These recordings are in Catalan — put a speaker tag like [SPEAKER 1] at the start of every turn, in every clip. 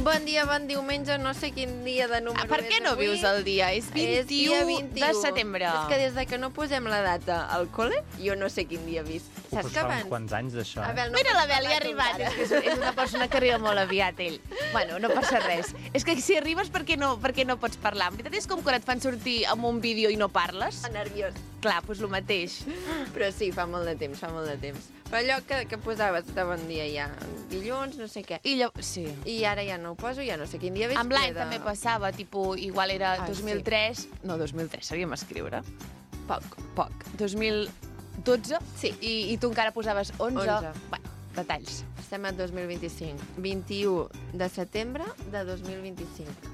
[SPEAKER 1] Bon dia, bon diumenge, no sé quin dia de número
[SPEAKER 2] Per què no vius el dia? És 21 de setembre.
[SPEAKER 1] És que des de que no posem la data al col·le, jo no sé quin dia he vist. Saps que abans...
[SPEAKER 3] Quants anys d'això,
[SPEAKER 1] Abel,
[SPEAKER 2] Mira, l'Abel ja ha arribat. És una persona que arriba molt aviat, ell. Bueno, no passa res. És que si arribes, per què no pots parlar? En veritat és com quan et fan sortir amb un vídeo i no parles.
[SPEAKER 1] Nerviós.
[SPEAKER 2] Clar, doncs el mateix.
[SPEAKER 1] Però sí, fa molt de temps, fa molt de temps. Però allò que posaves de bon dia ja, dilluns, no sé què.
[SPEAKER 2] Sí.
[SPEAKER 1] I ara ja no ho poso, ja no sé quin dia veig.
[SPEAKER 2] Amb l'any també passava, tipus, igual era 2003...
[SPEAKER 1] Sí.
[SPEAKER 2] No, 2003, sabíem escriure.
[SPEAKER 1] Poc.
[SPEAKER 2] 2012?
[SPEAKER 1] Sí.
[SPEAKER 2] I tu encara posaves 11.
[SPEAKER 1] 11.
[SPEAKER 2] Bueno, detalls.
[SPEAKER 1] Estem a 2025. 21 de setembre de 2025.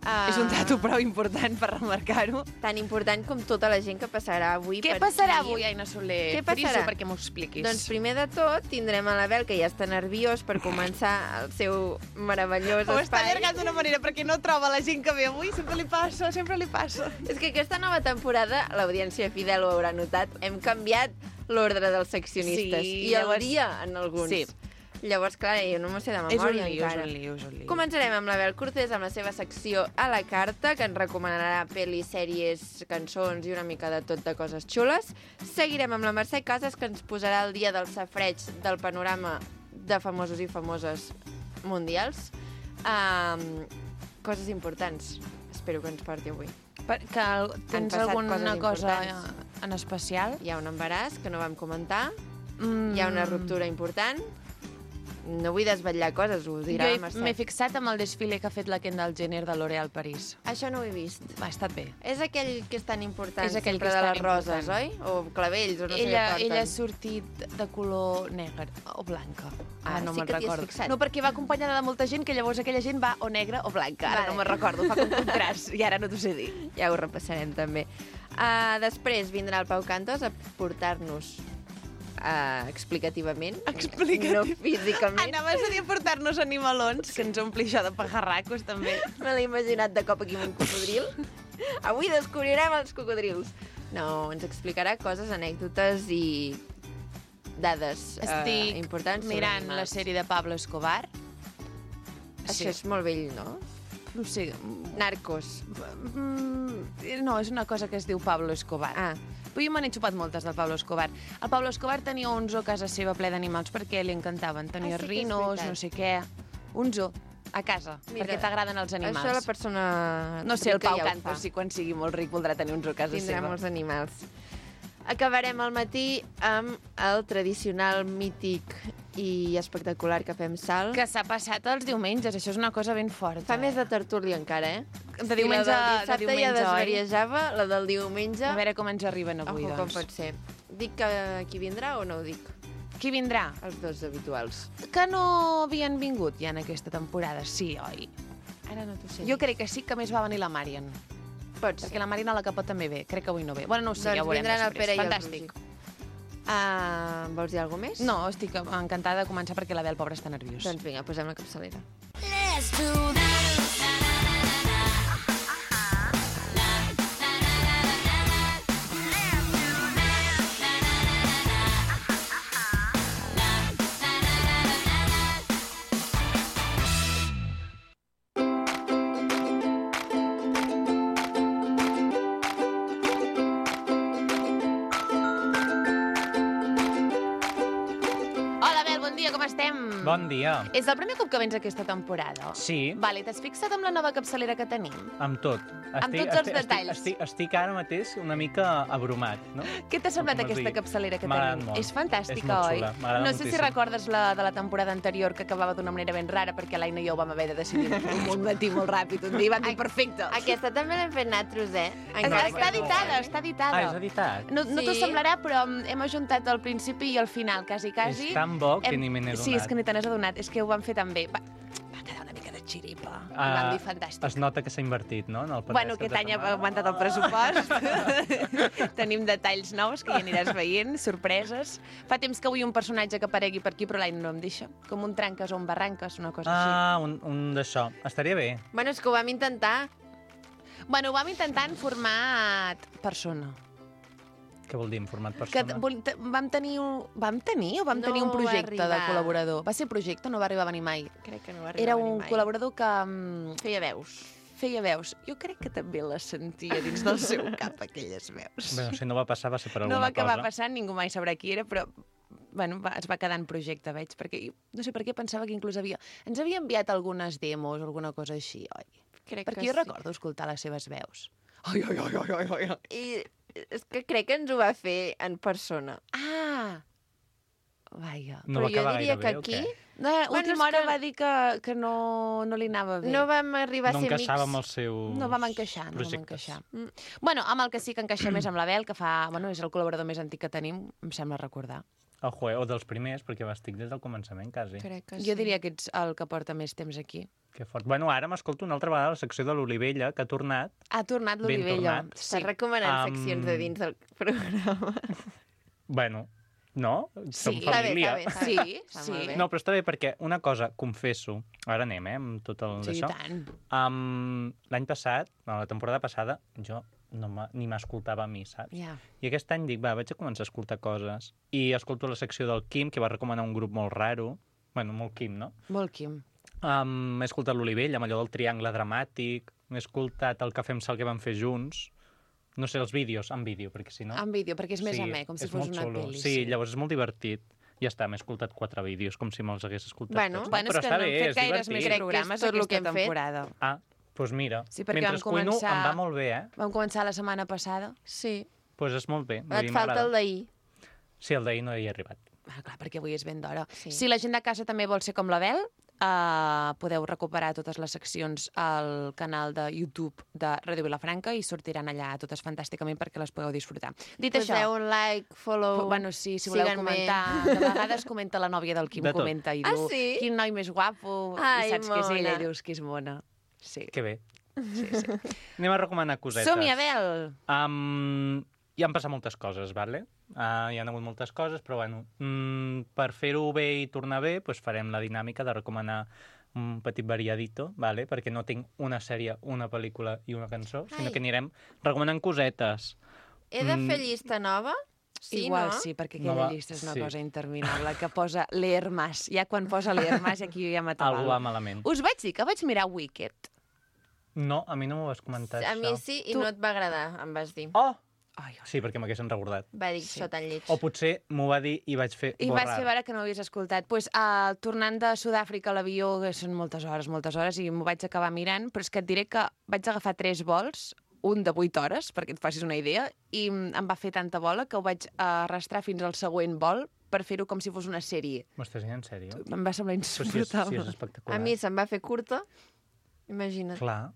[SPEAKER 2] És un dato prou important per remarcar-ho.
[SPEAKER 1] Tan important com tota la gent que passarà avui
[SPEAKER 2] Què passarà avui, Aina Soler?
[SPEAKER 1] Què passarà?
[SPEAKER 2] Friso perquè m'ho expliquis.
[SPEAKER 1] Doncs primer de tot tindrem a l'Abel, que ja està nerviós per començar el seu meravellós
[SPEAKER 2] Ho està
[SPEAKER 1] espai.
[SPEAKER 2] allargant d'una manera perquè no troba la gent que ve avui. Sempre li passa.
[SPEAKER 1] És que aquesta nova temporada, l'audiència fidel ho haurà notat, hem canviat l'ordre dels seccionistes.
[SPEAKER 2] Sí,
[SPEAKER 1] I
[SPEAKER 2] llavors...
[SPEAKER 1] el dia en alguns.
[SPEAKER 2] Sí.
[SPEAKER 1] Llavors, clar, jo no m'ho sé de memòria encara.
[SPEAKER 2] És un lío.
[SPEAKER 1] Començarem amb l'Abel Cortés amb la seva secció a la carta, que ens recomanarà pel·lis, sèries, cançons i una mica de tot de coses xules. Seguirem amb la Mercè Casas, que ens posarà el dia del safareig del panorama de famosos i famoses mundials. Coses importants. Espero que ens porti avui.
[SPEAKER 2] Que tens alguna cosa en especial?
[SPEAKER 1] Hi ha un embaràs que no vam comentar, hi ha una ruptura important. No vull desvetllar coses, ho dirà la Mercè.
[SPEAKER 2] Jo m'he fixat amb el desfile que ha fet la Kendall Jenner de L'Oréal París.
[SPEAKER 1] Això no ho he vist.
[SPEAKER 2] Ha estat bé.
[SPEAKER 1] És aquell que és tan important,
[SPEAKER 2] És aquell
[SPEAKER 1] sempre
[SPEAKER 2] que és
[SPEAKER 1] de
[SPEAKER 2] tan
[SPEAKER 1] les roses,
[SPEAKER 2] important.
[SPEAKER 1] oi? O clavells, o no sé què porten.
[SPEAKER 2] Ella ha sortit de color negre o blanca. No
[SPEAKER 1] sí
[SPEAKER 2] me'n
[SPEAKER 1] que t'hi has
[SPEAKER 2] recordo.
[SPEAKER 1] fixat.
[SPEAKER 2] No, perquè va acompanyada de molta gent que llavors aquella gent va o negra o blanca. Ara no me'n recordo, fa com contrast. I ara no t'ho sé dir.
[SPEAKER 1] Ja ho repassarem, també. Després vindrà el Pau Cantos a portar-nos explicativament. No físicament.
[SPEAKER 2] Anaves a dir portar-nos animalons, que ens ompli això de pajarracos, també.
[SPEAKER 1] Me l'he imaginat de cop aquí amb un cocodril. Avui descobrirem els cocodrils. No, ens explicarà coses, anècdotes i dades importants.
[SPEAKER 2] Estic mirant la sèrie de Pablo Escobar.
[SPEAKER 1] Això és molt vell, no?
[SPEAKER 2] No sé.
[SPEAKER 1] Narcos.
[SPEAKER 2] No, és una cosa que es diu Pablo Escobar. Però jo me n'he xupat moltes del Pablo Escobar. El Pablo Escobar tenia un zoo a casa seva ple d'animals perquè li encantaven. Tenia rinos, no sé què... Un zoo a casa, perquè t'agraden els animals.
[SPEAKER 1] Això la persona...
[SPEAKER 2] No sé, el Pau Cantos, si quan sigui molt ric voldrà tenir un zoo a casa seva.
[SPEAKER 1] Tindrà molts animals. Acabarem el matí amb el tradicional, mític i espectacular Cafè amb Sal.
[SPEAKER 2] Que s'ha passat els diumenges, això és una cosa ben forta.
[SPEAKER 1] Fa més de tertúlia encara,
[SPEAKER 2] De diumenge,
[SPEAKER 1] la del dissabte ja desvariejava, la del diumenge...
[SPEAKER 2] A veure com ens arriben avui, doncs.
[SPEAKER 1] Com pot ser. Dic que qui vindrà o no ho dic?
[SPEAKER 2] Qui vindrà?
[SPEAKER 1] Els dos habituals.
[SPEAKER 2] Que no havien vingut ja en aquesta temporada, sí, oi?
[SPEAKER 1] Ara no t'ho sé.
[SPEAKER 2] Jo crec que sí, que més va venir la Marian.
[SPEAKER 1] Pot ser.
[SPEAKER 2] Perquè la Marina a la Capot també ve. Crec que avui no ve. Bueno, no ho sé,
[SPEAKER 1] doncs
[SPEAKER 2] ja ho veurem
[SPEAKER 1] vindran
[SPEAKER 2] després.
[SPEAKER 1] El Pere
[SPEAKER 2] Fantàstic.
[SPEAKER 1] Vols dir alguna més?
[SPEAKER 2] No, estic encantada de començar perquè l'Abel, pobre, està nerviós.
[SPEAKER 1] Doncs vinga, posem la capçalera.
[SPEAKER 4] Let's do this.
[SPEAKER 2] Com estem?
[SPEAKER 3] Bon dia.
[SPEAKER 2] És el primer cop que vens aquesta temporada?
[SPEAKER 3] Sí.
[SPEAKER 2] Vale, t'has fixat amb la nova capçalera que tenim?
[SPEAKER 3] Amb tot.
[SPEAKER 2] Amb tots els detalls.
[SPEAKER 3] Estic ara mateix una mica abrumat, no?
[SPEAKER 2] Què t'ha semblat aquesta capçalera que tenim? És fantàstica, oi? No sé si recordes la de la temporada anterior, que acabava d'una manera ben rara, perquè l'Aina i jo vam haver de decidir un matí molt ràpid. Un dia vam dir perfecte.
[SPEAKER 1] Aquesta també l'hem fet nosaltres,
[SPEAKER 2] Està editada, està editada.
[SPEAKER 3] És editat?
[SPEAKER 2] No t'ho semblarà, però hem ajuntat el principi i el final, quasi.
[SPEAKER 3] És tan bo que ni me n'he donat.
[SPEAKER 2] Sí, és que ni te n'has adonat. És que ho van fer tan bé. Va quedar una mica de xiripa. Vam dir fantàstic.
[SPEAKER 3] Es nota que s'ha invertit, no?
[SPEAKER 2] Bueno, aquest any ha augmentat el pressupost. Tenim detalls nous que ja aniràs veient, sorpreses. Fa temps que vull un personatge que aparegui per aquí, però l'any no em deixa. Com un tranques o un barranques, una cosa així.
[SPEAKER 3] Un d'això. Estaria bé.
[SPEAKER 1] Bueno, és que ho vam intentar.
[SPEAKER 2] Bueno, ho vam intentar en format persona.
[SPEAKER 3] Què vol dir, en format
[SPEAKER 2] Que
[SPEAKER 3] persona?
[SPEAKER 2] vam tenir un
[SPEAKER 1] No
[SPEAKER 2] projecte
[SPEAKER 1] va
[SPEAKER 2] de
[SPEAKER 1] arribar.
[SPEAKER 2] col·laborador. Va ser projecte, no va arribar a venir mai.
[SPEAKER 1] Crec que no va arribar
[SPEAKER 2] Era
[SPEAKER 1] a venir
[SPEAKER 2] un
[SPEAKER 1] mai.
[SPEAKER 2] col·laborador que
[SPEAKER 1] Feia veus.
[SPEAKER 2] feia veus. Jo crec que també les sentia dins del seu cap, aquelles veus.
[SPEAKER 3] Bé, si no va passar, va ser per
[SPEAKER 2] No
[SPEAKER 3] alguna
[SPEAKER 2] va acabar
[SPEAKER 3] cosa.
[SPEAKER 2] passant, ningú mai sabrà qui era, però bueno, es va quedar en projecte, veig, perquè no sé per què pensava que inclús ens havia enviat algunes demos o alguna cosa així, oi?
[SPEAKER 1] Crec
[SPEAKER 2] Perquè
[SPEAKER 1] que
[SPEAKER 2] jo
[SPEAKER 1] sí.
[SPEAKER 2] recordo escoltar les seves veus. Ai, ai, ai, ai, ai, ai.
[SPEAKER 1] I és que crec que ens ho va fer en persona.
[SPEAKER 2] Ah! Vaja.
[SPEAKER 3] No
[SPEAKER 1] Però
[SPEAKER 3] va
[SPEAKER 1] jo
[SPEAKER 3] acabar
[SPEAKER 1] diria
[SPEAKER 3] gaire
[SPEAKER 1] que
[SPEAKER 3] bé,
[SPEAKER 1] aquí
[SPEAKER 3] o què?
[SPEAKER 2] No,
[SPEAKER 1] Bueno,
[SPEAKER 2] última
[SPEAKER 1] és
[SPEAKER 2] hora
[SPEAKER 1] que-
[SPEAKER 2] va dir que no li anava bé.
[SPEAKER 1] no vam arribar
[SPEAKER 3] No
[SPEAKER 1] a ser
[SPEAKER 3] encaixava
[SPEAKER 1] amics.
[SPEAKER 3] amb els seus
[SPEAKER 2] No vam encaixar, no vam
[SPEAKER 3] projectes.
[SPEAKER 2] encaixar. Bueno, amb el que sí que encaixa més amb l'Abel, que és el col·laborador més antic que tenim, em sembla recordar.
[SPEAKER 3] Ojo, o dels primers, perquè estic des del començament, quasi.
[SPEAKER 1] Crec que
[SPEAKER 2] Jo diria que ets el que porta més temps aquí.
[SPEAKER 3] Que fort. Bueno, ara m'escolto una altra vegada la secció de l'Olivella, que ha tornat.
[SPEAKER 2] Ha tornat
[SPEAKER 3] Ben
[SPEAKER 2] l'Olivella.
[SPEAKER 3] tornat.
[SPEAKER 1] Estàs recomanant seccions de dins del programa.
[SPEAKER 3] Bueno, no? Som
[SPEAKER 2] Sí.
[SPEAKER 3] família.
[SPEAKER 1] Està bé.
[SPEAKER 2] Sí,
[SPEAKER 1] Està
[SPEAKER 2] sí.
[SPEAKER 1] molt bé.
[SPEAKER 3] No, però està bé perquè una cosa, confesso, ara anem, amb tot el
[SPEAKER 2] Sí, i
[SPEAKER 3] d'això.
[SPEAKER 2] tant.
[SPEAKER 3] L'any passat, no, la temporada passada, jo ni m'escoltava a mi, saps?
[SPEAKER 2] Ja.
[SPEAKER 3] I aquest any dic, vaig a començar a escoltar coses. I escolto la secció del Quim, que va recomanar un grup molt raro. Bueno, molt Quim, no?
[SPEAKER 2] Molt Quim.
[SPEAKER 3] He escoltat l'Olivella, amb allò del triangle dramàtic. He escoltat el Cafè amb Sal que vam fer junts. No sé, els vídeos, en vídeo, perquè si no...
[SPEAKER 2] En vídeo, perquè és més amè, com si
[SPEAKER 3] és
[SPEAKER 2] fos
[SPEAKER 3] molt
[SPEAKER 2] una
[SPEAKER 3] xulo.
[SPEAKER 2] pel·li.
[SPEAKER 3] Sí, llavors és molt divertit. Ja està, m'he escoltat 4 vídeos, com si me'ls hagués escoltat
[SPEAKER 1] Bueno,
[SPEAKER 3] tots.
[SPEAKER 2] Bueno,
[SPEAKER 3] Però
[SPEAKER 2] és que
[SPEAKER 3] està
[SPEAKER 2] no
[SPEAKER 3] bé,
[SPEAKER 2] hem fet
[SPEAKER 3] és
[SPEAKER 2] gaires
[SPEAKER 3] divertit.
[SPEAKER 2] més
[SPEAKER 1] Crec que és
[SPEAKER 2] programes
[SPEAKER 1] tot el
[SPEAKER 2] aquesta
[SPEAKER 1] que hem fet.
[SPEAKER 2] temporada.
[SPEAKER 3] Ah, doncs mira.
[SPEAKER 2] Sí, perquè
[SPEAKER 3] mentre
[SPEAKER 2] vam
[SPEAKER 3] cuino
[SPEAKER 2] començar-
[SPEAKER 3] em va molt bé, eh?
[SPEAKER 2] Vam començar la setmana passada.
[SPEAKER 1] Sí.
[SPEAKER 3] Doncs és molt bé. vull
[SPEAKER 1] Et
[SPEAKER 3] dir,
[SPEAKER 1] falta
[SPEAKER 3] m'agrada.
[SPEAKER 1] el d'ahir.
[SPEAKER 3] Sí, el d'ahir no hi he arribat.
[SPEAKER 2] Ah, clar, perquè avui és ben d'hora.
[SPEAKER 1] Sí.
[SPEAKER 2] Si la gent de casa també vol ser com l'Abel, podeu recuperar totes les seccions al canal de YouTube de Ràdio Vilafranca i sortiran allà totes fantàsticament perquè les podeu disfrutar. Dit
[SPEAKER 1] Poseu
[SPEAKER 2] això,
[SPEAKER 1] un like, follow...
[SPEAKER 2] bueno, sí, si voleu
[SPEAKER 1] síganme.
[SPEAKER 2] comentar, de vegades comenta la nòvia del Quim,
[SPEAKER 3] De tot.
[SPEAKER 2] comenta i
[SPEAKER 1] Ah,
[SPEAKER 2] diu,
[SPEAKER 1] sí?
[SPEAKER 2] quin noi més guapo,
[SPEAKER 1] Ai,
[SPEAKER 2] i saps que és ella,
[SPEAKER 1] mona.
[SPEAKER 2] i dius que és mona. Sí,
[SPEAKER 3] Que bé.
[SPEAKER 2] sí, sí.
[SPEAKER 3] Anem a recomanar cosetes.
[SPEAKER 2] Som-hi, Abel!
[SPEAKER 3] Ja han passat moltes coses, vale? Hi ha hagut moltes coses, però bueno, per fer-ho bé i tornar bé, doncs farem la dinàmica de recomanar un petit variadito, vale? Perquè no tinc una sèrie, una pel·lícula i una cançó, sinó
[SPEAKER 1] Ai.
[SPEAKER 3] que anirem recomanant cosetes.
[SPEAKER 1] He de fer llista nova? Sí,
[SPEAKER 2] Igual
[SPEAKER 1] no?
[SPEAKER 2] sí, perquè
[SPEAKER 3] No
[SPEAKER 2] aquella
[SPEAKER 3] va-
[SPEAKER 2] llista és una
[SPEAKER 3] sí.
[SPEAKER 2] cosa interminable, que posa leer más. Ja quan posa leer más, aquí ja m'atabalo.
[SPEAKER 3] Algú va malament.
[SPEAKER 2] Us vaig dir que vaig mirar Wicked.
[SPEAKER 3] No, a mi no m'ho vas comentar,
[SPEAKER 1] A mi
[SPEAKER 3] això.
[SPEAKER 1] sí, i
[SPEAKER 2] Tu-
[SPEAKER 1] no et va agradar, em vas dir.
[SPEAKER 3] Oh!
[SPEAKER 2] Ai,
[SPEAKER 3] Sí, perquè m'haguessin recordat.
[SPEAKER 1] Va dir això tan lleig.
[SPEAKER 3] O potser m'ho va dir i vaig fer
[SPEAKER 2] I
[SPEAKER 3] borrar.
[SPEAKER 2] vaig fer veure que no ho havies escoltat. Pues, tornant de Sud-àfrica a l'avió, que són moltes hores, i m'ho vaig acabar mirant, però és que et diré que vaig agafar 3 vols, un de 8 hores, perquè et facis una idea, i em va fer tanta bola que ho vaig arrastrar fins al següent vol per fer-ho com si fos una sèrie.
[SPEAKER 3] M'estàs dient en sèrio?
[SPEAKER 2] Em va semblar
[SPEAKER 3] Però si és
[SPEAKER 2] insuportable.
[SPEAKER 3] espectacular.
[SPEAKER 1] A mi se'm va fer curta, imagina't,
[SPEAKER 3] Clar,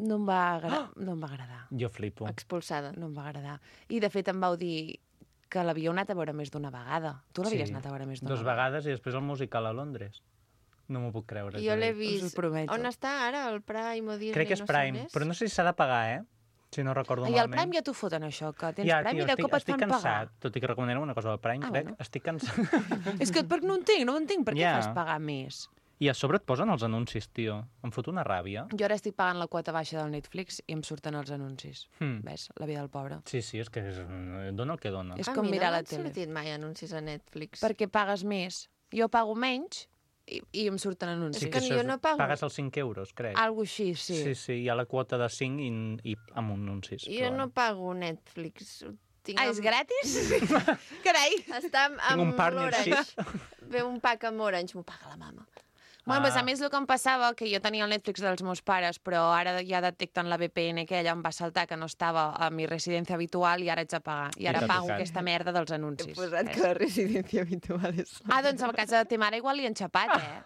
[SPEAKER 2] No em va agradar.
[SPEAKER 3] jo flipo.
[SPEAKER 1] expulsada.
[SPEAKER 2] No em va agradar. I, de fet, em vau dir que l'havíeu anat a veure més d'una vegada. Tu l'havies anat a veure més d'una
[SPEAKER 3] 2 vegades i després el musical a Londres. No m'ho puc creure.
[SPEAKER 1] Jo l'he
[SPEAKER 3] dic.
[SPEAKER 1] vist.
[SPEAKER 2] Us ho prometo.
[SPEAKER 1] On està ara? El Prime o Disney?
[SPEAKER 3] Crec que és
[SPEAKER 1] no sé
[SPEAKER 3] Prime,
[SPEAKER 1] on és?
[SPEAKER 3] però no sé si s'ha de pagar, eh? Si no recordo
[SPEAKER 2] I al
[SPEAKER 3] malament.
[SPEAKER 2] Prime ja t'ho foten, això, que tens
[SPEAKER 3] Ja,
[SPEAKER 2] Prime
[SPEAKER 3] tio,
[SPEAKER 2] i de cop et
[SPEAKER 3] estic
[SPEAKER 2] fan
[SPEAKER 3] cansat,
[SPEAKER 2] pagar.
[SPEAKER 3] tot i que recomanaré una cosa del Prime, crec.
[SPEAKER 2] bueno.
[SPEAKER 3] Estic cansat.
[SPEAKER 2] És que no ho entenc. Per què
[SPEAKER 3] Ja.
[SPEAKER 2] fas pagar més?
[SPEAKER 3] I a sobre et posen els anuncis, tio. Em fot una ràbia.
[SPEAKER 2] Jo ara estic pagant la quota baixa del Netflix i em surten els anuncis.
[SPEAKER 3] Hmm.
[SPEAKER 2] Ves? La vida del pobre.
[SPEAKER 3] Sí, és que dona el que dona.
[SPEAKER 2] És
[SPEAKER 1] A
[SPEAKER 2] com
[SPEAKER 1] mi
[SPEAKER 2] mirar
[SPEAKER 1] no
[SPEAKER 2] la
[SPEAKER 1] m'han
[SPEAKER 2] tele.
[SPEAKER 1] sortit mai anuncis a Netflix.
[SPEAKER 2] Perquè pagues més. Jo pago menys i em surten anuncis.
[SPEAKER 1] És que
[SPEAKER 3] això
[SPEAKER 1] jo no pago.
[SPEAKER 3] Pagues els 5 euros, crec.
[SPEAKER 2] Algo així, sí.
[SPEAKER 3] Sí, hi ha la quota de 5 i amb anuncis.
[SPEAKER 1] Jo
[SPEAKER 3] però
[SPEAKER 1] no
[SPEAKER 3] bueno.
[SPEAKER 1] pago Netflix. Ho tinc
[SPEAKER 2] Ah, és
[SPEAKER 1] amb-
[SPEAKER 2] gratis? Carai!
[SPEAKER 1] Està amb
[SPEAKER 3] un partnership.
[SPEAKER 1] l'Orange. Ve un pack amb Orange, m'ho paga la mama.
[SPEAKER 2] Bueno, doncs a més el que em passava, que jo tenia el Netflix dels meus pares, però ara ja detecten la VPN que ella em va saltar, que no estava a mi residència habitual, i ara haig de pagar. I ara
[SPEAKER 3] t'ha
[SPEAKER 2] pago
[SPEAKER 3] tocat.
[SPEAKER 2] aquesta merda dels
[SPEAKER 1] He
[SPEAKER 2] anuncis.
[SPEAKER 1] posat
[SPEAKER 2] Ves?
[SPEAKER 1] que la residència habitual és...
[SPEAKER 2] Ah, doncs a casa de ta mare igual li han xapat, eh?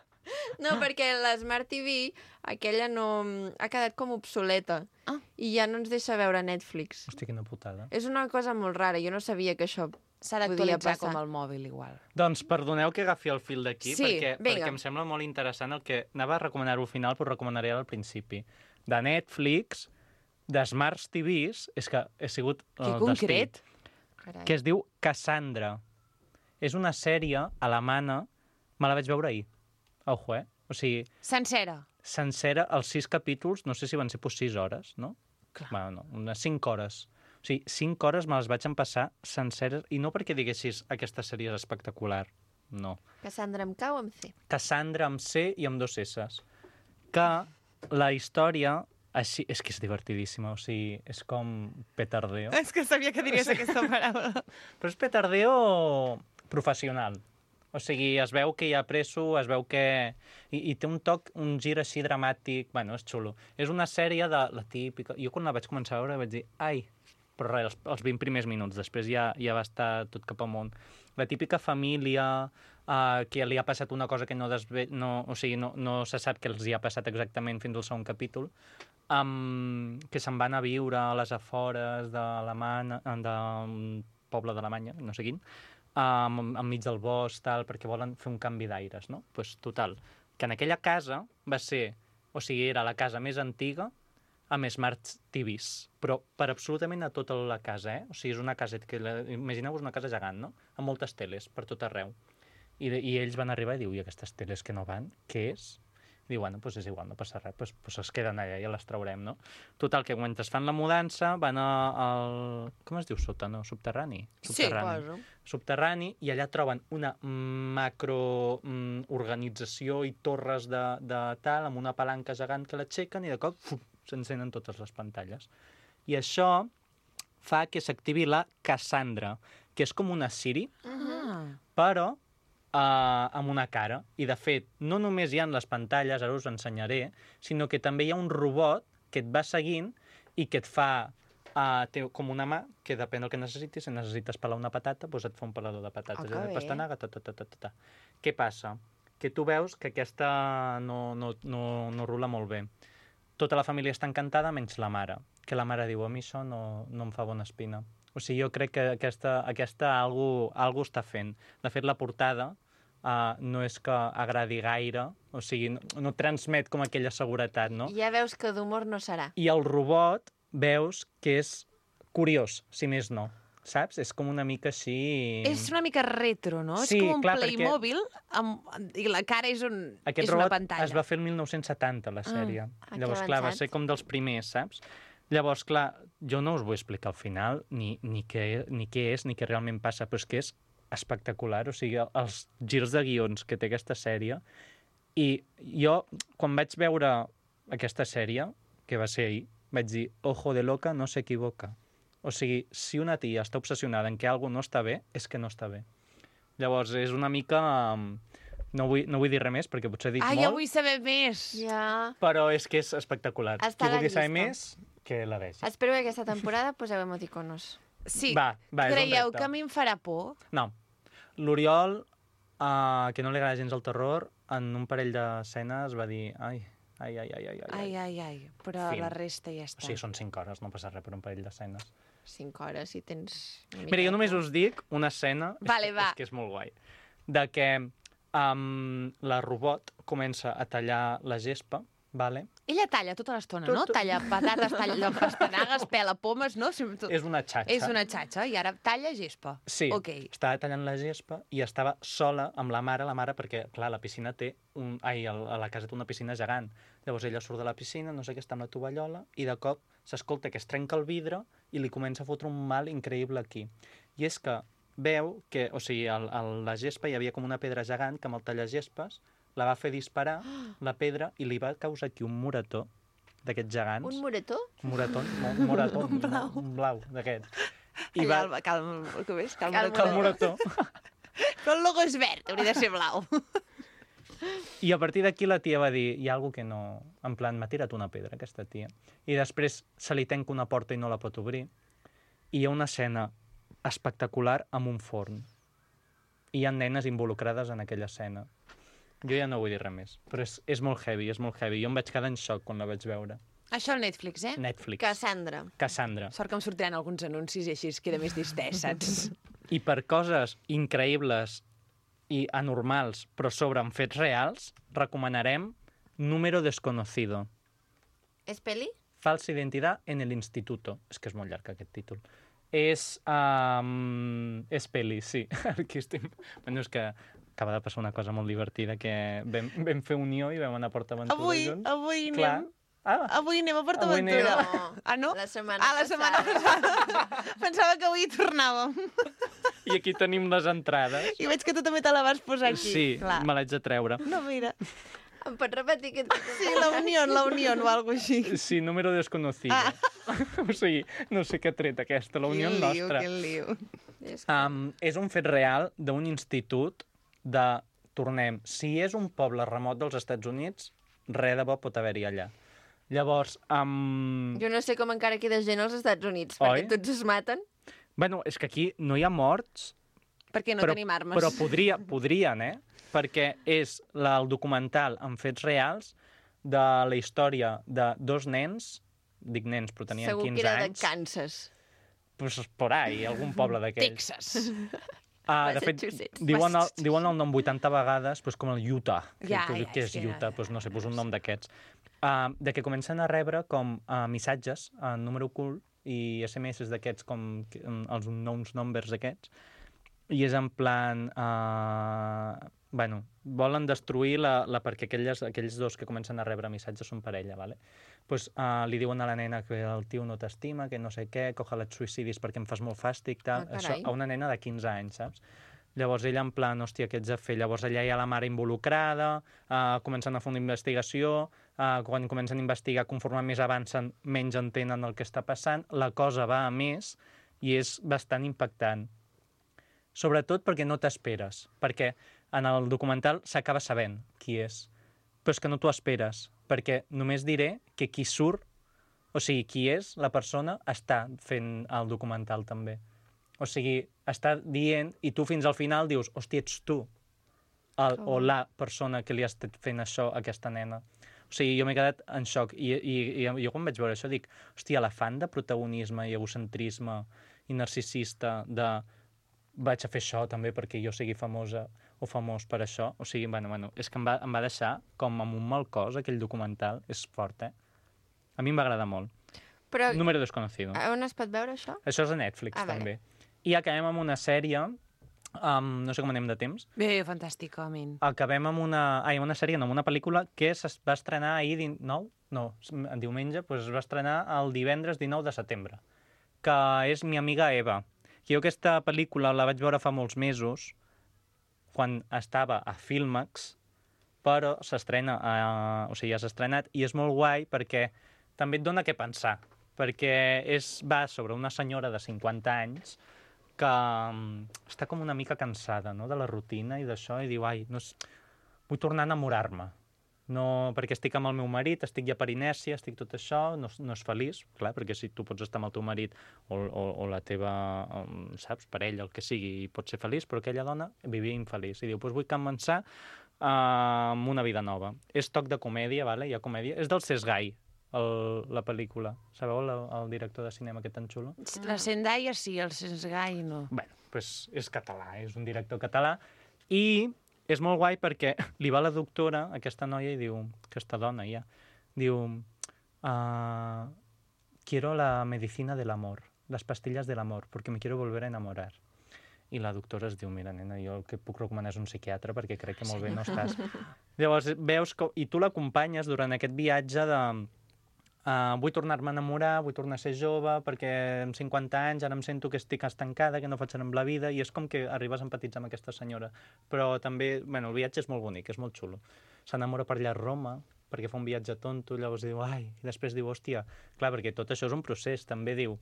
[SPEAKER 1] No, perquè l'Smart TV, aquella no... ha quedat com obsoleta.
[SPEAKER 2] Ah.
[SPEAKER 1] I ja no ens deixa veure Netflix.
[SPEAKER 3] Hosti, quina putada.
[SPEAKER 1] És una cosa molt rara, jo no sabia que això
[SPEAKER 2] S'ha
[SPEAKER 1] podia
[SPEAKER 2] d'actualitzar
[SPEAKER 1] passar.
[SPEAKER 2] com el mòbil, igual.
[SPEAKER 3] Doncs perdoneu que agafi el fil d'aquí,
[SPEAKER 2] Sí,
[SPEAKER 1] vinga.
[SPEAKER 3] perquè em sembla molt interessant el que... Anava a recomanar-ho al final, però recomanaré al principi. De Netflix, de Smart TVs, és que he sigut...
[SPEAKER 2] Que concret.
[SPEAKER 1] Carai.
[SPEAKER 3] Que es diu Cassandra. És una sèrie alemana, me la vaig veure ahir. Ojo, eh? O sigui,
[SPEAKER 2] Sencera.
[SPEAKER 3] sencera, els 6 capítols, no sé si van ser 6 hores, no?
[SPEAKER 2] Clar.
[SPEAKER 3] Bueno, no, unes 5 hores. O sigui, 5 hores me les vaig empassar senceres, i no perquè diguessis aquesta sèrie és espectacular, no.
[SPEAKER 1] Cassandra amb K o amb C?
[SPEAKER 3] Cassandra amb C i amb 2 S's. Que la història, així, és que és divertidíssima, o sigui, és com petardeo.
[SPEAKER 2] És que sabia que diries aquesta paraula.
[SPEAKER 3] Però és petardeo professional. O sigui, es veu que hi ha presso, es veu que... I té un toc, un gir així dramàtic. Bueno, és xulo. És una sèrie de la típica... Jo quan la vaig començar a veure vaig dir, ai, però res, els 20 primers minuts, després ja va estar tot cap amunt. La típica família que li ha passat una cosa que no se sap què els hi ha passat exactament fins al segon capítol, que se'n van a viure a les afores d'un poble d'Alemanya, no sé quin, enmig del bosc, tal, perquè volen fer un canvi d'aires, no? Pues, total, que en aquella casa va ser, o sigui, era la casa més antiga amb Smart TVs, però per absolutament a tota la casa, O sigui, és una casa, imagineu-vos una casa gegant, no? Amb moltes teles per tot arreu. I ells van arribar i diu, i aquestes teles que no van, què és? Diu, bueno, doncs és igual, no passa res, doncs es queden allà, ja les traurem, no? Total, que mentre fan la mudança van al... Com es diu sota, no? Subterrani?
[SPEAKER 1] Suposo.
[SPEAKER 3] Subterrani, i allà troben una macroorganització i torres de tal, amb una palanca gegant que l'aixequen i de cop s'encenen totes les pantalles. I això fa que s'activi la Cassandra, que és com una Siri, però amb una cara. I, de fet, no només hi ha les pantalles, ara us ho ensenyaré, sinó que també hi ha un robot que et va seguint i que et fa... té com una mà que depèn del que necessitis. Si necessites pelar una patata, doncs et fa un pelador de patates.
[SPEAKER 1] que bé.
[SPEAKER 3] Pastanaga, Què passa? Que tu veus que aquesta no rula molt bé. Tota la família està encantada, menys la mare. Que la mare diu, a mi això no em fa bona espina. O sigui, jo crec que aquesta algú està fent. De fet, la portada no és que agradi gaire, o sigui, no transmet com aquella seguretat, no?
[SPEAKER 1] Ja veus que d'humor no serà.
[SPEAKER 3] I el robot veus que és curiós, si més no, saps? És com una mica així...
[SPEAKER 2] És una mica retro, no?
[SPEAKER 3] Sí,
[SPEAKER 2] és com un
[SPEAKER 3] clar,
[SPEAKER 2] Playmobil i la cara és una
[SPEAKER 3] Aquest robot
[SPEAKER 2] pantalla.
[SPEAKER 3] es va fer el 1970, la sèrie.
[SPEAKER 1] que
[SPEAKER 3] Llavors, clar, va
[SPEAKER 1] avançat.
[SPEAKER 3] ser com dels primers, saps? Llavors, clar, jo no us vull explicar al final ni què és, ni què realment passa, però és que és espectacular. O sigui, els girs de guions que té aquesta sèrie. I jo, quan vaig veure aquesta sèrie, que va ser ahir, vaig dir, ojo de loca, no s'equivoca. O sigui, si una tia està obsessionada en que alguna no està bé, és que no està bé. Llavors, és una mica... No vull dir res més, perquè potser he dit molt.
[SPEAKER 2] Ja vull saber més!
[SPEAKER 1] Ja.
[SPEAKER 3] Però és que és espectacular.
[SPEAKER 1] Està a la
[SPEAKER 3] Qui vulgui saber
[SPEAKER 1] llista.
[SPEAKER 3] més, que la vegi.
[SPEAKER 1] Espero que aquesta temporada poseu emoticonos.
[SPEAKER 2] Sí,
[SPEAKER 3] Va, és un
[SPEAKER 2] creieu
[SPEAKER 3] repte.
[SPEAKER 2] que a mi em farà por?
[SPEAKER 3] No. L'Oriol, que no li agrada gens el terror, en un parell d'escenes va dir ai.
[SPEAKER 2] Però
[SPEAKER 3] Fin.
[SPEAKER 2] la resta ja
[SPEAKER 3] O
[SPEAKER 2] està.
[SPEAKER 3] sigui, són 5 hores, no passa res per un parell d'escenes.
[SPEAKER 1] 5 hores, si tens...
[SPEAKER 3] Mira, jo només us dic una escena,
[SPEAKER 2] Vale, va.
[SPEAKER 3] és que és molt guai, de que la robot comença a tallar la gespa, vale?
[SPEAKER 2] Ella talla tota l'estona, no?
[SPEAKER 3] Tot.
[SPEAKER 2] Talla patates, talla pastanagues, pela pomes, no?
[SPEAKER 3] És una xatxa.
[SPEAKER 2] És una xatxa i ara talla gespa.
[SPEAKER 3] Sí,
[SPEAKER 2] Ok.
[SPEAKER 3] estava tallant la gespa i estava sola amb la mare, perquè, clar, la piscina té a la casa té una piscina gegant. Llavors ella surt de la piscina, no sé què, està amb la tovallola, i de cop s'escolta que es trenca el vidre i li comença a fotre un mal increïble aquí. I és que veu que, o sigui, a la gespa hi havia com una pedra gegant que amb el tallagespes la va fer disparar, la pedra, i li va causar aquí un morató d'aquests gegants.
[SPEAKER 1] Un morató?
[SPEAKER 3] Un morató, un blau d'aquest. I
[SPEAKER 2] Allà,
[SPEAKER 3] va...
[SPEAKER 2] calma, com és?
[SPEAKER 1] Cal
[SPEAKER 3] Que el morató.
[SPEAKER 2] Però el logo és verd, hauria de ser blau.
[SPEAKER 3] I a partir d'aquí la tia va dir, hi ha alguna que no... En plan, m'ha tirat una pedra, aquesta tia. I després se li tanca una porta i no la pot obrir. I hi ha una escena espectacular amb un forn. I hi ha nenes involucrades en aquella escena. Jo ja no vull dir res més, però és molt heavy, és molt heavy. Jo em vaig quedar en xoc quan la vaig veure.
[SPEAKER 2] Això al Netflix,
[SPEAKER 3] Netflix.
[SPEAKER 1] Cassandra.
[SPEAKER 3] Cassandra.
[SPEAKER 2] Sort que em sortiran alguns anuncis i així es queda més distès, saps?
[SPEAKER 3] I per coses increïbles i anormals, però sobre en fets reals, recomanarem Número desconocido.
[SPEAKER 1] És peli?
[SPEAKER 3] Falsa identidad en el instituto. És que és molt llarg aquest títol. És peli, sí. Aquí estem... Bueno, és que acaba de passar una cosa molt divertida, que vam fer unió i vam anar a PortAventura junts.
[SPEAKER 2] Avui
[SPEAKER 3] Clar,
[SPEAKER 2] anem... Avui anem a
[SPEAKER 3] Avui
[SPEAKER 2] PortAventura.
[SPEAKER 1] anem.
[SPEAKER 2] Ah, no?
[SPEAKER 1] La setmana
[SPEAKER 2] la setmana passada. Pensava que avui hi tornàvem.
[SPEAKER 3] I aquí tenim les entrades.
[SPEAKER 2] I veig que tu també te la vas posar aquí.
[SPEAKER 3] Sí,
[SPEAKER 2] Clar.
[SPEAKER 3] me l'haig de treure.
[SPEAKER 2] No, mira.
[SPEAKER 1] Em pots repetir aquest...
[SPEAKER 2] Sí, la Unión o algo així.
[SPEAKER 3] Sí, número desconocido. O sigui, no sé què ha tret aquesta, la Unió nostra.
[SPEAKER 2] Quin lío.
[SPEAKER 3] És un fet real d'un institut de, tornem, si és un poble remot dels Estats Units, res de bo pot haver-hi allà. Llavors,
[SPEAKER 1] Jo no sé com encara queda gent als Estats Units,
[SPEAKER 3] Oi?
[SPEAKER 1] perquè tots es maten.
[SPEAKER 3] bueno, és que aquí no hi ha morts,
[SPEAKER 2] Perquè no tenim armes.
[SPEAKER 3] però podrien, perquè és el documental amb fets reals de la història de dos nens, dic nens, però tenien
[SPEAKER 1] Segur
[SPEAKER 3] 15
[SPEAKER 1] que era
[SPEAKER 3] anys.
[SPEAKER 1] de Kansas.
[SPEAKER 3] Pues por ahí, algun poble d'aquells.
[SPEAKER 2] Texas.
[SPEAKER 3] De fet,
[SPEAKER 1] Massachusetts.
[SPEAKER 3] diuen el nom 80 vegades, doncs com el Utah.
[SPEAKER 2] Ja,
[SPEAKER 3] Què és
[SPEAKER 2] és que
[SPEAKER 3] Utah?
[SPEAKER 2] ja.
[SPEAKER 3] Doncs no sé, un nom d'aquests. De que comencen a rebre com missatges en número ocult i SMS d'aquests, com els unknowns numbers aquests, i és en plan... volen destruir perquè aquells dos que comencen a rebre missatges són parella, ¿vale? Pues, li diuen a la nena que el tio no t'estima, que no sé què, que ojalà et suïcidis perquè em fas molt fàstic, tal.
[SPEAKER 1] Ah,
[SPEAKER 3] Això
[SPEAKER 1] carai.
[SPEAKER 3] a una nena de 15 anys, saps? Llavors ella en plan, hòstia, què ets a fer? Llavors allà hi ha la mare involucrada, comencen a fer una investigació, quan comencen a investigar, conforme més avancen, menys entenen el que està passant, la cosa va a més i és bastant impactant. Sobretot perquè no t'esperes, perquè en el documental s'acaba sabent qui és, però és que no t'ho esperes, perquè només diré que qui surt, o sigui, qui és la persona, està fent el documental també. O sigui, està dient, i tu fins al final dius, hòstia, ets tu, o la persona que li ha estat fent això a aquesta nena. O sigui, jo m'he quedat en xoc, i jo quan vaig veure això dic, hòstia, l'afant de protagonisme i egocentrisme i narcisista de vaig a fer això també perquè jo sigui famosa o famós per això, o sigui, bueno, és que em va deixar com amb un mal cos aquell documental, és fort, A mi em va agradar molt.
[SPEAKER 1] Però
[SPEAKER 3] Número desconocido.
[SPEAKER 1] on es pot veure això?
[SPEAKER 3] Això és a Netflix,
[SPEAKER 1] Ah, vale.
[SPEAKER 3] també. I acabem amb una sèrie, no sé com anem de temps,
[SPEAKER 2] Bé, fantàsticament.
[SPEAKER 3] acabem amb una sèrie, no, amb una pel·lícula que es va estrenar ahir 19, no, en diumenge, doncs es va estrenar el divendres 19 de setembre, que és Mi amiga Eva. Jo aquesta pel·lícula la vaig veure fa molts mesos, quan estava a Filmax, però s'estrena, o sigui, ja s'ha estrenat, i és molt guai perquè també et dona què pensar, perquè va sobre una senyora de 50 anys que està com una mica cansada, no?, de la rutina i d'això, i diu, ai, no, vull tornar a enamorar-me. No, perquè estic amb el meu marit, estic ja per inèrcia, estic tot això, no és feliç, clar, perquè si tu pots estar amb el teu marit o la teva, saps, parella, el que sigui, i pots ser feliç, però aquella dona vivia infeliç. I diu, doncs vull començar amb una vida nova. És toc de comèdia, vale? Hi ha comèdia. És del Cesgai, la pel·lícula. Sabeu el director de cinema que tan xulo?
[SPEAKER 2] La Zendaya sí, el Sensgai no.
[SPEAKER 3] Bueno, doncs és català, és un director català, i és molt guai perquè li va la doctora, aquesta noia, i diu, aquesta dona ja, diu, quiero la medicina del amor, las pastillas del amor, porque me quiero volver a enamorar. I la doctora es diu, mira, nena, jo el que puc recomanar és un psiquiatre perquè crec que molt bé no estàs. Llavors, veus que... I tu l'acompanyes durant aquest viatge de... vull tornar-me a enamorar, vull tornar a ser jove, perquè amb 50 anys ara em sento que estic estancada, que no faig res amb la vida, i és com que arribes a empatitzar amb aquesta senyora. Però també, bueno, el viatge és molt bonic, és molt xulo. S'enamora per allà a Roma, perquè fa un viatge tonto, llavors diu, ai, i després diu, hòstia, clar, perquè tot això és un procés, també diu,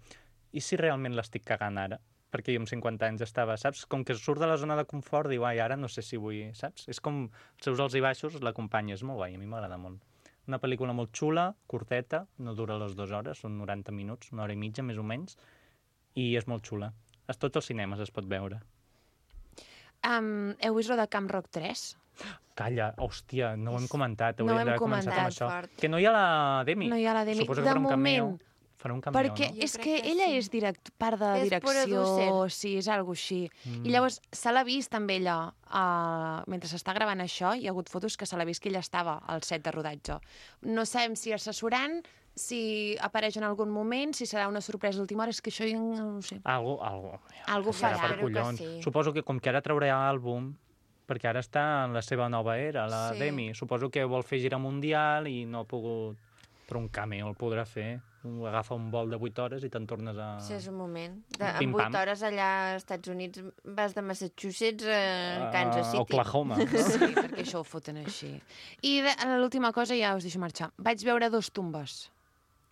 [SPEAKER 3] i si realment l'estic cagant ara? Perquè jo amb 50 anys estava, saps? Com que surt de la zona de confort, diu, ai, ara no sé si vull, saps? És com els seus alts i baixos, l'acompanya, és molt guai, a mi m'agrada molt. Una pel·lícula molt xula, curteta, no dura les 2 hores, són 90 minuts, 1 hora i mitja, més o menys, i és molt xula. A tots els cinemes es pot veure.
[SPEAKER 2] Heu vist lo de Camp Rock 3?
[SPEAKER 3] Calla, hòstia, no ho hem comentat,
[SPEAKER 2] No
[SPEAKER 3] hauríem
[SPEAKER 2] hem
[SPEAKER 3] d'haver començat amb
[SPEAKER 1] comentat,
[SPEAKER 3] això.
[SPEAKER 1] fort.
[SPEAKER 3] Que no hi ha la Demi.
[SPEAKER 2] No hi ha la Demi.
[SPEAKER 3] Suposo que
[SPEAKER 2] De
[SPEAKER 3] farà un cameo.
[SPEAKER 2] moment,
[SPEAKER 3] Farà un cameo,
[SPEAKER 2] perquè
[SPEAKER 3] no?
[SPEAKER 2] és
[SPEAKER 1] Jo
[SPEAKER 2] que
[SPEAKER 1] crec que
[SPEAKER 2] ella
[SPEAKER 1] sí.
[SPEAKER 2] és part de
[SPEAKER 1] És
[SPEAKER 2] direcció,
[SPEAKER 1] producer.
[SPEAKER 2] sí, és algo així. I llavors se l'ha vist amb ella, mentre s'està gravant això, hi ha hagut fotos que se l'ha vist que ella estava al set de rodatge. No sabem si assessorant, si apareix en algun moment, si serà una sorpresa d'última hora, és que això jo no ho sé.
[SPEAKER 3] Algo
[SPEAKER 2] farà.
[SPEAKER 3] per
[SPEAKER 1] Espero que
[SPEAKER 3] collons.
[SPEAKER 1] sí.
[SPEAKER 3] Suposo que com que ara traurà àlbum, perquè ara està en la seva nova era, la
[SPEAKER 1] Sí.
[SPEAKER 3] Demi. Suposo que vol fer gira mundial i no ha pogut però un cameo el podrà fer. Agafa un vol de 8 hores i te'n tornes a...
[SPEAKER 1] Sí, és un moment. En
[SPEAKER 3] Pim-pam.
[SPEAKER 1] 8 hores allà als Estats Units vas de Massachusetts a Kansas City.
[SPEAKER 3] Oklahoma.
[SPEAKER 2] Sí, perquè això ho foten així. I l'última cosa, ja us deixo marxar. Vaig veure Dos tumbes.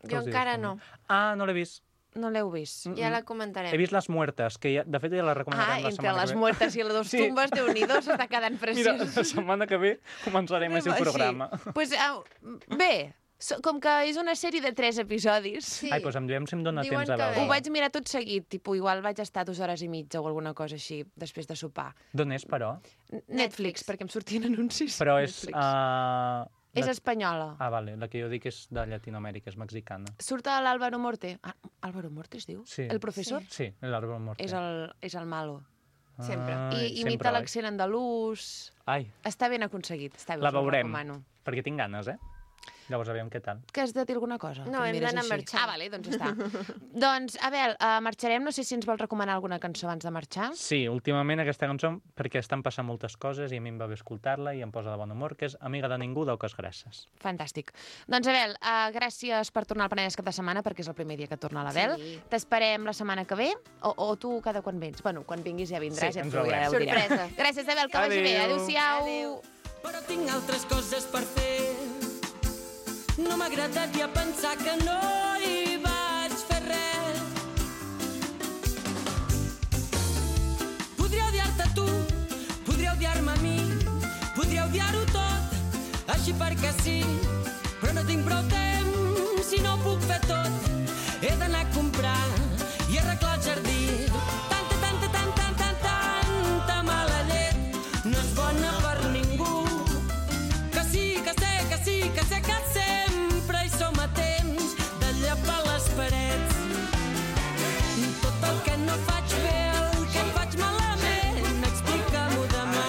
[SPEAKER 1] Jo encara no.
[SPEAKER 3] Ah, no l'he vist.
[SPEAKER 2] No l'heu vist?
[SPEAKER 1] Ja la comentarem.
[SPEAKER 3] He vist Les Muertes, que ja, de fet ja la recomanarem la
[SPEAKER 2] entre
[SPEAKER 3] setmana
[SPEAKER 2] les
[SPEAKER 3] que ve.
[SPEAKER 2] muertes i les Dos
[SPEAKER 3] Sí.
[SPEAKER 2] tumbes, Déu-n'hi-do, s'està quedant
[SPEAKER 3] Mira,
[SPEAKER 2] preciós.
[SPEAKER 3] la setmana que ve començarem el seu programa.
[SPEAKER 2] Sí. Pues, bé, com que és una sèrie de 3 episodis,
[SPEAKER 1] Sí.
[SPEAKER 3] Ai, doncs em diem si em dona
[SPEAKER 1] Diuen
[SPEAKER 3] temps a
[SPEAKER 1] que
[SPEAKER 3] veure.
[SPEAKER 1] bé.
[SPEAKER 2] ho vaig mirar tot seguit, tipus, igual vaig estar 2 hores i mitja o alguna cosa així, després de sopar.
[SPEAKER 3] D'on és, però?
[SPEAKER 2] Netflix, perquè em sortien anuncis.
[SPEAKER 3] Però és...
[SPEAKER 2] Netflix. És espanyola.
[SPEAKER 3] Ah, vale, la que jo dic és de Llatinoamèrica, és mexicana.
[SPEAKER 2] Surt l'Álvaro Morte. Ah, Álvaro Morte es diu?
[SPEAKER 3] Sí.
[SPEAKER 2] El professor?
[SPEAKER 3] Sí, l'Àlvaro Morte.
[SPEAKER 2] És el malo.
[SPEAKER 1] Sempre.
[SPEAKER 2] I imita l'accent andalús.
[SPEAKER 3] Ai,
[SPEAKER 2] Està ben aconseguit. Està bé,
[SPEAKER 3] la
[SPEAKER 2] us ho
[SPEAKER 3] veurem,
[SPEAKER 2] recomano.
[SPEAKER 3] perquè tinc ganes, Llavors, aviam què tal.
[SPEAKER 2] Que has de dir alguna cosa?
[SPEAKER 1] No,
[SPEAKER 2] Que em
[SPEAKER 1] hem
[SPEAKER 2] mires
[SPEAKER 1] d'anar
[SPEAKER 2] així.
[SPEAKER 1] marxant.
[SPEAKER 2] Ah, vale, doncs ja està. Doncs, Abel, marxarem. No sé si ens vols recomanar alguna cançó abans de marxar.
[SPEAKER 3] Sí, últimament aquesta cançó, perquè estan passant moltes coses i a mi em va bé escoltar-la i em posa de bon humor, que és Amiga de ningú, d'Auques Grasses.
[SPEAKER 2] Fantàstic. Doncs, Abel, gràcies per tornar al Penedès cap de setmana, perquè és el primer dia que torna l'Abel.
[SPEAKER 1] Sí.
[SPEAKER 2] T'esperem la setmana que ve, o tu cada quan vens? Bueno, quan vinguis ja vindràs,
[SPEAKER 3] Sí,
[SPEAKER 2] ja
[SPEAKER 3] ens
[SPEAKER 2] ho
[SPEAKER 3] veurem.
[SPEAKER 2] ho direm.
[SPEAKER 1] Sorpresa.
[SPEAKER 2] Gràcies, Abel, que vagi bé.
[SPEAKER 3] Adéu.
[SPEAKER 2] Adéu-siau.
[SPEAKER 1] Adéu.
[SPEAKER 5] Però tinc altres coses per fer. No m'agradaria pensar que no hi vaig fer res. Podria odiar-te tu, podria odiar-me a mi, podria odiar-ho tot, així perquè sí. Però no tinc prou temps i no ho puc fer tot. He d'anar a comprar i arreglar el jardí. Tanta mala llet no és bona per ningú. Que sí, que sempre hi som a temps de llepar les parets. Tot el que no faig bé, el que faig malament, explica-m'ho demà.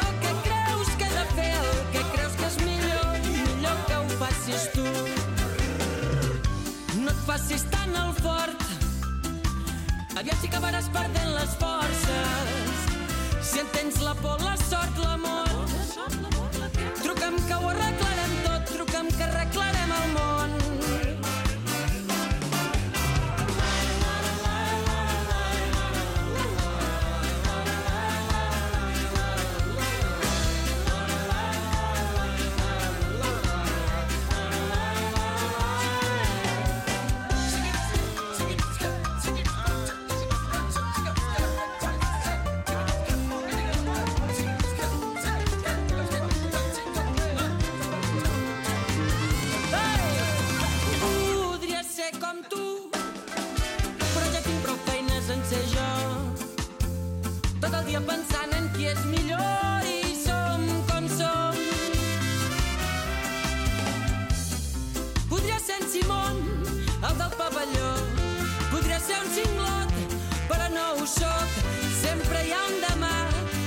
[SPEAKER 5] El que creus que he de fer, el que creus que és millor que ho facis tu. No et facis tan al fort, aviat si acabaràs perdent les forces. Si en tens la por, la sort, l'amor, truca'm que ho arreglarem tot, truca'm que arreglarem el món. Podria ser com tu, però ja tinc prou feines en ser jo. Tot el dia pensant en qui és millor i som com som. Podria ser en Simón, el del pavelló. Podria ser un cinglot, però no ho soc. Sempre hi ha un demà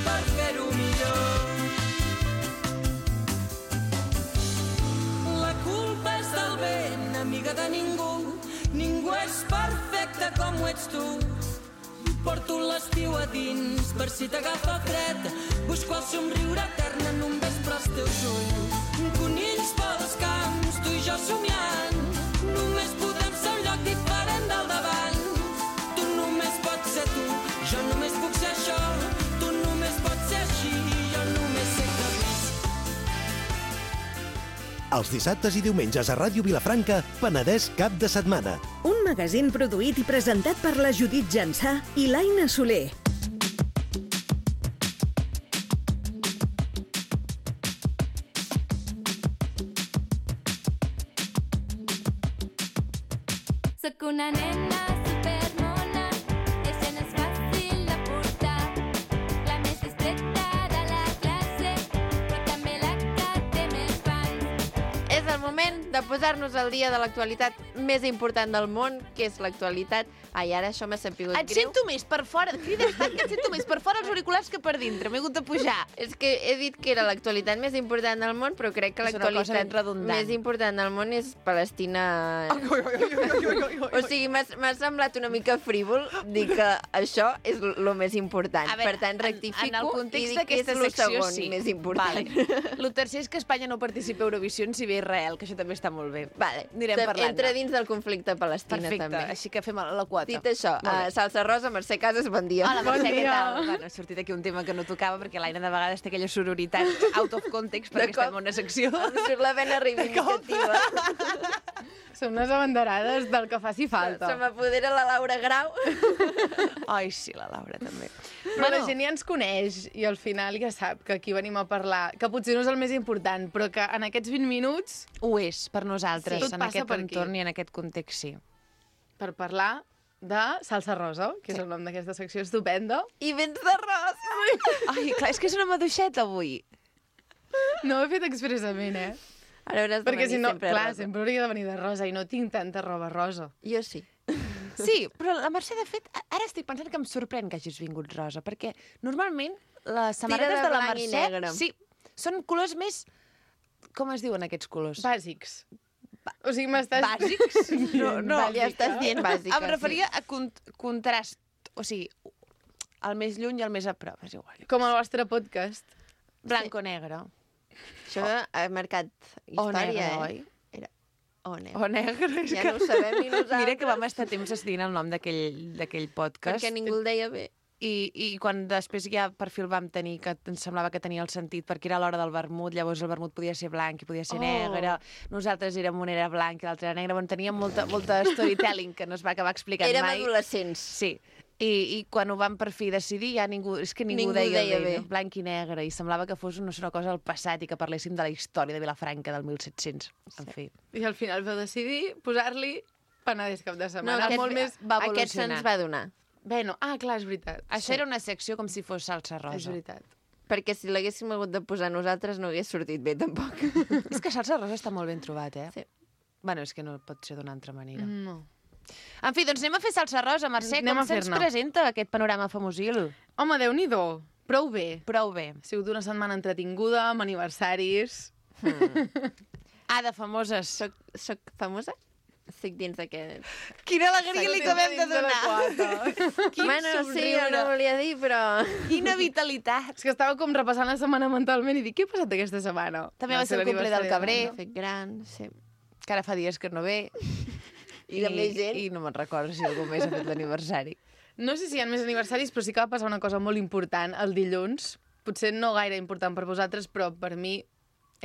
[SPEAKER 5] per fer-ho millor. La culpa és del vent, amiga de ningú. Ningú és perfecte com ho ets tu. Porto l'estiu a dins per si t'agafa fred. Busco el somriure etern en un vespre als teus ulls. Conills pels camps, tu i jo somiant. Només podem ser un lloc diferent del d'abans. Tu només pots ser tu, jo només puc ser això. Tu només pots ser així, jo només sé que visc.
[SPEAKER 6] Els dissabtes i diumenges a Ràdio Vilafranca, Penedès cap de setmana.
[SPEAKER 7] Un magazín produït i presentat per la Judit Jansà i l'Aina Soler.
[SPEAKER 4] Soc una nena supermona, i això no és fàcil de portar. La més discreta de la classe, però també la que té més fans.
[SPEAKER 1] És el moment moment de posar-nos al dia de l'actualitat més important del món, que és l'actualitat... Ai, ara això m'ha sapigut
[SPEAKER 2] Et
[SPEAKER 1] greu.
[SPEAKER 2] sento més per fora. Crides tant que et sento més per fora els auriculars que per dintre. M'he hagut de pujar.
[SPEAKER 1] És que he dit que era l'actualitat més important del món, però crec que
[SPEAKER 2] És una cosa ben
[SPEAKER 1] l'actualitat
[SPEAKER 2] redundant.
[SPEAKER 1] més important del món és Palestina. O sigui, m'ha semblat una mica frívol dir que això és el més important.
[SPEAKER 2] A veure,
[SPEAKER 1] Per tant, rectifico
[SPEAKER 2] en el context
[SPEAKER 1] i dic que és
[SPEAKER 2] d'aquesta
[SPEAKER 1] el
[SPEAKER 2] secció,
[SPEAKER 1] segon
[SPEAKER 2] sí.
[SPEAKER 1] més important.
[SPEAKER 2] Vale. El tercer és que Espanya no participa a Eurovisió si ve Israel, que això també està molt bé.
[SPEAKER 1] Vale.
[SPEAKER 2] Anirem parlant.
[SPEAKER 1] Entra dins del conflicte Palestina,
[SPEAKER 2] Perfecte,
[SPEAKER 1] també.
[SPEAKER 2] així que fem la quota.
[SPEAKER 1] Dit això,
[SPEAKER 2] Molt bé.
[SPEAKER 1] Salsa Rosa, Mercè Casas, bon dia.
[SPEAKER 2] Hola, Mercè, què tal? Bueno, ha sortit aquí un tema que no tocava perquè l'Aina de vegades té aquella sororitat out of context perquè estem en una secció.
[SPEAKER 1] Em surt la vena reivindicativa.
[SPEAKER 8] Som unes abanderades del que faci falta.
[SPEAKER 1] Se m'apodera la Laura Grau.
[SPEAKER 2] Ai, sí, la Laura també.
[SPEAKER 8] Però la gent ja ens coneix i al final ja sap que aquí venim a parlar, que potser no és el més important, però que en aquests 20 minuts,
[SPEAKER 2] Ho és, per nosaltres,
[SPEAKER 8] Sí. Tot
[SPEAKER 2] en
[SPEAKER 8] passa
[SPEAKER 2] aquest
[SPEAKER 8] per aquí.
[SPEAKER 2] entorn i en aquest context, sí.
[SPEAKER 8] per parlar de Salsa Rosa, que és el nom d'aquesta secció estupenda.
[SPEAKER 1] I vents de rosa.
[SPEAKER 2] Ai, clar, és que és una maduixeta avui.
[SPEAKER 8] No ho he fet expressament,
[SPEAKER 1] Ara hauràs de
[SPEAKER 8] Perquè
[SPEAKER 1] venir
[SPEAKER 8] si no,
[SPEAKER 1] sempre
[SPEAKER 8] clar,
[SPEAKER 1] rosa.
[SPEAKER 8] sempre hauria de venir de rosa i no tinc tanta roba rosa.
[SPEAKER 1] Jo sí.
[SPEAKER 2] Sí, però la Mercè, de fet, ara estic pensant que em sorprèn que hagis vingut rosa, perquè normalment les samarretes
[SPEAKER 1] de
[SPEAKER 2] de la
[SPEAKER 1] blanc i
[SPEAKER 2] Mercè...
[SPEAKER 1] negre.
[SPEAKER 2] Sí, són colors més... Com es diuen aquests colors?
[SPEAKER 8] Bàsics. O sigui, m'estàs...
[SPEAKER 2] Bàsics? No,
[SPEAKER 1] Ja estàs dient bàsica.
[SPEAKER 2] em referia a contrast, o sigui, el més lluny i el més a prop, és igual.
[SPEAKER 8] Com el vostre podcast.
[SPEAKER 2] Blanc o negre.
[SPEAKER 1] Això ha marcat
[SPEAKER 2] O
[SPEAKER 1] història,
[SPEAKER 2] negre, oi?
[SPEAKER 1] Era o negre.
[SPEAKER 2] O negre. És
[SPEAKER 1] Ja no ho sabem ni nosaltres.
[SPEAKER 2] Mira que vam estar temps decidint el nom d'aquell podcast.
[SPEAKER 1] Perquè ningú el deia bé.
[SPEAKER 2] I quan després ja per fi el vam tenir, que ens semblava que tenia el sentit, perquè era l'hora del vermut, llavors el vermut podia ser blanc i podia ser negre, nosaltres érem un era blanc i l'altre era negre, bueno, teníem molta storytelling que no es va acabar explicant
[SPEAKER 1] Érem
[SPEAKER 2] mai.
[SPEAKER 1] adolescents.
[SPEAKER 2] Sí, i quan ho vam per fi decidir ja ningú
[SPEAKER 1] Ningú
[SPEAKER 2] deia
[SPEAKER 1] deia
[SPEAKER 2] bé,
[SPEAKER 1] bé.
[SPEAKER 2] blanc i negre, i semblava que fos una cosa del passat i que parléssim de la història de Vilafranca del 1700, en fi.
[SPEAKER 8] I al final vau decidir posar-li Penedès cap de setmana.
[SPEAKER 1] aquest,
[SPEAKER 8] Molt més...
[SPEAKER 2] va
[SPEAKER 1] aquest
[SPEAKER 2] evolucionar.
[SPEAKER 1] se'ns va donar.
[SPEAKER 8] Bueno, clar, és veritat.
[SPEAKER 2] Això era una secció com si fos salsa
[SPEAKER 8] És
[SPEAKER 2] rosa.
[SPEAKER 8] veritat.
[SPEAKER 1] Perquè si l'haguéssim hagut de posar nosaltres no hagués sortit bé, tampoc.
[SPEAKER 2] És que salsa rosa està molt ben trobat,
[SPEAKER 1] Sí.
[SPEAKER 2] Bueno, és que no pot ser d'una altra manera.
[SPEAKER 8] No.
[SPEAKER 2] En fi, doncs anem a fer salsa rosa, Mercè.
[SPEAKER 8] Anem
[SPEAKER 2] Com
[SPEAKER 8] a
[SPEAKER 2] se'ns
[SPEAKER 8] fer-ne.
[SPEAKER 2] presenta aquest panorama famosil?
[SPEAKER 8] Home, Déu-n'hi-do. Prou bé.
[SPEAKER 2] Prou bé.
[SPEAKER 8] Ha sigut una setmana entretinguda, amb aniversaris...
[SPEAKER 2] De famoses.
[SPEAKER 1] Soc famosa? Estic dins d'aquest...
[SPEAKER 2] Quina alegria li acabem de donar.
[SPEAKER 1] Bueno, sí, jo no volia dir, però...
[SPEAKER 2] Quina vitalitat.
[SPEAKER 8] És que estava com repassant la setmana mentalment i dic, què ha passat aquesta setmana?
[SPEAKER 2] També va ser el cumple del Cabré.
[SPEAKER 1] Fet gran, sí.
[SPEAKER 2] Que ara fa dies que no ve.
[SPEAKER 1] I de més gent.
[SPEAKER 2] I no me'n recordo si algú més ha fet l'aniversari.
[SPEAKER 8] No sé si hi ha més aniversaris, però sí que va passar una cosa molt important el dilluns. Potser no gaire important per vosaltres, però per mi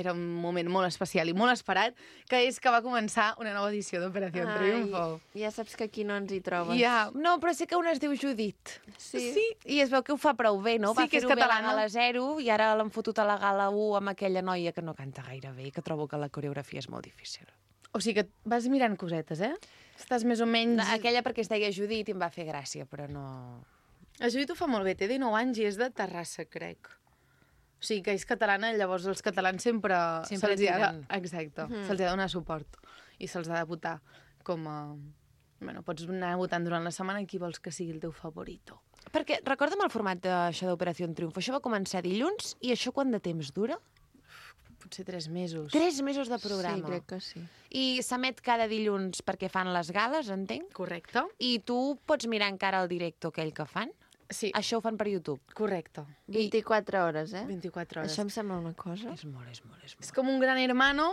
[SPEAKER 8] era un moment molt especial i molt esperat, que és que va començar una nova edició d'Operació Triunfo.
[SPEAKER 1] Ja saps que aquí no ens hi trobes.
[SPEAKER 8] Ja,
[SPEAKER 2] No, però sé que una es diu Judit.
[SPEAKER 1] Sí.
[SPEAKER 2] I es veu que ho fa prou bé, no?
[SPEAKER 8] Sí,
[SPEAKER 2] Va
[SPEAKER 8] que és
[SPEAKER 2] fer-ho bé a la
[SPEAKER 8] catalana.
[SPEAKER 2] Gala 0 i ara l'han fotut a la Gala 1 amb aquella noia que no canta gaire bé i que trobo que la coreografia és molt difícil.
[SPEAKER 8] o sigui que vas mirant cosetes, Estàs més o menys...
[SPEAKER 2] Aquella perquè es deia Judit i em va fer gràcia, però no...
[SPEAKER 8] La Judit ho fa molt bé, té 19 anys i és de Terrassa, crec. O sigui que és catalana, llavors els catalans sempre
[SPEAKER 2] Sempre
[SPEAKER 8] se'ls hi ha de...
[SPEAKER 2] tiren.
[SPEAKER 8] Exacte, se'ls hi ha de donar suport i se'ls ha de votar com a... Bueno, pots anar votant durant la setmana qui vols que sigui el teu favorito.
[SPEAKER 2] Perquè recorda'm el format d'això d'Operació Triunfo. Això va començar dilluns i això quant de temps dura?
[SPEAKER 8] Potser 3 mesos.
[SPEAKER 2] 3 mesos de programa.
[SPEAKER 1] Sí, crec que sí.
[SPEAKER 2] I s'emet cada dilluns perquè fan les gales, entenc?
[SPEAKER 8] Correcte.
[SPEAKER 2] I tu pots mirar encara el directe aquell que fan?
[SPEAKER 8] Sí,
[SPEAKER 2] Això ho fan per YouTube.
[SPEAKER 8] correcte.
[SPEAKER 1] 24 hores,
[SPEAKER 8] 24 hores.
[SPEAKER 1] Això em sembla una cosa.
[SPEAKER 2] És molt, és molt, és
[SPEAKER 8] És
[SPEAKER 2] molt.
[SPEAKER 8] com un gran hermano,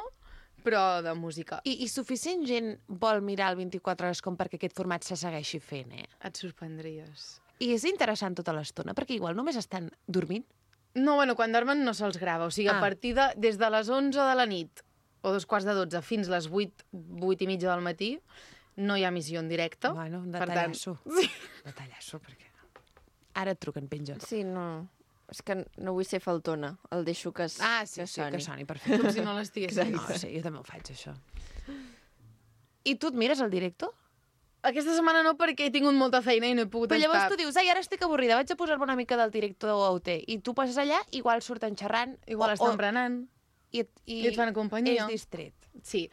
[SPEAKER 8] però de música.
[SPEAKER 2] I suficient gent vol mirar el 24 hores com perquè aquest format se segueixi fent,
[SPEAKER 8] Et sorprendries.
[SPEAKER 2] I és interessant tota l'estona, perquè igual només estan dormint.
[SPEAKER 8] No, bueno, quan dormen no se'ls grava. O sigui, a partir de... Des de les 11 de la nit, o 2:45, fins les 8 i mitja del matí, no hi ha emissió en directe.
[SPEAKER 2] Bueno, un
[SPEAKER 8] Per tant,
[SPEAKER 2] detallasso. Detallasso, perquè... Ara et truquen, penja.
[SPEAKER 1] Sí, no... És que no vull ser faltona. El deixo que,
[SPEAKER 2] Sí, que soni, perfecte.
[SPEAKER 8] Com si no l'estiguessis.
[SPEAKER 2] No, sí, jo també ho faig, això. I tu et mires el directe?
[SPEAKER 8] Aquesta setmana no, perquè he tingut molta feina i no he pogut
[SPEAKER 2] Però llavors
[SPEAKER 8] estar.
[SPEAKER 2] tu dius, ai, ara estic avorrida, vaig a posar-me una mica del director OT. I tu passes allà, igual surten xerrant.
[SPEAKER 8] Igual estan berenant.
[SPEAKER 2] I
[SPEAKER 8] I et fan companyia.
[SPEAKER 2] És distret.
[SPEAKER 8] Sí.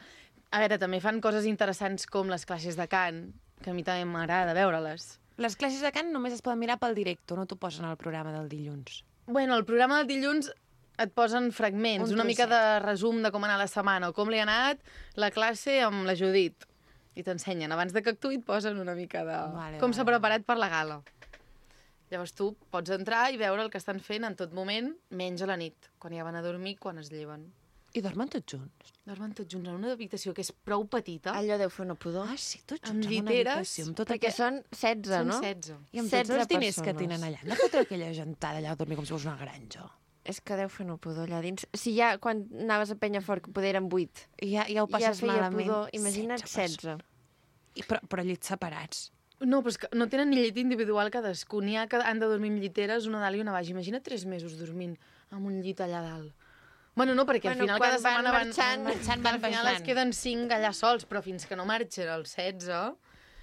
[SPEAKER 8] A veure, també fan coses interessants com les classes de cant, que a mi també m'agrada veure-les.
[SPEAKER 2] Les classes de cant només es poden mirar pel directe, no t'ho posen al programa del dilluns.
[SPEAKER 8] Bueno, el programa del dilluns et posen fragments, una mica de resum de com ha anat la setmana, o com li ha anat la classe amb la Judit. I t'ensenyen. Abans de que actuï et posen una mica de... com s'ha preparat per la gala. Llavors tu pots entrar i veure el que estan fent en tot moment, menys a la nit, quan ja van a dormir, quan es lleven.
[SPEAKER 2] I dormen tots junts?
[SPEAKER 8] Dormen tots junts en una habitació que és prou petita.
[SPEAKER 1] Allò deu fer una pudor.
[SPEAKER 2] Ah, sí, tots
[SPEAKER 8] Amb
[SPEAKER 2] junts en una
[SPEAKER 8] lliteres,
[SPEAKER 2] habitació. Amb tot
[SPEAKER 1] Perquè són 16, no?
[SPEAKER 8] Són 16.
[SPEAKER 2] I amb
[SPEAKER 1] 16
[SPEAKER 2] tots els diners que
[SPEAKER 1] persones.
[SPEAKER 2] tenen allà. Han de fotre aquella gentada allà a dormir com si fos una granja.
[SPEAKER 1] És que deu fer una pudor allà dins. Si ja, quan anaves a Penyafort, que poder eren 8,
[SPEAKER 2] Ja ho passes
[SPEAKER 1] feia
[SPEAKER 2] malament.
[SPEAKER 1] pudor. Imagina't 16.
[SPEAKER 2] Però llits separats.
[SPEAKER 8] No, però és que no tenen ni llit individual cadascú. N'hi ha que han de dormir amb lliteres, una dalt i una baix. Imagina't 3 mesos dormint amb un llit allà dalt. Bueno, no, perquè al final cada setmana van
[SPEAKER 2] marxant,
[SPEAKER 8] al final es queden 5 allà sols, però fins que no marxen els 16...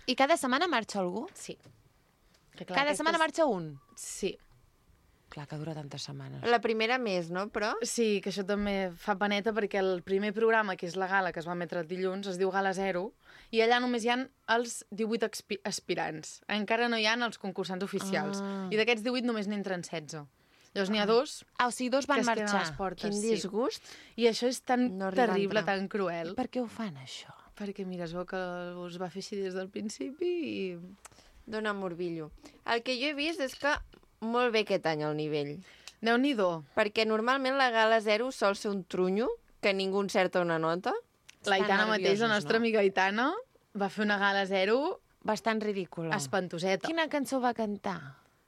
[SPEAKER 2] I cada setmana marxa algú?
[SPEAKER 8] Sí. Que clar,
[SPEAKER 2] Cada setmana marxa un?
[SPEAKER 8] Sí.
[SPEAKER 2] Clar, que dura tantes setmanes.
[SPEAKER 1] La primera més, no? Però...
[SPEAKER 8] Sí, que això també fa paneta perquè el primer programa, que és la gala, que es va emetre el dilluns, es diu Gala 0, i allà només hi ha els 18 aspirants. Encara no hi ha els concursants oficials. I d'aquests 18 només n'entren 16. Llavors n'hi ha 2
[SPEAKER 2] o sigui, 2 van
[SPEAKER 8] que es queden a
[SPEAKER 2] marxar.
[SPEAKER 8] les portes.
[SPEAKER 1] Quin disgust.
[SPEAKER 8] I això és tan
[SPEAKER 1] No arribar a
[SPEAKER 8] terrible,
[SPEAKER 1] entrar.
[SPEAKER 8] tan cruel.
[SPEAKER 2] Per què ho fan, això?
[SPEAKER 8] Perquè, mira, es veu que us va fer així des del principi i...
[SPEAKER 1] Dóna morbillo. El que jo he vist és que molt bé aquest any el nivell.
[SPEAKER 8] Déu-n'hi-do.
[SPEAKER 1] Perquè normalment la gala 0 sol ser un trunyo, que ningú encerta una nota.
[SPEAKER 8] La Aitana mateix, la
[SPEAKER 2] nerviosos,
[SPEAKER 8] nostra
[SPEAKER 2] no?
[SPEAKER 8] amiga Aitana, va fer una gala 0
[SPEAKER 2] Bastant ridícula.
[SPEAKER 8] espantoseta.
[SPEAKER 2] Quina cançó va cantar?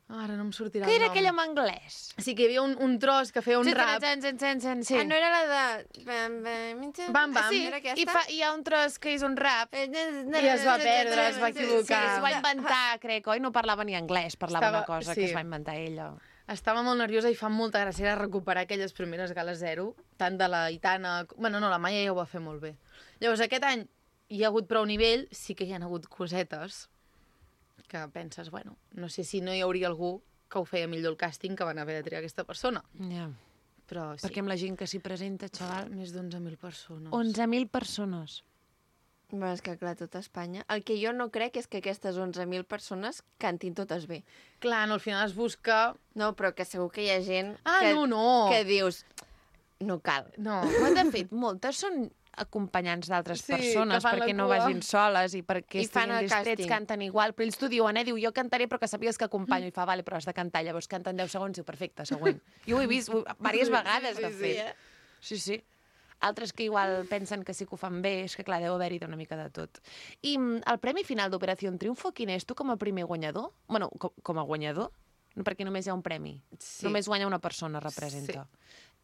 [SPEAKER 8] Ara no em sortirà
[SPEAKER 2] Que
[SPEAKER 8] el
[SPEAKER 2] era
[SPEAKER 8] nom.
[SPEAKER 2] aquella en anglès?
[SPEAKER 8] Sí, que hi havia un tros que feia un rap.
[SPEAKER 2] Sí.
[SPEAKER 1] Ah, no era la de...
[SPEAKER 8] Bam, bam.
[SPEAKER 2] Sí,
[SPEAKER 1] Era aquesta?
[SPEAKER 2] hi ha un tros que és un rap.
[SPEAKER 8] I es va perdre, es va equivocar.
[SPEAKER 2] Sí, s'ho va inventar, crec, oi? No parlava ni anglès, parlava
[SPEAKER 8] Estava-
[SPEAKER 2] una cosa
[SPEAKER 8] sí.
[SPEAKER 2] que es va inventar ella.
[SPEAKER 8] Estava molt nerviosa i fa molta gràcia recuperar aquelles primeres gales 0, tant de la Aitana... Bueno, no, la Maia ja ho va fer molt bé. Llavors, aquest any hi ha hagut prou nivell, sí que hi ha hagut cosetes que penses, bueno, no sé si no hi hauria algú que ho feia millor el càsting que van haver de triar aquesta persona.
[SPEAKER 2] Ja.
[SPEAKER 8] Però sí,
[SPEAKER 2] Perquè amb la gent que s'hi presenta, xaval...
[SPEAKER 8] més d'11.000 persones.
[SPEAKER 2] 11.000 persones.
[SPEAKER 1] Bueno, és que clar, tot Espanya. El que jo no crec és que aquestes 11.000 persones cantin totes bé.
[SPEAKER 8] Clar, no, al final es busca...
[SPEAKER 1] No, però que segur que hi ha gent
[SPEAKER 8] Ah,
[SPEAKER 1] que,
[SPEAKER 8] no.
[SPEAKER 1] que dius... No cal.
[SPEAKER 8] No.
[SPEAKER 2] Però, de fet, moltes són acompanyants d'altres
[SPEAKER 8] Sí,
[SPEAKER 2] persones
[SPEAKER 8] que fan la
[SPEAKER 2] perquè no
[SPEAKER 8] cua.
[SPEAKER 2] vagin soles i perquè
[SPEAKER 1] I fan
[SPEAKER 2] estiguin
[SPEAKER 1] el
[SPEAKER 2] distrets,
[SPEAKER 1] càsting.
[SPEAKER 2] canten igual, però ells t'ho diuen, diu, jo cantaré però que sàpigues que acompanyo, i fa, vale, però has de cantar, llavors canten 10 segons, diu, perfecte, següent. Jo ho he vist diverses vegades, de fet. Sí. Altres que igual pensen que sí que ho fan bé, és que clar, deu haver-hi una mica de tot. I el premi final d'Operació Triunfo, quin és? Tu com a primer guanyador? Bueno, com a guanyador? No, perquè només hi ha un premi.
[SPEAKER 8] Sí.
[SPEAKER 2] Només guanya una persona, representa.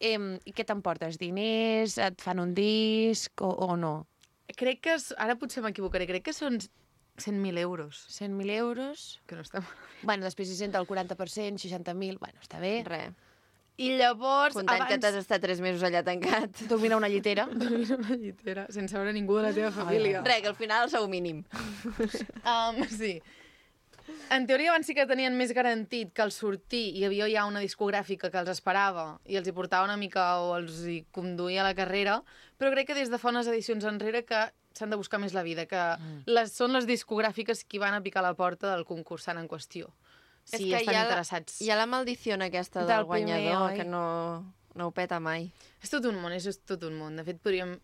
[SPEAKER 2] I què t'emportes? Diners? Et fan un disc o no?
[SPEAKER 8] Crec que... Ara potser m'equivocaré. Crec que són 100.000 euros.
[SPEAKER 2] 100.000 euros?
[SPEAKER 8] Que no està malament.
[SPEAKER 2] Bueno, després hi senta el 40%, 60.000... Bueno, està bé.
[SPEAKER 1] Res.
[SPEAKER 8] I llavors,
[SPEAKER 1] Comptant que t'has estat 3 mesos allà tancat.
[SPEAKER 2] Dormir a una llitera.
[SPEAKER 8] dormir en una llitera, sense veure ningú de la teva família.
[SPEAKER 1] Res, que al final el sou mínim.
[SPEAKER 8] Sí. En teoria abans sí que tenien més garantit que al sortir hi havia ja una discogràfica que els esperava i els hi portava una mica o els hi conduïa a la carrera, però crec que des de fa unes edicions enrere que s'han de buscar més la vida, que són les discogràfiques qui van a picar la porta del concursant en qüestió. Si
[SPEAKER 1] És que
[SPEAKER 8] estan
[SPEAKER 1] hi ha
[SPEAKER 8] interessats.
[SPEAKER 1] Hi ha la maldició aquesta
[SPEAKER 2] Del
[SPEAKER 1] del guanyador,
[SPEAKER 2] primer, oi?
[SPEAKER 1] que no ho peta mai.
[SPEAKER 8] És tot un món, és tot un món. De fet, podríem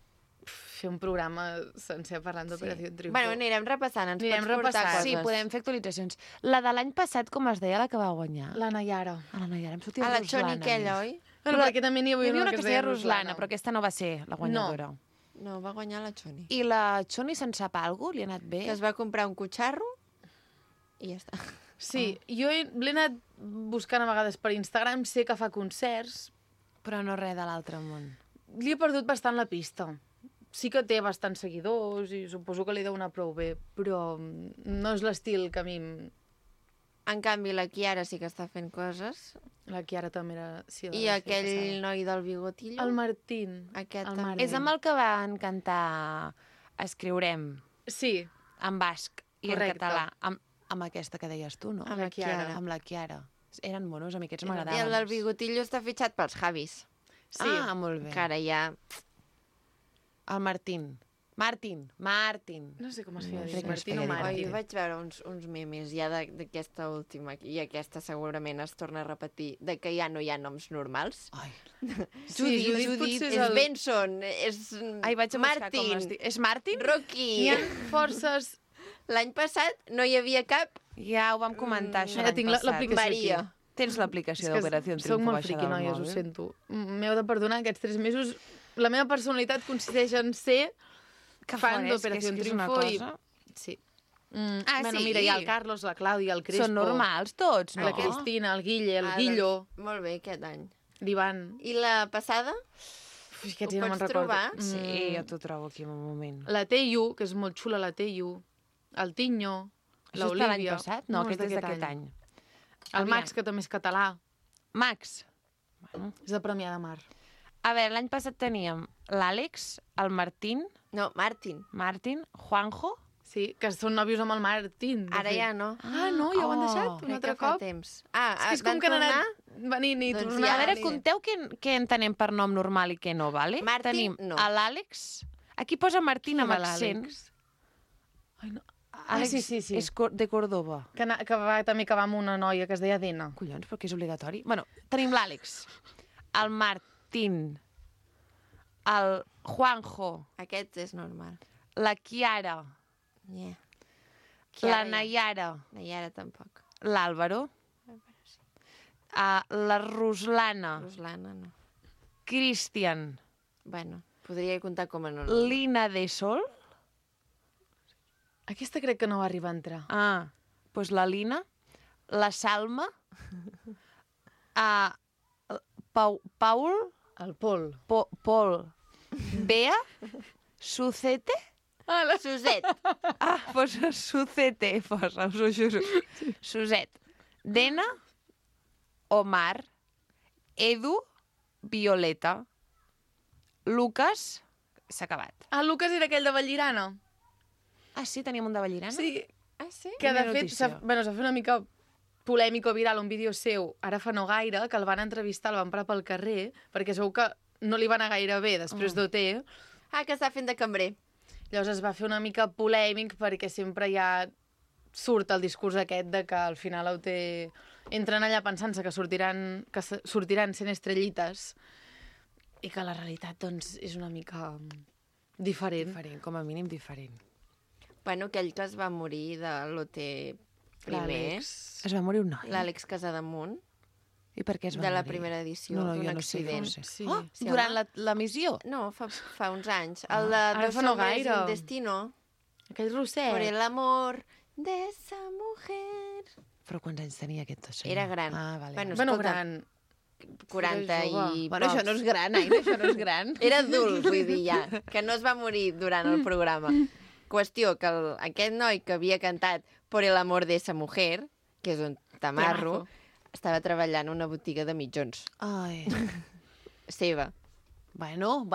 [SPEAKER 8] fer un programa sencer parlant d'Operació Triunfo.
[SPEAKER 1] Bueno, anirem repassant, ens
[SPEAKER 8] Anirem
[SPEAKER 1] pots portar
[SPEAKER 8] repassant.
[SPEAKER 1] coses.
[SPEAKER 2] Sí, podem fer actualitzacions. La de l'any passat, com es deia, la que va guanyar?
[SPEAKER 8] La Nayara.
[SPEAKER 2] A la Nayara, em sortia
[SPEAKER 1] A la
[SPEAKER 2] Ruslana.
[SPEAKER 1] Xoni aquella, oi?
[SPEAKER 8] Bueno, perquè també n'hi
[SPEAKER 2] Hi havia una
[SPEAKER 8] que
[SPEAKER 2] que
[SPEAKER 8] es
[SPEAKER 2] es deia
[SPEAKER 8] deia
[SPEAKER 2] Ruslana, però aquesta no va ser la guanyadora.
[SPEAKER 1] No, va guanyar la Xoni.
[SPEAKER 2] I la Xoni se'n sap alguna cosa? Li ha anat bé?
[SPEAKER 1] Que es va comprar un cotxarro i ja està.
[SPEAKER 8] Sí, jo l'he anat buscant a vegades per Instagram, sé que fa concerts,
[SPEAKER 2] Però no res de l'altre món.
[SPEAKER 8] li he perdut bastant la pista. Sí que té bastants seguidors i suposo que li deu anar prou bé, però no és l'estil que a mi...
[SPEAKER 1] En canvi, la Kiara sí que està fent coses.
[SPEAKER 8] La Kiara també era... Sí,
[SPEAKER 1] I aquell noi del bigotillo.
[SPEAKER 8] El Martín.
[SPEAKER 1] Aquest
[SPEAKER 8] el
[SPEAKER 1] també.
[SPEAKER 8] Martín.
[SPEAKER 2] És amb el que van cantar Escriurem,
[SPEAKER 8] Sí,
[SPEAKER 2] en basc i
[SPEAKER 8] Correcte.
[SPEAKER 2] en català, amb aquesta que deies tu, no?
[SPEAKER 1] Amb la Kiara.
[SPEAKER 2] Amb la Kiara. Eren monos, a mi aquests
[SPEAKER 1] I el
[SPEAKER 2] m'agradaven.
[SPEAKER 1] del bigotillo està fitxat pels Javis.
[SPEAKER 8] sí.
[SPEAKER 2] Ah, molt bé.
[SPEAKER 1] Que ara ja...
[SPEAKER 2] El Martín. Martín.
[SPEAKER 8] No sé com es feia.
[SPEAKER 2] crec que
[SPEAKER 8] Martín
[SPEAKER 2] es
[SPEAKER 8] o
[SPEAKER 2] feia
[SPEAKER 8] Martín.
[SPEAKER 1] Jo vaig veure uns memes ja d'aquesta última, i aquesta segurament es torna a repetir, de que ja no hi ha noms normals.
[SPEAKER 2] Ai.
[SPEAKER 8] Judit potser
[SPEAKER 1] És Benson, és
[SPEAKER 2] Ai, vaig a buscar com es
[SPEAKER 1] Martin,
[SPEAKER 2] diu. És Martin?
[SPEAKER 1] Rocky.
[SPEAKER 8] Hi ha forces...
[SPEAKER 1] L'any passat no hi havia cap
[SPEAKER 2] Ja ho vam comentar, això
[SPEAKER 8] Mira,
[SPEAKER 2] l'any
[SPEAKER 8] tinc
[SPEAKER 2] passat.
[SPEAKER 8] l'aplicació
[SPEAKER 1] Maria.
[SPEAKER 8] aquí.
[SPEAKER 2] Tens l'aplicació
[SPEAKER 8] És que
[SPEAKER 2] d'Operació
[SPEAKER 8] soc
[SPEAKER 2] Triunfo
[SPEAKER 8] molt
[SPEAKER 2] baixa
[SPEAKER 8] friqui,
[SPEAKER 2] del
[SPEAKER 8] noies, ho
[SPEAKER 2] mòbil.
[SPEAKER 8] sento. M'heu de perdonar, aquests 3 mesos... La meva personalitat consisteix en ser fan d'Operació
[SPEAKER 2] és una
[SPEAKER 8] Triunfo i...
[SPEAKER 2] cosa...
[SPEAKER 8] Sí.
[SPEAKER 2] Ah,
[SPEAKER 8] bueno,
[SPEAKER 2] sí?
[SPEAKER 8] mira, hi ha el Carlos, la Clàudia, el Crespo...
[SPEAKER 2] Són normals tots, no?
[SPEAKER 8] La Cristina, el Guille, el Guillo,
[SPEAKER 1] Molt bé, aquest any.
[SPEAKER 8] l'Ivan...
[SPEAKER 1] I la passada?
[SPEAKER 8] Ui, aquests
[SPEAKER 1] Ho
[SPEAKER 8] ja no
[SPEAKER 1] pots
[SPEAKER 8] me'n recordo.
[SPEAKER 1] trobar?
[SPEAKER 2] Sí, jo t'ho trobo aquí en un moment.
[SPEAKER 8] La Teyu, que és molt xula, la Teyu. El Tinyo,
[SPEAKER 2] Això està l'any
[SPEAKER 8] l'Olivia...
[SPEAKER 2] passat? No, aquest és d'aquest any.
[SPEAKER 8] El Max, que també és català.
[SPEAKER 2] Max.
[SPEAKER 8] És de Premià de Mar.
[SPEAKER 2] A veure, l'any passat teníem l'Àlex, el Martín,
[SPEAKER 1] No, Martin.
[SPEAKER 2] Juanjo...
[SPEAKER 8] Sí, que són nòvios amb el Martín. de
[SPEAKER 1] Ara
[SPEAKER 8] fet.
[SPEAKER 1] ja no.
[SPEAKER 8] Ah, no, ja ho han deixat un
[SPEAKER 1] Crec
[SPEAKER 8] altre
[SPEAKER 1] que fa
[SPEAKER 8] cop.
[SPEAKER 1] temps.
[SPEAKER 8] És que és com que han anat venint i
[SPEAKER 1] Doncs
[SPEAKER 8] tornant.
[SPEAKER 2] A veure,
[SPEAKER 1] ni-
[SPEAKER 2] conteu què entenem per nom normal i què no, vale?
[SPEAKER 1] Martín,
[SPEAKER 2] Tenim
[SPEAKER 1] no.
[SPEAKER 2] l'Àlex... Aquí posa Martín
[SPEAKER 8] Qui
[SPEAKER 2] amb
[SPEAKER 8] era
[SPEAKER 2] accent.
[SPEAKER 8] l'Àlex? Ai, no.
[SPEAKER 2] Àlex
[SPEAKER 8] sí.
[SPEAKER 2] és de Córdoba.
[SPEAKER 8] Que va també acabar amb una noia que es deia Dena.
[SPEAKER 2] Collons, perquè és obligatori. Bueno, tenim l'Àlex, el Martín, el Juanjo,
[SPEAKER 1] Aquest és normal.
[SPEAKER 2] la Chiara,
[SPEAKER 1] Yeah.
[SPEAKER 2] la Nayara,
[SPEAKER 1] Nayara tampoc.
[SPEAKER 2] l'Àlvaro, la Ruslana,
[SPEAKER 1] Ruslana no.
[SPEAKER 2] Cristian,
[SPEAKER 1] Bueno, podria comptar com a no.
[SPEAKER 2] Lina de Sol,
[SPEAKER 8] Aquesta crec que no va arribar a entrar.
[SPEAKER 2] doncs la Lina, la Salma, Paul,
[SPEAKER 8] El Pol.
[SPEAKER 2] Pol, Bea, Sucete,
[SPEAKER 1] Suset.
[SPEAKER 2] Posa Sucete, posa, us ho juro. Suset, Dena, Omar, Edu, Violeta, Lucas, s'ha acabat.
[SPEAKER 8] Ah, Lucas era aquell de Vallirana.
[SPEAKER 2] Ah, sí? Teníem un de Vallirana?
[SPEAKER 8] Sí,
[SPEAKER 1] Ah, sí?
[SPEAKER 8] que de
[SPEAKER 2] Quina
[SPEAKER 8] fet
[SPEAKER 2] notícia.
[SPEAKER 8] s'ha fet una mica polèmic o viral un vídeo seu, ara fa no gaire, que el van entrevistar, el van parar pel carrer, perquè segur que no li va anar gaire bé després d'OT.
[SPEAKER 1] Ah, que està fent de cambrer.
[SPEAKER 8] Llavors es va fer una mica polèmic perquè sempre ja surt el discurs aquest de que al final a OT entren allà pensant-se que sortiran sent estrellites i que la realitat doncs, és una mica diferent.
[SPEAKER 2] Diferent, com a mínim diferent.
[SPEAKER 1] Bueno, aquell que es va morir de l'OT primer,
[SPEAKER 8] L'Àlex.
[SPEAKER 2] Es va morir un noi.
[SPEAKER 1] l'Àlex Casademunt,
[SPEAKER 2] I per què es va
[SPEAKER 1] de la
[SPEAKER 2] morir?
[SPEAKER 1] primera edició,
[SPEAKER 2] No,
[SPEAKER 1] d'un
[SPEAKER 2] jo no sé,
[SPEAKER 1] accident.
[SPEAKER 2] no sé.
[SPEAKER 8] Sí.
[SPEAKER 2] Oh,
[SPEAKER 1] Sí,
[SPEAKER 2] durant
[SPEAKER 1] home.
[SPEAKER 2] l'emissió?
[SPEAKER 1] No, fa uns anys. El de
[SPEAKER 8] Ara
[SPEAKER 1] Dos
[SPEAKER 8] fa no
[SPEAKER 1] hombres y
[SPEAKER 8] gaire.
[SPEAKER 1] un destino.
[SPEAKER 8] Aquell rosset.
[SPEAKER 1] Por el amor de esa mujer.
[SPEAKER 2] Però quants anys tenia aquest senyor?
[SPEAKER 1] Era gran.
[SPEAKER 2] Ah, vale.
[SPEAKER 1] Bueno,
[SPEAKER 8] Bueno,
[SPEAKER 1] escolta,
[SPEAKER 8] gran.
[SPEAKER 1] 40
[SPEAKER 8] Era jove.
[SPEAKER 1] i
[SPEAKER 2] Bueno,
[SPEAKER 1] pocs.
[SPEAKER 2] això no és gran, Aina, això no és gran.
[SPEAKER 1] Era adult, vull dir, ja, que no es va morir durant el programa. Qüestió que aquest noi que havia cantat Por el amor de esa mujer, que és un tamarro, estava treballant en una botiga de mitjons.
[SPEAKER 2] Ai.
[SPEAKER 1] Seva,
[SPEAKER 2] Bueno,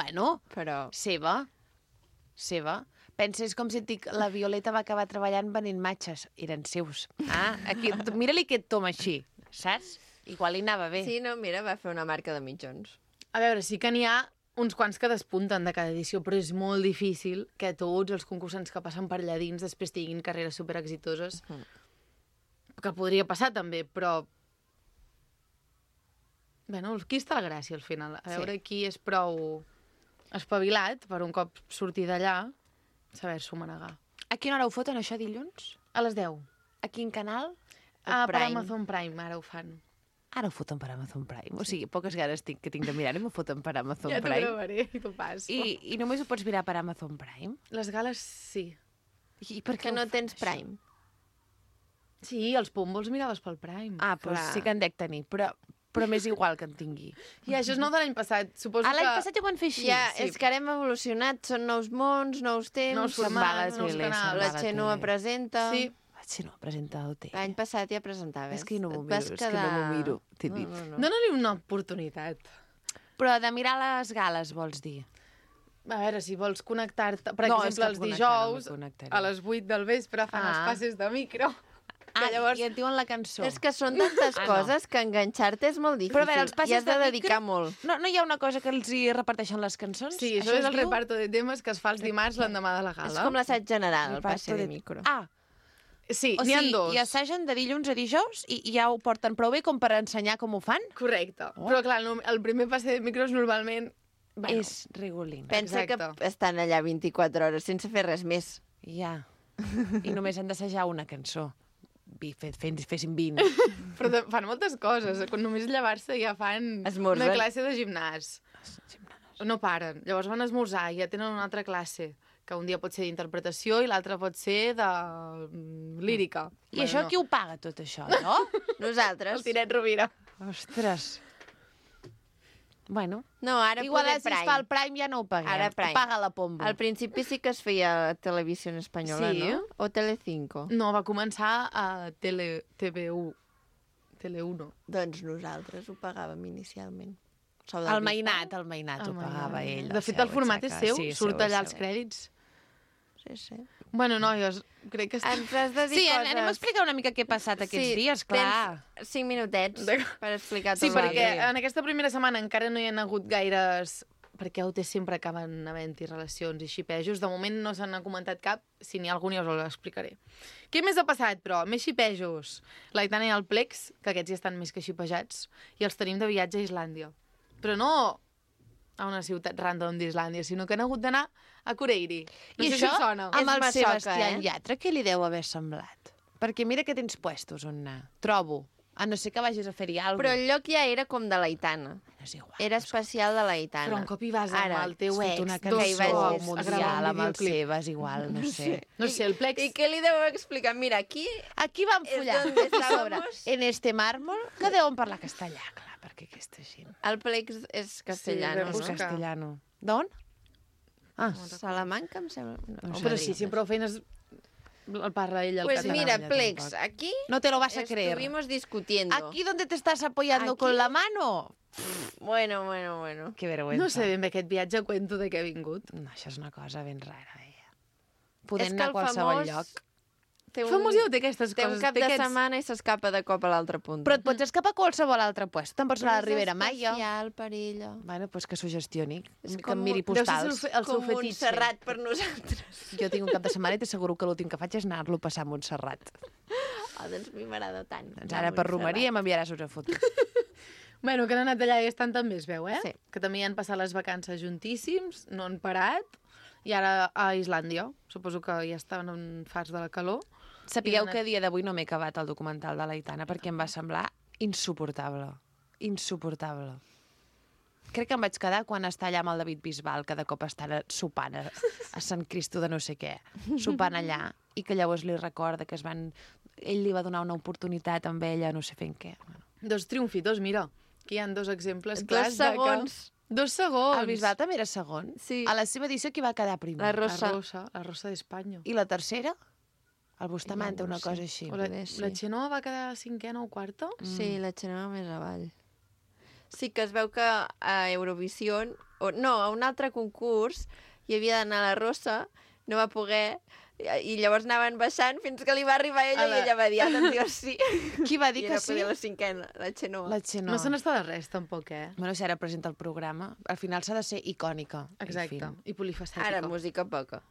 [SPEAKER 1] però...
[SPEAKER 2] seva. Pensa, és com si et dic, la Violeta va acabar treballant venent matxes. Eren seus. Ah, aquí, mira-li aquest tom així, saps? Igual li anava bé.
[SPEAKER 1] Sí, no, mira, va fer una marca de mitjons.
[SPEAKER 8] A veure, sí que n'hi ha uns quants que despunten de cada edició, però és molt difícil que tots els concursants que passen per allà dins després tinguin carreres superexitoses. Que podria passar també, però... Bueno, aquí està la gràcia, al final. A veure qui és prou espavilat per un cop sortir d'allà, saber-s'ho manegar.
[SPEAKER 2] A quina hora ho foten, això, dilluns?
[SPEAKER 8] A les 10.
[SPEAKER 2] A quin canal?
[SPEAKER 8] Per
[SPEAKER 1] Prime.
[SPEAKER 8] Amazon Prime, ara ho fan.
[SPEAKER 2] Ara ho foten per Amazon Prime. O sigui, poques ganes tinc de mirar-ho, m'ho foten per Amazon
[SPEAKER 8] Ja t'ho
[SPEAKER 2] Prime.
[SPEAKER 8] gravaré i t'ho passo.
[SPEAKER 2] I només ho pots mirar per Amazon Prime?
[SPEAKER 8] Les gales, sí.
[SPEAKER 2] I per què
[SPEAKER 1] Que no
[SPEAKER 2] ho fan,
[SPEAKER 1] tens
[SPEAKER 2] això?
[SPEAKER 1] Prime.
[SPEAKER 8] Sí, els pombols miraves pel Prime.
[SPEAKER 2] Ah, doncs
[SPEAKER 1] Clar.
[SPEAKER 2] sí que en dec tenir, però m'és igual que en tingui.
[SPEAKER 8] I això és nou de l'any passat. Suposo
[SPEAKER 2] Ah, l'any
[SPEAKER 8] que...
[SPEAKER 2] passat ja ho van fer així.
[SPEAKER 1] Ja,
[SPEAKER 8] sí.
[SPEAKER 1] és que ara hem evolucionat, són nous mons, nous temps,
[SPEAKER 8] Nous
[SPEAKER 2] Se'n va a la
[SPEAKER 8] formats, nous
[SPEAKER 2] tele,
[SPEAKER 8] canals.
[SPEAKER 2] se'n va
[SPEAKER 1] la
[SPEAKER 2] a la
[SPEAKER 1] Xenoa
[SPEAKER 2] tele.
[SPEAKER 1] presenta...
[SPEAKER 8] Sí.
[SPEAKER 2] Sí, no, presenta OT.
[SPEAKER 1] L'any passat ja presentaves.
[SPEAKER 2] És que no m'ho
[SPEAKER 1] Et vas
[SPEAKER 2] miro, és que no m'ho miro, t'he dit.
[SPEAKER 1] No.
[SPEAKER 8] Dóna-li una oportunitat.
[SPEAKER 2] Però de mirar les gales, vols dir?
[SPEAKER 8] A veure, si vols connectar-te... Per
[SPEAKER 2] No, és
[SPEAKER 8] exemple,
[SPEAKER 2] que
[SPEAKER 8] els
[SPEAKER 2] connectar no
[SPEAKER 8] dijous,
[SPEAKER 2] m'hi connectaré.
[SPEAKER 8] a les 8 del vespre fan els
[SPEAKER 2] Ah.
[SPEAKER 8] passes de micro. llavors...
[SPEAKER 2] i et diuen la cançó.
[SPEAKER 1] És que són tantes coses que enganxar-te és molt difícil.
[SPEAKER 2] Però a veure, els passes
[SPEAKER 1] i has de
[SPEAKER 2] de
[SPEAKER 1] dedicar
[SPEAKER 2] micro-
[SPEAKER 1] molt.
[SPEAKER 2] No hi ha una cosa que els hi reparteixen les cançons?
[SPEAKER 8] Sí, això és
[SPEAKER 2] es
[SPEAKER 8] el
[SPEAKER 2] diu?
[SPEAKER 8] reparto de temes que es fa els dimarts l'endemà de la gala.
[SPEAKER 1] És com l'assaig general, el
[SPEAKER 2] Reparto
[SPEAKER 1] passe de micro.
[SPEAKER 2] Ah,
[SPEAKER 8] Sí,
[SPEAKER 2] o
[SPEAKER 8] n'hi ha
[SPEAKER 2] sigui,
[SPEAKER 8] dos.
[SPEAKER 2] i assagen de dilluns a dijous i ja ho porten prou bé com per ensenyar com ho fan?
[SPEAKER 8] Correcte. Però clar, el primer passe de micros normalment... Bueno,
[SPEAKER 2] És rigolín.
[SPEAKER 1] Pensa
[SPEAKER 8] exacte.
[SPEAKER 1] que estan allà 24 hores sense fer res més.
[SPEAKER 2] Ja. I només han d'assajar una cançó. Fessin 20.
[SPEAKER 8] però fan moltes coses. Quan només llevar-se ja fan
[SPEAKER 1] Esmorzen.
[SPEAKER 8] una classe de gimnàs. No paren. Llavors van a esmorzar i ja tenen una altra classe, que un dia pot ser d'interpretació i l'altre pot ser de lírica.
[SPEAKER 2] I això qui ho paga, tot això, no?
[SPEAKER 1] Nosaltres.
[SPEAKER 8] El Tiret Rovira.
[SPEAKER 2] Ostres. Bueno,
[SPEAKER 1] No, ara
[SPEAKER 2] igual
[SPEAKER 1] poder
[SPEAKER 2] si es
[SPEAKER 1] Prime.
[SPEAKER 2] fa el Prime ja no ho paguem.
[SPEAKER 1] Ara Prime.
[SPEAKER 2] Ho paga la Pombo.
[SPEAKER 1] Al principi sí que es feia a Televisió Espanyola,
[SPEAKER 8] Sí.
[SPEAKER 1] no? O Telecinco.
[SPEAKER 8] No, va començar a TV1. Tele1.
[SPEAKER 1] Doncs nosaltres ho pagàvem inicialment. Sou del
[SPEAKER 2] El
[SPEAKER 1] Bisbal?
[SPEAKER 2] Mainat ho pagava ell.
[SPEAKER 8] De fet, el format és seu, surt allà als crèdits.
[SPEAKER 1] Sí, sí.
[SPEAKER 8] Bueno, noies, crec que...
[SPEAKER 1] Ens has de dir
[SPEAKER 2] Sí,
[SPEAKER 1] coses...
[SPEAKER 2] anem a explicar una mica què ha passat aquests dies, clar.
[SPEAKER 1] Tens 5 minutets per explicar
[SPEAKER 8] Sí,
[SPEAKER 1] tot
[SPEAKER 8] perquè
[SPEAKER 1] l'altre.
[SPEAKER 8] en aquesta primera setmana encara no hi ha hagut gaires... Perquè a UT sempre acaben havent-hi relacions i xipejos. De moment no se n'ha comentat cap. Si n'hi ha algun ja us ho explicaré. Què més ha passat, però? Més xipejos. L'Aitana i el Plex, que aquests ja estan més que xipejats, i els tenim de viatge a Islàndia. Però no a una ciutat random d'Islàndia, sinó que han hagut d'anar a Cureiri. No
[SPEAKER 2] I
[SPEAKER 8] sé
[SPEAKER 2] això,
[SPEAKER 8] si us sona.
[SPEAKER 2] amb el
[SPEAKER 1] Massoca,
[SPEAKER 2] Sebastián Yatra, què li deu haver semblat? Perquè mira que tens puestos on anar. Trobo. A no ser que vagis a fer-hi alguna
[SPEAKER 1] Però el lloc ja era com de l'Aitana.
[SPEAKER 2] No és igual.
[SPEAKER 1] Era especial de l'Aitana.
[SPEAKER 8] Però un cop hi vas amb el teu
[SPEAKER 2] Fot
[SPEAKER 8] ex,
[SPEAKER 2] una
[SPEAKER 1] que hi
[SPEAKER 2] cançó
[SPEAKER 1] vagis
[SPEAKER 8] a gravar
[SPEAKER 2] mundial
[SPEAKER 8] un
[SPEAKER 2] amb el
[SPEAKER 8] videoclip.
[SPEAKER 2] Sebas, igual, no sé.
[SPEAKER 8] No sé, el Plex...
[SPEAKER 1] I què li deu explicar? Mira, aquí...
[SPEAKER 2] Aquí vam
[SPEAKER 1] És
[SPEAKER 2] follar.
[SPEAKER 1] donde
[SPEAKER 2] A sobre,
[SPEAKER 1] estábamos.
[SPEAKER 2] en este mármol, que deuen parlar castellà, clar, perquè aquesta gent...
[SPEAKER 1] El Plex és castellano,
[SPEAKER 8] Sí,
[SPEAKER 2] És
[SPEAKER 8] Busca.
[SPEAKER 1] no?
[SPEAKER 2] castellano. D'on? Ah,
[SPEAKER 1] Salamanca, em sembla. No,
[SPEAKER 8] Però sí, si prou feines el parla ell al
[SPEAKER 1] Pues
[SPEAKER 8] català.
[SPEAKER 1] mira,
[SPEAKER 2] ya
[SPEAKER 1] Plex,
[SPEAKER 2] tampoco.
[SPEAKER 1] aquí
[SPEAKER 2] no te lo vas a creer.
[SPEAKER 1] estuvimos discutiendo.
[SPEAKER 2] Aquí donde te estás apoyando
[SPEAKER 1] Aquí.
[SPEAKER 2] con la mano.
[SPEAKER 1] Bueno, bueno, bueno.
[SPEAKER 2] Que vergüenza.
[SPEAKER 8] No sé ben bé aquest viatge, cuento de què he vingut.
[SPEAKER 2] No, això és una cosa ben rara, ella. Podem
[SPEAKER 1] És que
[SPEAKER 2] anar a
[SPEAKER 1] el
[SPEAKER 2] qualsevol
[SPEAKER 1] famós
[SPEAKER 2] lloc.
[SPEAKER 1] Té un,
[SPEAKER 8] Famós ja té aquestes
[SPEAKER 1] té
[SPEAKER 8] coses.
[SPEAKER 1] un cap
[SPEAKER 8] té
[SPEAKER 1] de
[SPEAKER 8] aquests-
[SPEAKER 1] setmana i s'escapa de cop a l'altra punta.
[SPEAKER 2] Però et pots escapar a qualsevol altre puesto. Te'n pots anar a la Ribera Maya.
[SPEAKER 1] És especial per ella.
[SPEAKER 2] Bueno, doncs que s'ho gestioni,
[SPEAKER 1] És
[SPEAKER 2] que
[SPEAKER 1] com
[SPEAKER 2] em miri
[SPEAKER 8] Deu ser
[SPEAKER 2] postals.
[SPEAKER 8] el seu
[SPEAKER 1] Com
[SPEAKER 8] fetitxe.
[SPEAKER 1] Montserrat per nosaltres.
[SPEAKER 2] Jo tinc un cap de setmana i t'asseguro que l'últim que faig és anar-lo a passar a Montserrat.
[SPEAKER 1] Oh, doncs a mi m'agrada tant.
[SPEAKER 2] Doncs ara per Romeria m'enviaràs una foto.
[SPEAKER 8] Bueno, que han anat allà i estan també, es veu, eh?
[SPEAKER 1] Sí.
[SPEAKER 8] Que també hi han passat les vacances juntíssims, no han parat, i ara a Islàndia. Suposo que ja estaven en fars de la calor.
[SPEAKER 2] Sapigueu que a dia d'avui no m'he acabat el documental de l'Aitana perquè em va semblar insuportable. Insuportable. Crec que em vaig quedar quan està allà amb el David Bisbal, que de cop estan sopant a Sant Cristo de no sé què, sopant allà, i que llavors li recorda que ell li va donar una oportunitat amb ella, no sé fent què.
[SPEAKER 8] Dos triomfitos, mira. Aquí hi ha dos exemples
[SPEAKER 1] 2
[SPEAKER 8] clars
[SPEAKER 1] segons.
[SPEAKER 8] de que... 2 segons.
[SPEAKER 2] El Bisbal també era segon.
[SPEAKER 1] Sí.
[SPEAKER 2] A la seva edició qui va quedar primer?
[SPEAKER 1] La Rosa.
[SPEAKER 8] La Rosa d'Espanya.
[SPEAKER 2] I la tercera? El Bustamante, una cosa així.
[SPEAKER 8] O la
[SPEAKER 1] sí.
[SPEAKER 8] Xenoa va quedar cinquena o quarta?
[SPEAKER 1] Sí, la Xenoa més avall. Sí, que es veu que a Eurovisió, no, a un altre concurs, hi havia d'anar la Rosa, no va poder, i llavors anaven baixant fins que li va arribar ella i ella va dir, doncs jo sí.
[SPEAKER 2] Qui va dir
[SPEAKER 1] I
[SPEAKER 2] que
[SPEAKER 1] era
[SPEAKER 2] sí?
[SPEAKER 1] poder la cinquena, la Xenoa.
[SPEAKER 2] La Xenoa.
[SPEAKER 8] No se n'està de res, tampoc, eh?
[SPEAKER 2] Bueno, si ara presenta el programa, al final s'ha de ser icònica.
[SPEAKER 8] Exacte.
[SPEAKER 2] En
[SPEAKER 8] I polifacètica.
[SPEAKER 1] Ara, música poca.
[SPEAKER 2] fi.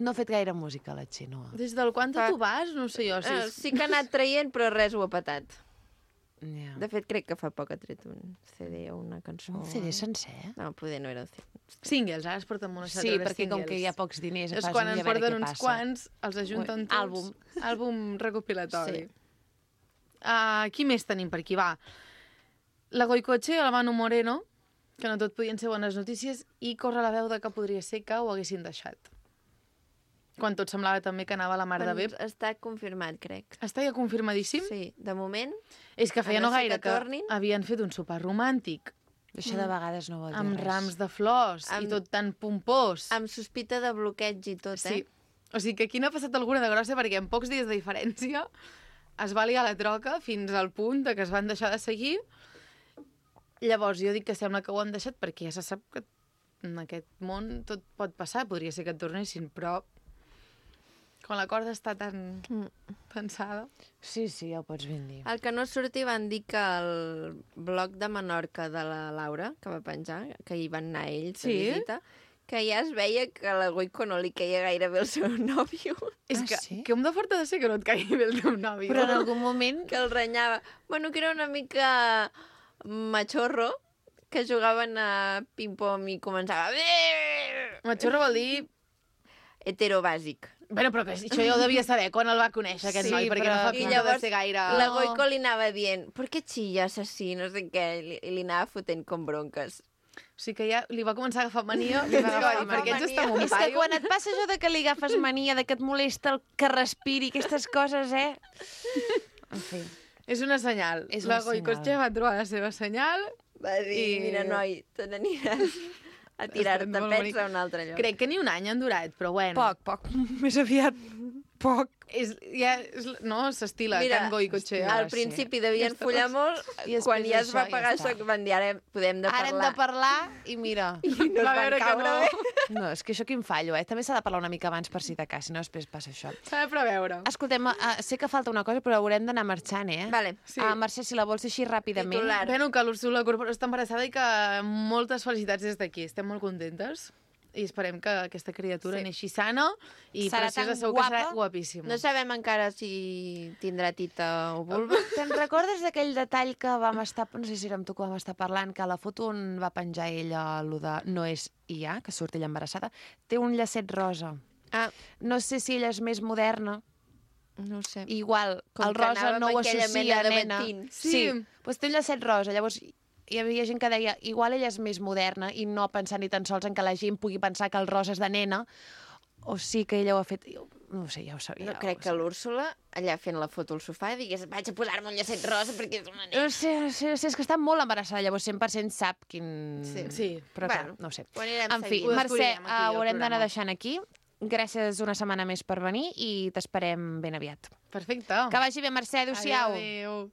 [SPEAKER 2] No ha fet gaire música, la Xenoa.
[SPEAKER 8] Des del quan tu vas? No sé jo.
[SPEAKER 1] Sí que ha anat traient, però res ho ha patat.
[SPEAKER 2] Ja.
[SPEAKER 1] De fet, crec que fa poc ha tret un CD o una cançó.
[SPEAKER 2] Un CD sencer?
[SPEAKER 1] No, poder no era el CD.
[SPEAKER 8] Singles, ara es porten molt a
[SPEAKER 2] Sí, perquè com que hi ha pocs diners,
[SPEAKER 8] És
[SPEAKER 2] fas
[SPEAKER 8] quan
[SPEAKER 2] un
[SPEAKER 8] en
[SPEAKER 2] i a veure
[SPEAKER 8] porten
[SPEAKER 2] què
[SPEAKER 8] uns
[SPEAKER 2] passa.
[SPEAKER 8] quants, els ajunten tots.
[SPEAKER 2] Àlbum.
[SPEAKER 8] Àlbum recopilatori.
[SPEAKER 1] Sí.
[SPEAKER 8] Qui més tenim per aquí? Va. La Goicoche, el Manu Moreno, que no tot podien ser bones notícies, i corre la veu de que podria ser que ho haguessin deixat. Quan tot semblava també que anava a la mar de bé.
[SPEAKER 1] Està confirmat, crec.
[SPEAKER 8] Està ja confirmadíssim?
[SPEAKER 1] Sí, de moment.
[SPEAKER 8] És que feia
[SPEAKER 1] A no
[SPEAKER 8] no
[SPEAKER 1] ser
[SPEAKER 8] gaire
[SPEAKER 1] que tornin.
[SPEAKER 8] havien fet un sopar romàntic,
[SPEAKER 2] Això de vegades no vol dir
[SPEAKER 8] amb
[SPEAKER 2] res.
[SPEAKER 8] rams de flors, i
[SPEAKER 1] Amb-
[SPEAKER 8] tot tan pompós.
[SPEAKER 1] Amb sospita de bloqueig i tot,
[SPEAKER 8] Sí.
[SPEAKER 1] eh?
[SPEAKER 8] O sigui que aquí no ha passat alguna de grossa perquè en pocs dies de diferència es va liar la troca fins al punt de que es van deixar de seguir. Llavors jo dic que sembla que ho han deixat perquè ja se sap que en aquest món tot pot passar. Podria ser que et tornessin, però Quan la corda està tan pensada.
[SPEAKER 2] Sí, ja ho pots ben dir.
[SPEAKER 1] El que no surti van dir que el blog de Menorca de la Laura, que va penjar, que hi van anar ells de visita, que ja es veia que a la Goico no li queia gaire bé el seu nòvio.
[SPEAKER 8] És que com de fort ha de ser que no et caigui bé el teu nòvio?
[SPEAKER 2] Però en algun moment...
[SPEAKER 1] Que el renyava. Bueno, que era una mica machorro, que jugaven a ping-pong i començava...
[SPEAKER 8] Machorro vol dir...
[SPEAKER 1] Hetero bàsic.
[SPEAKER 8] Bueno, però que això ja ho devia saber quan el va conèixer, aquest noi, perquè no fa pinta de ser gaire...
[SPEAKER 1] La Goico li anava dient, ¿por qué chillas así? No sé què, i li anava fotent com bronques.
[SPEAKER 8] O sigui que ja li va començar a agafar mania, li va agafar mania, perquè ets està un
[SPEAKER 2] És que quan et passa això de que li agafes mania, de que et molesta el que respiri, aquestes coses, En fi.
[SPEAKER 8] És una senyal. La Goicotxe va trobar la seva senyal.
[SPEAKER 1] Va dir, mira, noi, te n'aniràs a tirar-te pets a un altre lloc.
[SPEAKER 8] Crec que ni un any han durat, però bueno.
[SPEAKER 2] Poc. Més aviat, poc.
[SPEAKER 8] No, s'estila Can Goicotxe.
[SPEAKER 1] Al principi devien follar molt, quan ja es va pagar això, van dir, ara podem de parlar.
[SPEAKER 2] Ara hem de parlar, i mira...
[SPEAKER 1] I no es van caure bé.
[SPEAKER 2] No, és que això quin fallo, També s'ha de parlar una mica abans per si de cas, si no després passa això.
[SPEAKER 8] S'ha de preveure.
[SPEAKER 2] Escoltem, sé que falta una cosa, però haurem d'anar marxant,
[SPEAKER 1] Vale.
[SPEAKER 2] Sí. Mercè, si la vols dir així ràpidament.
[SPEAKER 8] Titular. Bueno, que l'Úrsula Corpora està embarassada i que moltes felicitats des d'aquí. Estem molt contentes. I esperem que aquesta criatura neixi sana i
[SPEAKER 2] serà
[SPEAKER 8] preciosa,
[SPEAKER 2] tan
[SPEAKER 8] segur
[SPEAKER 2] guapa.
[SPEAKER 8] que serà guapíssima.
[SPEAKER 1] No sabem encara si tindrà tita o vulva.
[SPEAKER 2] Te'n recordes d'aquell detall que vam estar... No sé si era amb tu que vam estar parlant, que a la foto on va penjar ella lo de no és IA, que surt ella embarassada, té un llacet rosa. No sé si ella és més moderna.
[SPEAKER 1] No ho sé.
[SPEAKER 2] Igual,
[SPEAKER 1] com
[SPEAKER 2] el rosa no ho associa a nena.
[SPEAKER 1] Sí,
[SPEAKER 2] doncs té un llacet rosa, llavors... Hi havia gent que deia, igual ella és més moderna i no pensar ni tan sols en que la gent pugui pensar que el rosa és de nena, o sí que ella ho ha fet... No ho sé, ja ho sabia.
[SPEAKER 1] No crec que l'Úrsula, allà fent la foto al sofà, digués, vaig a posar-me un llacet rosa perquè és una nena.
[SPEAKER 2] No sé, és que està molt embarassada, llavors 100% sap quin...
[SPEAKER 8] Sí.
[SPEAKER 2] Però clar, no ho sé.
[SPEAKER 1] En
[SPEAKER 2] fi, Mercè, ho haurem d'anar deixant aquí. Gràcies una setmana més per venir i t'esperem ben aviat.
[SPEAKER 8] Perfecte.
[SPEAKER 2] Que vagi bé, Mercè. Adéu-siau.
[SPEAKER 8] Adéu.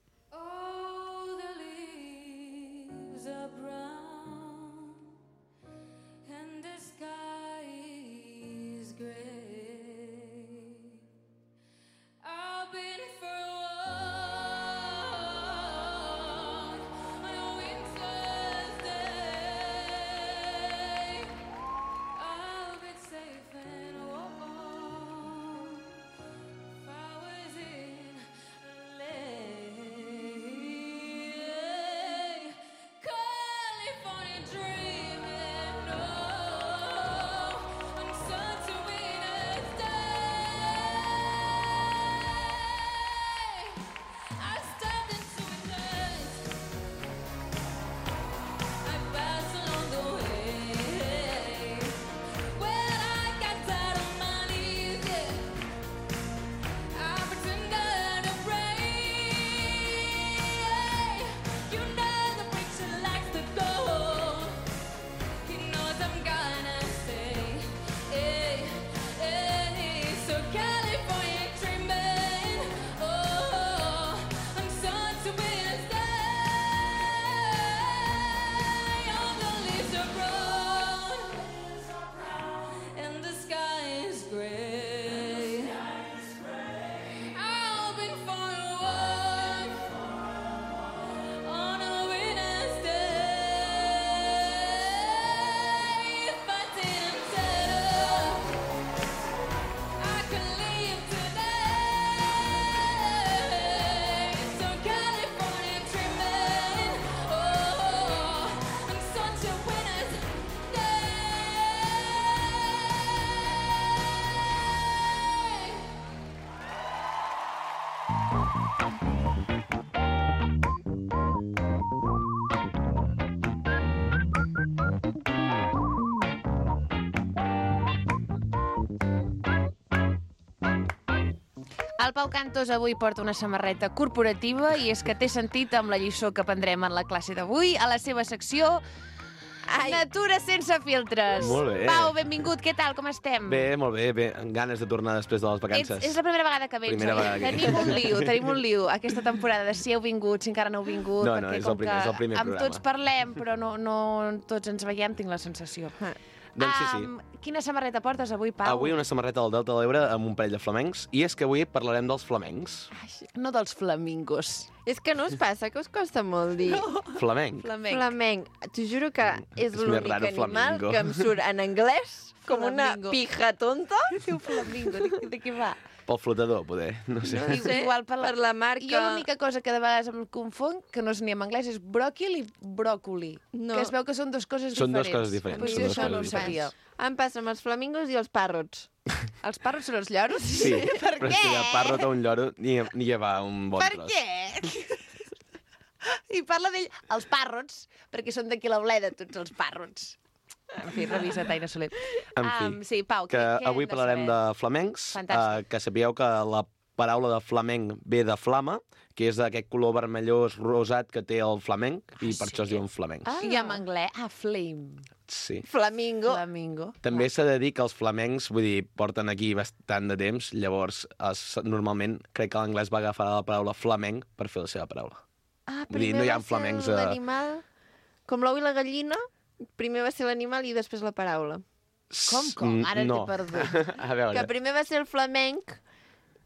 [SPEAKER 2] El Pau Cantos avui porta una samarreta corporativa i és que té sentit amb la lliçó que aprendrem en la classe d'avui a la seva secció Natura sense filtres.
[SPEAKER 9] Molt bé.
[SPEAKER 2] Pau, benvingut, què tal, com estem?
[SPEAKER 9] Bé, molt bé, amb ganes de tornar després de les vacances.
[SPEAKER 2] És la primera vegada que vens, Tenim un lío aquesta temporada de si heu vingut, si encara no heu vingut,
[SPEAKER 9] no, és el primer programa.
[SPEAKER 2] Amb tots parlem, però no tots ens veiem, tinc la sensació.
[SPEAKER 9] Doncs sí.
[SPEAKER 2] Quina samarreta portes avui, Pau?
[SPEAKER 9] Avui una samarreta del Delta de l'Ebre amb un parell de flamencs, i és que avui parlarem dels flamencs.
[SPEAKER 2] No dels flamingos.
[SPEAKER 1] És que no us passa que us costa molt dir
[SPEAKER 9] Flamenc.
[SPEAKER 1] flamenc. T'ho juro que és
[SPEAKER 9] És més
[SPEAKER 1] l'únic
[SPEAKER 9] raro,
[SPEAKER 1] animal
[SPEAKER 9] flamingo.
[SPEAKER 1] que em surt en anglès com una
[SPEAKER 2] Flamingo.
[SPEAKER 1] pija tonta.
[SPEAKER 2] Diu flamingo, de què va?
[SPEAKER 9] Pel flotador, poder. No sé.
[SPEAKER 1] No sé,
[SPEAKER 2] Igual
[SPEAKER 1] per la marca.
[SPEAKER 2] Jo l'única cosa que de vegades em confon, que no és ni en anglès, és bròquil i bròcoli.
[SPEAKER 1] No.
[SPEAKER 2] Que es veu que són dues coses
[SPEAKER 9] Són
[SPEAKER 2] diferents.
[SPEAKER 9] dues coses diferents,
[SPEAKER 2] Pues
[SPEAKER 9] són
[SPEAKER 2] jo
[SPEAKER 9] dues
[SPEAKER 2] això no ho
[SPEAKER 9] coses
[SPEAKER 2] sabia.
[SPEAKER 1] Em passa amb els flamingos i els parrots.
[SPEAKER 2] Els parrots són els lloros?
[SPEAKER 9] Sí,
[SPEAKER 2] Per
[SPEAKER 9] però és que
[SPEAKER 2] què?
[SPEAKER 9] de parrot a un lloro ni hi va un bon
[SPEAKER 2] Per
[SPEAKER 9] tros.
[SPEAKER 2] què? I parla d'ell, els parrots, perquè són d'aquí la Bleda, tots els parrots. En fi, revisa Taina Soler.
[SPEAKER 9] En fi,
[SPEAKER 2] Sí, Pau,
[SPEAKER 9] que
[SPEAKER 2] què
[SPEAKER 9] avui
[SPEAKER 2] hem de
[SPEAKER 9] parlarem
[SPEAKER 2] saber?
[SPEAKER 9] de flamencs,
[SPEAKER 2] Fantàstic.
[SPEAKER 9] que sapigueu que la paraula de flamenc ve de flama, que és d'aquest color vermellós rosat que té el flamenc, i per això es diuen flamencs.
[SPEAKER 2] I en anglès, flame.
[SPEAKER 9] Sí.
[SPEAKER 1] Flamingo.
[SPEAKER 2] Flamingo.
[SPEAKER 9] També s'ha de dir que els flamencs, vull dir, porten aquí bastant de temps, llavors normalment crec que l'anglès va agafar la paraula flamenc per fer la seva paraula. Vull dir, no hi ha flamencs a...
[SPEAKER 1] L'animal, com l'ou i la gallina, primer va ser l'animal i després la paraula.
[SPEAKER 2] Com? Ara
[SPEAKER 9] no.
[SPEAKER 2] t'he perdut.
[SPEAKER 9] A veure...
[SPEAKER 1] Que primer va ser el flamenc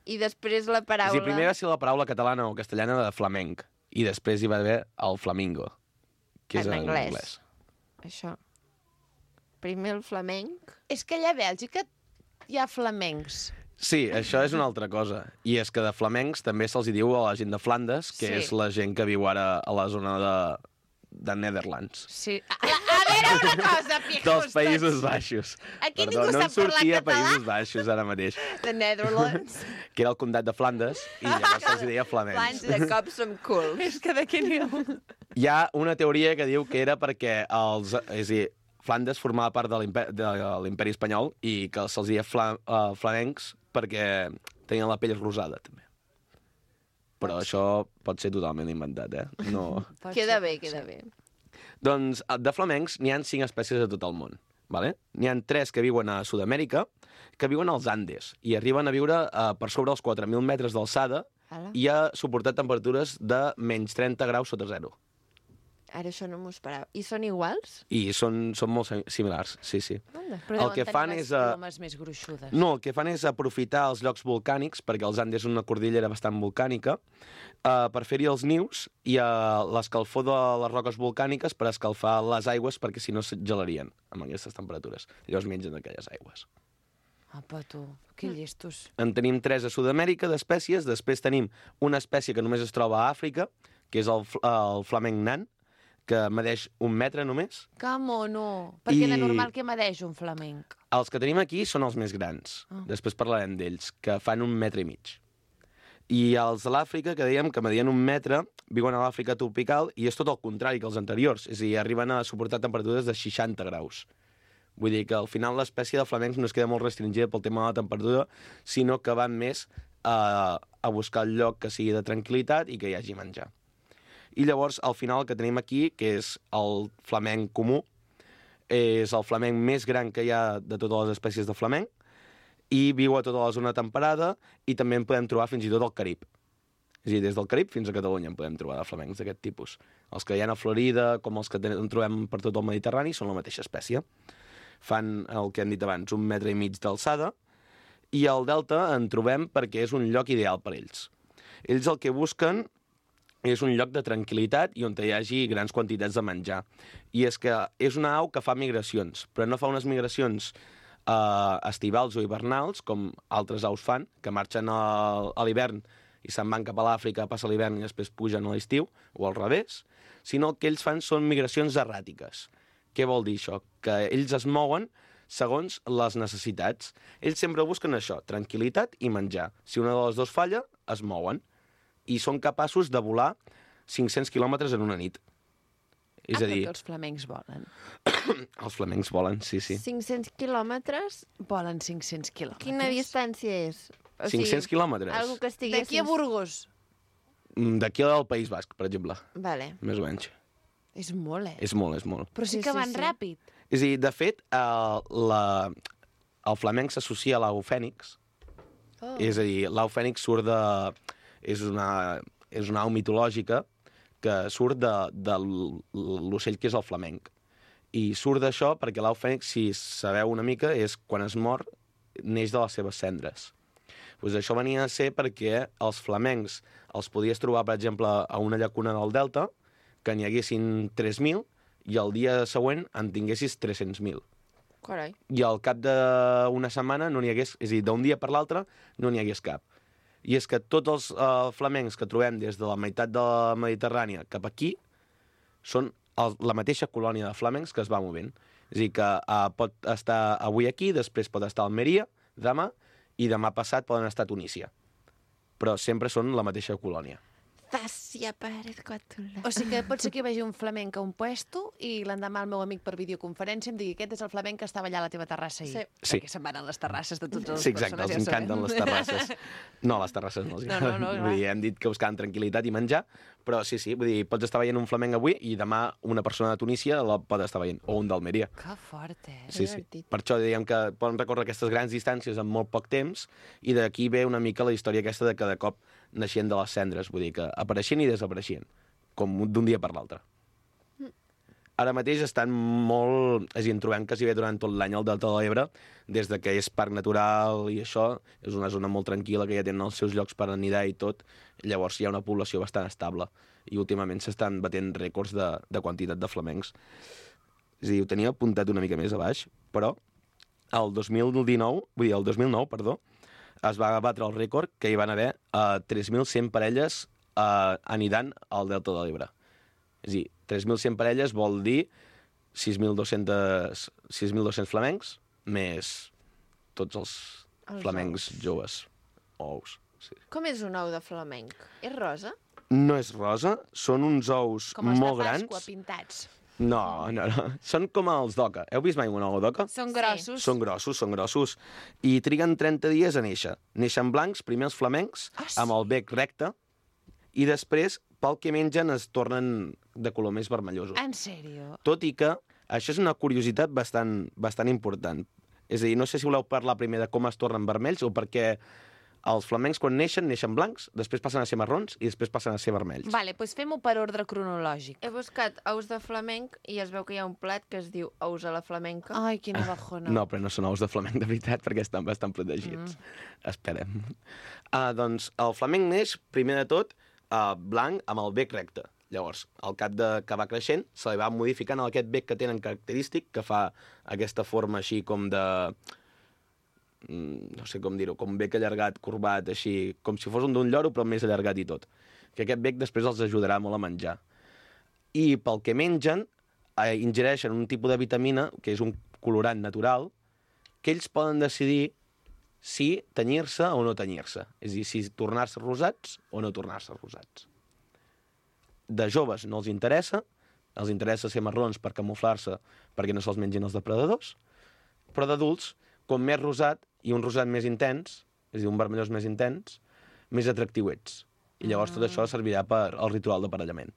[SPEAKER 1] i després la paraula.
[SPEAKER 9] Sí, primer va ser la paraula catalana o castellana de flamenc, i després hi va haver el flamingo, que és
[SPEAKER 1] En
[SPEAKER 9] en
[SPEAKER 1] anglès.
[SPEAKER 9] anglès.
[SPEAKER 1] Això. Primer el flamenc.
[SPEAKER 2] És que allà a Bèlgica hi ha flamencs.
[SPEAKER 9] Sí, això és una altra cosa. I és que de flamencs també se'ls diu a la gent de Flandes, que
[SPEAKER 2] Sí.
[SPEAKER 9] és la gent que viu ara a la zona de Netherlands.
[SPEAKER 2] Sí. A veure una cosa, pijos.
[SPEAKER 9] Dels Països Baixos.
[SPEAKER 2] Aquí
[SPEAKER 9] Perdó,
[SPEAKER 2] ningú
[SPEAKER 9] no em
[SPEAKER 2] sap parlar
[SPEAKER 9] sortia
[SPEAKER 2] català.
[SPEAKER 9] Països Baixos ara mateix,
[SPEAKER 2] The Netherlands.
[SPEAKER 9] que era el comtat de Flandes, i llavors se'ls deia flamencs.
[SPEAKER 1] De cop som cool.
[SPEAKER 2] És que d'aquí n'hi ha un.
[SPEAKER 9] Hi ha una teoria que diu que era perquè els... És a dir, Flandes formava part de l'imperi espanyol i que se'ls deia flamencs perquè tenien la pell rosada, també. Però això pot ser totalment inventat, eh? No...
[SPEAKER 1] Queda bé, queda bé.
[SPEAKER 9] Doncs de flamencs n'hi ha 5 espècies a tot el món. Vale? N'hi ha 3 que viuen a Sud-amèrica, que viuen als Andes, i arriben a viure per sobre els 4.000 metres d'alçada i a suportar temperatures de menys 30 graus sota zero.
[SPEAKER 1] Ara això no m'ho esperava. I són iguals?
[SPEAKER 9] I són molt similars, sí, sí.
[SPEAKER 2] Però
[SPEAKER 9] El que fan és...
[SPEAKER 2] plomes més gruixudes.
[SPEAKER 9] No, el que fan és aprofitar els llocs volcànics, perquè els Andes és una cordillera bastant volcànica, per fer-hi els nius i l'escalfor de les roques volcàniques per escalfar les aigües, perquè si no es gelarien amb aquestes temperatures. Llavors mengen aquelles aigües.
[SPEAKER 2] Apa, tu, que llestos.
[SPEAKER 9] En tenim 3 a Sud-amèrica d'espècies, després tenim una espècie que només es troba a Àfrica, que és el flamenc nan, que medeix 1 metre només.
[SPEAKER 2] Que mono! Perquè de normal que medeix un flamenc.
[SPEAKER 9] Els que tenim aquí són els més grans. Després parlarem d'ells, que fan 1,5 metres. I els de l'Àfrica, que dèiem que medien 1 metre, viuen a l'Àfrica tropical i és tot el contrari que els anteriors. És a dir, arriben a suportar temperatures de 60 graus. Vull dir que al final l'espècie de flamencs no es queda molt restringida pel tema de la temperatura, sinó que van més a buscar el lloc que sigui de tranquil·litat i que hi hagi menjar. I llavors, al final, el que tenim aquí, que és el flamenc comú, és el flamenc més gran que hi ha de totes les espècies de flamenc, i viu a tota la zona temperada, i també en podem trobar fins i tot al Carib. És a dir, des del Carib fins a Catalunya en podem trobar de flamencs d'aquest tipus. Els que hi ha a Florida, com els que en trobem per tot el Mediterrani, són la mateixa espècie. Fan el que hem dit abans, 1,5 metres d'alçada, i al delta en trobem perquè és un lloc ideal per ells. Ells el que busquen és un lloc de tranquil·litat i on hi hagi grans quantitats de menjar. I és que és una au que fa migracions, però no fa unes migracions estivals o hivernals, com altres aus fan, que marxen a l'hivern i se'n van cap a l'Àfrica, passa l'hivern i després pugen a l'estiu, o al revés, sinó que ells fan són migracions erràtiques. Què vol dir això? Que ells es mouen segons les necessitats. Ells sempre busquen això, tranquil·litat i menjar. Si una de les dues falla, es mouen. I són capaços de volar 500 quilòmetres en una nit. És a dir...
[SPEAKER 2] Perquè els flamencs volen.
[SPEAKER 9] Els flamencs volen, sí, sí.
[SPEAKER 1] 500 quilòmetres?
[SPEAKER 2] Volen 500 quilòmetres.
[SPEAKER 1] Quina distància és? O
[SPEAKER 9] 500 quilòmetres?
[SPEAKER 1] Algo que estigui...
[SPEAKER 2] D'aquí a Burgos.
[SPEAKER 9] D'aquí al País Basc, per exemple.
[SPEAKER 1] Vale.
[SPEAKER 9] Més o menys.
[SPEAKER 2] És molt,
[SPEAKER 9] És molt, és molt.
[SPEAKER 2] Però sí que van ràpid.
[SPEAKER 9] És a dir, de fet, el flamenc s'associa a l'au fènix. És a dir, l'au fènix surt de... És una au mitològica que surt de l'ocell que és el flamenc. I surt d'això perquè l'au fènix, si sabeu una mica, és quan es mor, neix de les seves cendres. Pues això venia a ser perquè els flamencs els podies trobar, per exemple, a una llacuna del Delta, que n'hi haguessin 3.000, i el dia següent en tinguessis 300.000.
[SPEAKER 1] Carai.
[SPEAKER 9] I al cap d'una setmana no n'hi hagués, és a dir, d'un dia per l'altre no n'hi hagués cap. I és que tots els flamencs que trobem des de la meitat de la Mediterrània cap aquí són la mateixa colònia de flamencs que es va movent. És a dir, que pot estar avui aquí, després pot estar a Almeria, demà, i demà passat poden estar a Tunísia. Però sempre són la mateixa colònia.
[SPEAKER 1] Dacia Pérez Coatula.
[SPEAKER 2] O sigui que pot ser que hi vegi un flamenc a un puesto i l'endemà el meu amic per videoconferència em digui aquest és el flamenc que estava allà a la teva terrassa ahir.
[SPEAKER 1] Sí.
[SPEAKER 2] Perquè se'n van a les terrasses de totes les
[SPEAKER 9] Sí, exacte,
[SPEAKER 2] persones.
[SPEAKER 9] els encanten les terrasses. No, les terrasses no els agraden.
[SPEAKER 2] No,
[SPEAKER 9] vull dir, hem dit que buscaven tranquil·litat i menjar, però sí, vull dir, pots estar veient un flamenc avui i demà una persona de Tunísia la pot estar veient, o un d'Almeria.
[SPEAKER 2] Que fort,
[SPEAKER 9] Sí. Per això diguem que poden recórrer aquestes grans distàncies en molt poc temps i d'aquí ve una mica la història aquesta de que de cop naixien de les cendres, vull dir que apareixien i desapareixien, com d'un dia per l'altre. Ara mateix estan molt... És a dir, en trobem quasi bé durant tot l'any al Delta de l'Ebre, des de que és parc natural i això, és una zona molt tranquil·la que ja tenen els seus llocs per anidar i tot, llavors hi ha una població bastant estable i últimament s'estan batent rècords de quantitat de flamencs. És a dir, ho tenia apuntat una mica més a baix, però el 2009, perdó, es va batre el rècord que hi van haver 3.100 parelles anidant al Delta de l'Ebre. És a dir, 3.100 parelles vol dir 6.200 flamencs més tots els flamencs joves. Ous. Sí.
[SPEAKER 1] Com és un ou de flamenc? És rosa?
[SPEAKER 9] No és rosa, són uns ous molt grans.
[SPEAKER 2] Com els de Pasqua, pintats.
[SPEAKER 9] No. Són com els d'oca. Heu vist mai un ou d'oca?
[SPEAKER 2] Són grossos.
[SPEAKER 9] Són grossos. I triguen 30 dies a néixer. Neixen blancs, primer els flamencs, amb el bec recte, i després, pel que mengen, es tornen de color més vermellosos.
[SPEAKER 2] En sèrio?
[SPEAKER 9] Tot i que això és una curiositat bastant important. És a dir, no sé si voleu parlar primer de com es tornen vermells o perquè els flamencs, quan neixen blancs, després passen a ser marrons i després passen a ser vermells.
[SPEAKER 2] Vale, doncs fem-ho per ordre cronològic.
[SPEAKER 1] He buscat ous de flamenc i es veu que hi ha un plat que es diu ous a la flamenca.
[SPEAKER 2] Ai, quina bajona.
[SPEAKER 9] No, però no són ous de flamenc de veritat, perquè estan bastant protegits. Esperem. Doncs el flamenc neix, primer de tot, blanc amb el bec recte. Llavors, al cap que va creixent, se li va modificant aquest bec que tenen característic, que fa aquesta forma així com de... no sé com dir-ho, com bec allargat, corbat, així, com si fos un d'un lloro, però més allargat i tot. Que aquest bec després els ajudarà molt a menjar. I pel que mengen, ingereixen un tipus de vitamina, que és un colorant natural, que ells poden decidir si tenyir-se o no tenyir-se. És a dir, si tornar-se rosats o no tornar-se rosats. De joves no els interessa ser marrons per camuflar-se perquè no se'ls mengin els depredadors, però d'adults, com més rosat i un rosat més intens, és a dir, un vermellós més intens, més atractiu ets. I llavors tot això servirà per al ritual d'aparellament.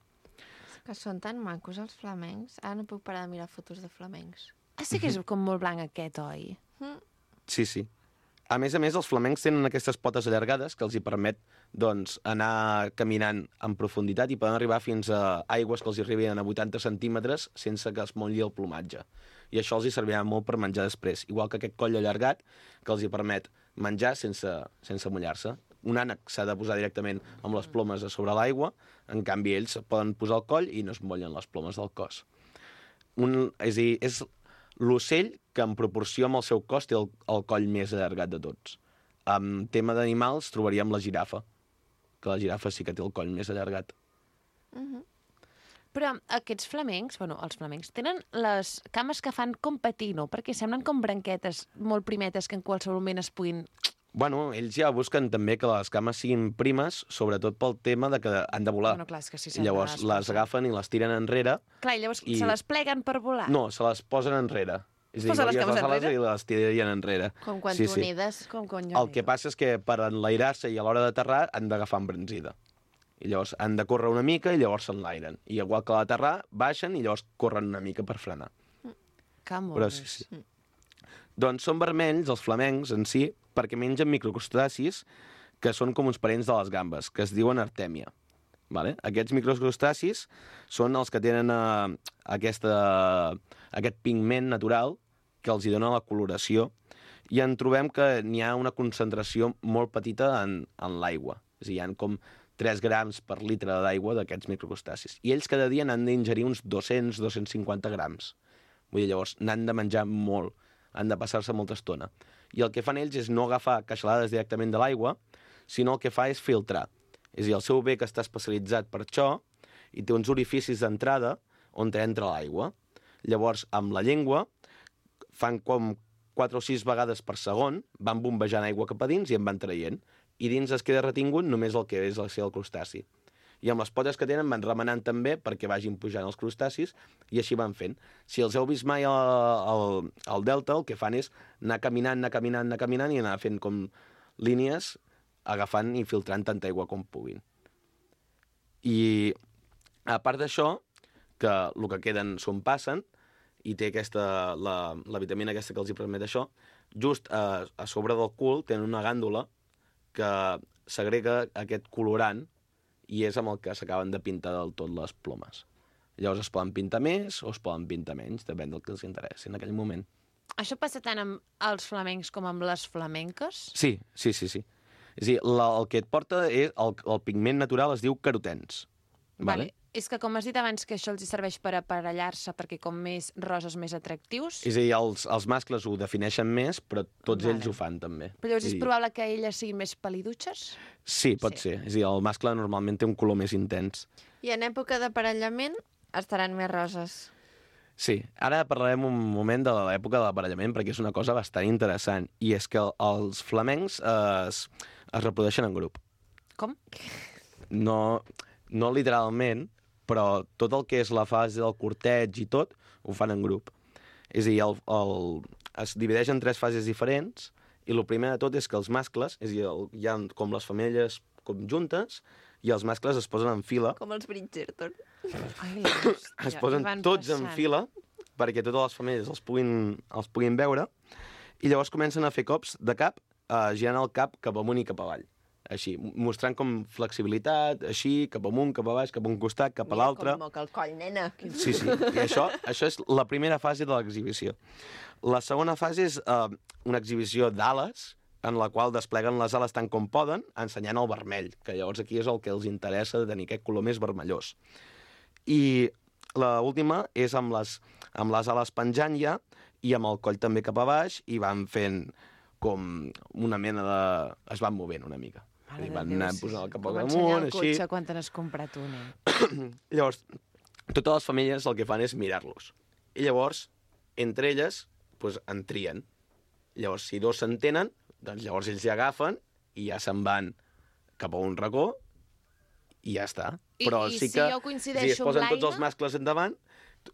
[SPEAKER 1] Que són tan macos els flamencs. Ara no puc parar de mirar fotos de flamencs.
[SPEAKER 2] Sí que és com molt blanc aquest, oi?
[SPEAKER 9] Sí. A més, els flamencs tenen aquestes potes allargades que els hi permet doncs, anar caminant en profunditat i poden arribar fins a aigües que els hi arriben a 80 centímetres sense que es motlli el plomatge. I això els hi servirà molt per menjar després. Igual que aquest coll allargat que els hi permet menjar sense mullar-se. Un ànec s'ha de posar directament amb les plomes a sobre l'aigua, en canvi ells poden posar el coll i no es mollen les plomes del cos. És a dir, és l'ocell que en proporció amb el seu cos té el coll més allargat de tots. En tema d'animals trobaríem la girafa, que la girafa sí que té el coll més allargat.
[SPEAKER 2] Però aquests flamencs, els flamencs, tenen les cames que fan com patino, perquè semblen com branquetes molt primetes que en qualsevol moment es puguin...
[SPEAKER 9] Bueno, ells ja busquen també que les cames siguin primes, sobretot pel tema de que han de volar.
[SPEAKER 2] Bueno, clar, és que sí,
[SPEAKER 9] llavors les agafen i les tiren enrere.
[SPEAKER 2] Clar, i llavors se les pleguen per volar?
[SPEAKER 9] No, se les posen enrere. És a dir,
[SPEAKER 2] les cames enrere?
[SPEAKER 9] I les tirarien enrere.
[SPEAKER 1] Com quan tu nides.
[SPEAKER 9] El que passa és que per enlairar-se i a l'hora d'aterrar han d'agafar embranzida. I llavors han de córrer una mica i llavors s'enlairen. I igual que a l'aterrar, baixen i llavors corren una mica per frenar. Però sí. Doncs són vermells, els flamencs en si, perquè mengen microcrustacis que són com uns parents de les gambes, que es diuen artèmia. Vale? Aquests microcrustacis són els que tenen aquest pigment natural que els hi dona la coloració, i en trobem que n'hi ha una concentració molt petita en l'aigua. És a dir, hi ha com 3 grams per litre d'aigua d'aquests microcrustacis. I ells cada dia n'han d'ingerir uns 200-250 grams. Vull dir, llavors, n'han de menjar molt, han de passar-se molta estona. I el que fan ells és no agafar queixalades directament de l'aigua, sinó el que fa és filtrar. És a dir, el seu bec està especialitzat per això i té uns orificis d'entrada on entra l'aigua. Llavors, amb la llengua, fan com 4 o 6 vegades per segon, van bombejant aigua cap a dins i en van traient. I dins es queda retingut només el que és el crustaci. I amb les potes que tenen van remenant també perquè vagin pujant els crustacis, i així van fent. Si els heu vist mai al delta, el que fan és anar caminant i anar fent com línies, agafant i filtrant tanta aigua com puguin. I a part d'això, que el que queden s'ho passen, i té la vitamina aquesta que els hi permet això, just a sobre del cul tenen una gàndula que segrega aquest colorant i és amb el que s'acaben de pintar del tot les plomes. Llavors es poden pintar més o es poden pintar menys, depèn del que els interessi en aquell moment.
[SPEAKER 2] Això passa tant amb els flamencs com amb les flamenques?
[SPEAKER 9] Sí. És a dir, el que et porta és el pigment natural es diu carotens.
[SPEAKER 2] Vale. És que, com has dit abans, que això els serveix per aparellar-se, perquè com més roses, més atractius.
[SPEAKER 9] És a dir, els mascles ho defineixen més, però tots ells ho fan també.
[SPEAKER 2] Però llavors és probable que elles siguin més pal·lidutxes?
[SPEAKER 9] Sí, pot ser. És a dir, el mascle normalment té un color més intens.
[SPEAKER 1] I en època d'aparellament estaran més roses.
[SPEAKER 9] Sí, ara parlarem un moment de l'època de l'aparellament, perquè és una cosa bastant interessant, i és que els flamencs es reprodueixen en grup.
[SPEAKER 2] Com?
[SPEAKER 9] No literalment, però tot el que és la fase del corteig i tot, ho fan en grup. És a dir, es divideix en 3 fases diferents, i el primer de tot és que els mascles, és a dir, hi ha com les femelles com juntes, i els mascles es posen en fila.
[SPEAKER 1] Com els Bridgerton.
[SPEAKER 9] Es posen tots en fila, perquè totes les femelles els puguin veure, i llavors comencen a fer cops de cap, girant el cap cap amunt i cap avall. Així, mostrant com flexibilitat, així, cap amunt, cap a baix, cap a un costat, cap a l'altre.
[SPEAKER 1] Com moca el coll, nena.
[SPEAKER 9] Sí, i això és la primera fase de l'exhibició. La segona fase és una exhibició d'ales, en la qual despleguen les ales tant com poden, ensenyant el vermell, que llavors aquí és el que els interessa, de tenir aquest color més vermellós. I l'última és amb les ales penjant ja, i amb el coll també cap a baix, i van fent com una mena de... es van movent una mica. Van anar posant el cap al damunt, així.
[SPEAKER 2] Com ensenyar el cotxe quan te n'has comprat un.
[SPEAKER 9] Llavors, totes les famílies el que fan és mirar-los. I llavors, entre elles, en trien. Llavors, si 2 s'entenen, doncs llavors ells ja agafen i ja se'n van cap a un racó i ja està. Però
[SPEAKER 2] I
[SPEAKER 9] sí
[SPEAKER 2] si
[SPEAKER 9] que,
[SPEAKER 2] jo coincideixo amb l'Aina...
[SPEAKER 9] es posen tots els mascles endavant,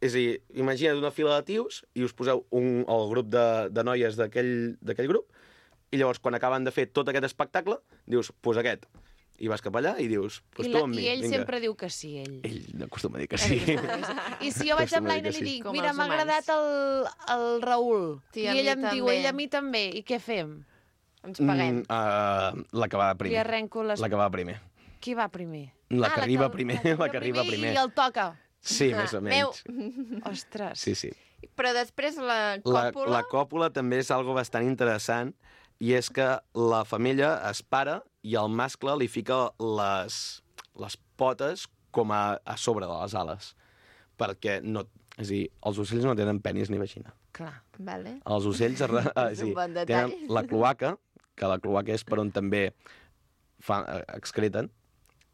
[SPEAKER 9] és a dir, imagina't una fila de tios i us poseu el grup de noies d'aquell grup, i llavors, quan acaben de fer tot aquest espectacle, dius, aquest. I vas cap allà i dius, tu amb mi.
[SPEAKER 2] I ell sempre diu que sí, ell.
[SPEAKER 9] Ell acostuma a dir que sí.
[SPEAKER 2] I si jo vaig amb l'Aina i li dic, mira, m'ha agradat el Raül, i ell em diu, ell a mi també, i què fem?
[SPEAKER 1] Ens paguem.
[SPEAKER 9] La que va primer.
[SPEAKER 2] Li arrenco les...
[SPEAKER 9] La que va primer.
[SPEAKER 2] Qui va primer?
[SPEAKER 9] La que arriba primer. La que arriba primer.
[SPEAKER 2] I el toca.
[SPEAKER 9] Sí, més o menys.
[SPEAKER 2] Ostres.
[SPEAKER 9] Sí.
[SPEAKER 1] Però després la còpula...
[SPEAKER 9] La còpula també és algo bastant interessant, i és que la femella es para i el mascle li fica les potes com a sobre de les ales. Perquè no... És a dir, els ocells no tenen penis ni vagina.
[SPEAKER 2] Clar.
[SPEAKER 1] Vale.
[SPEAKER 9] Els ocells tenen la cloaca, que la cloaca és per on també excreten,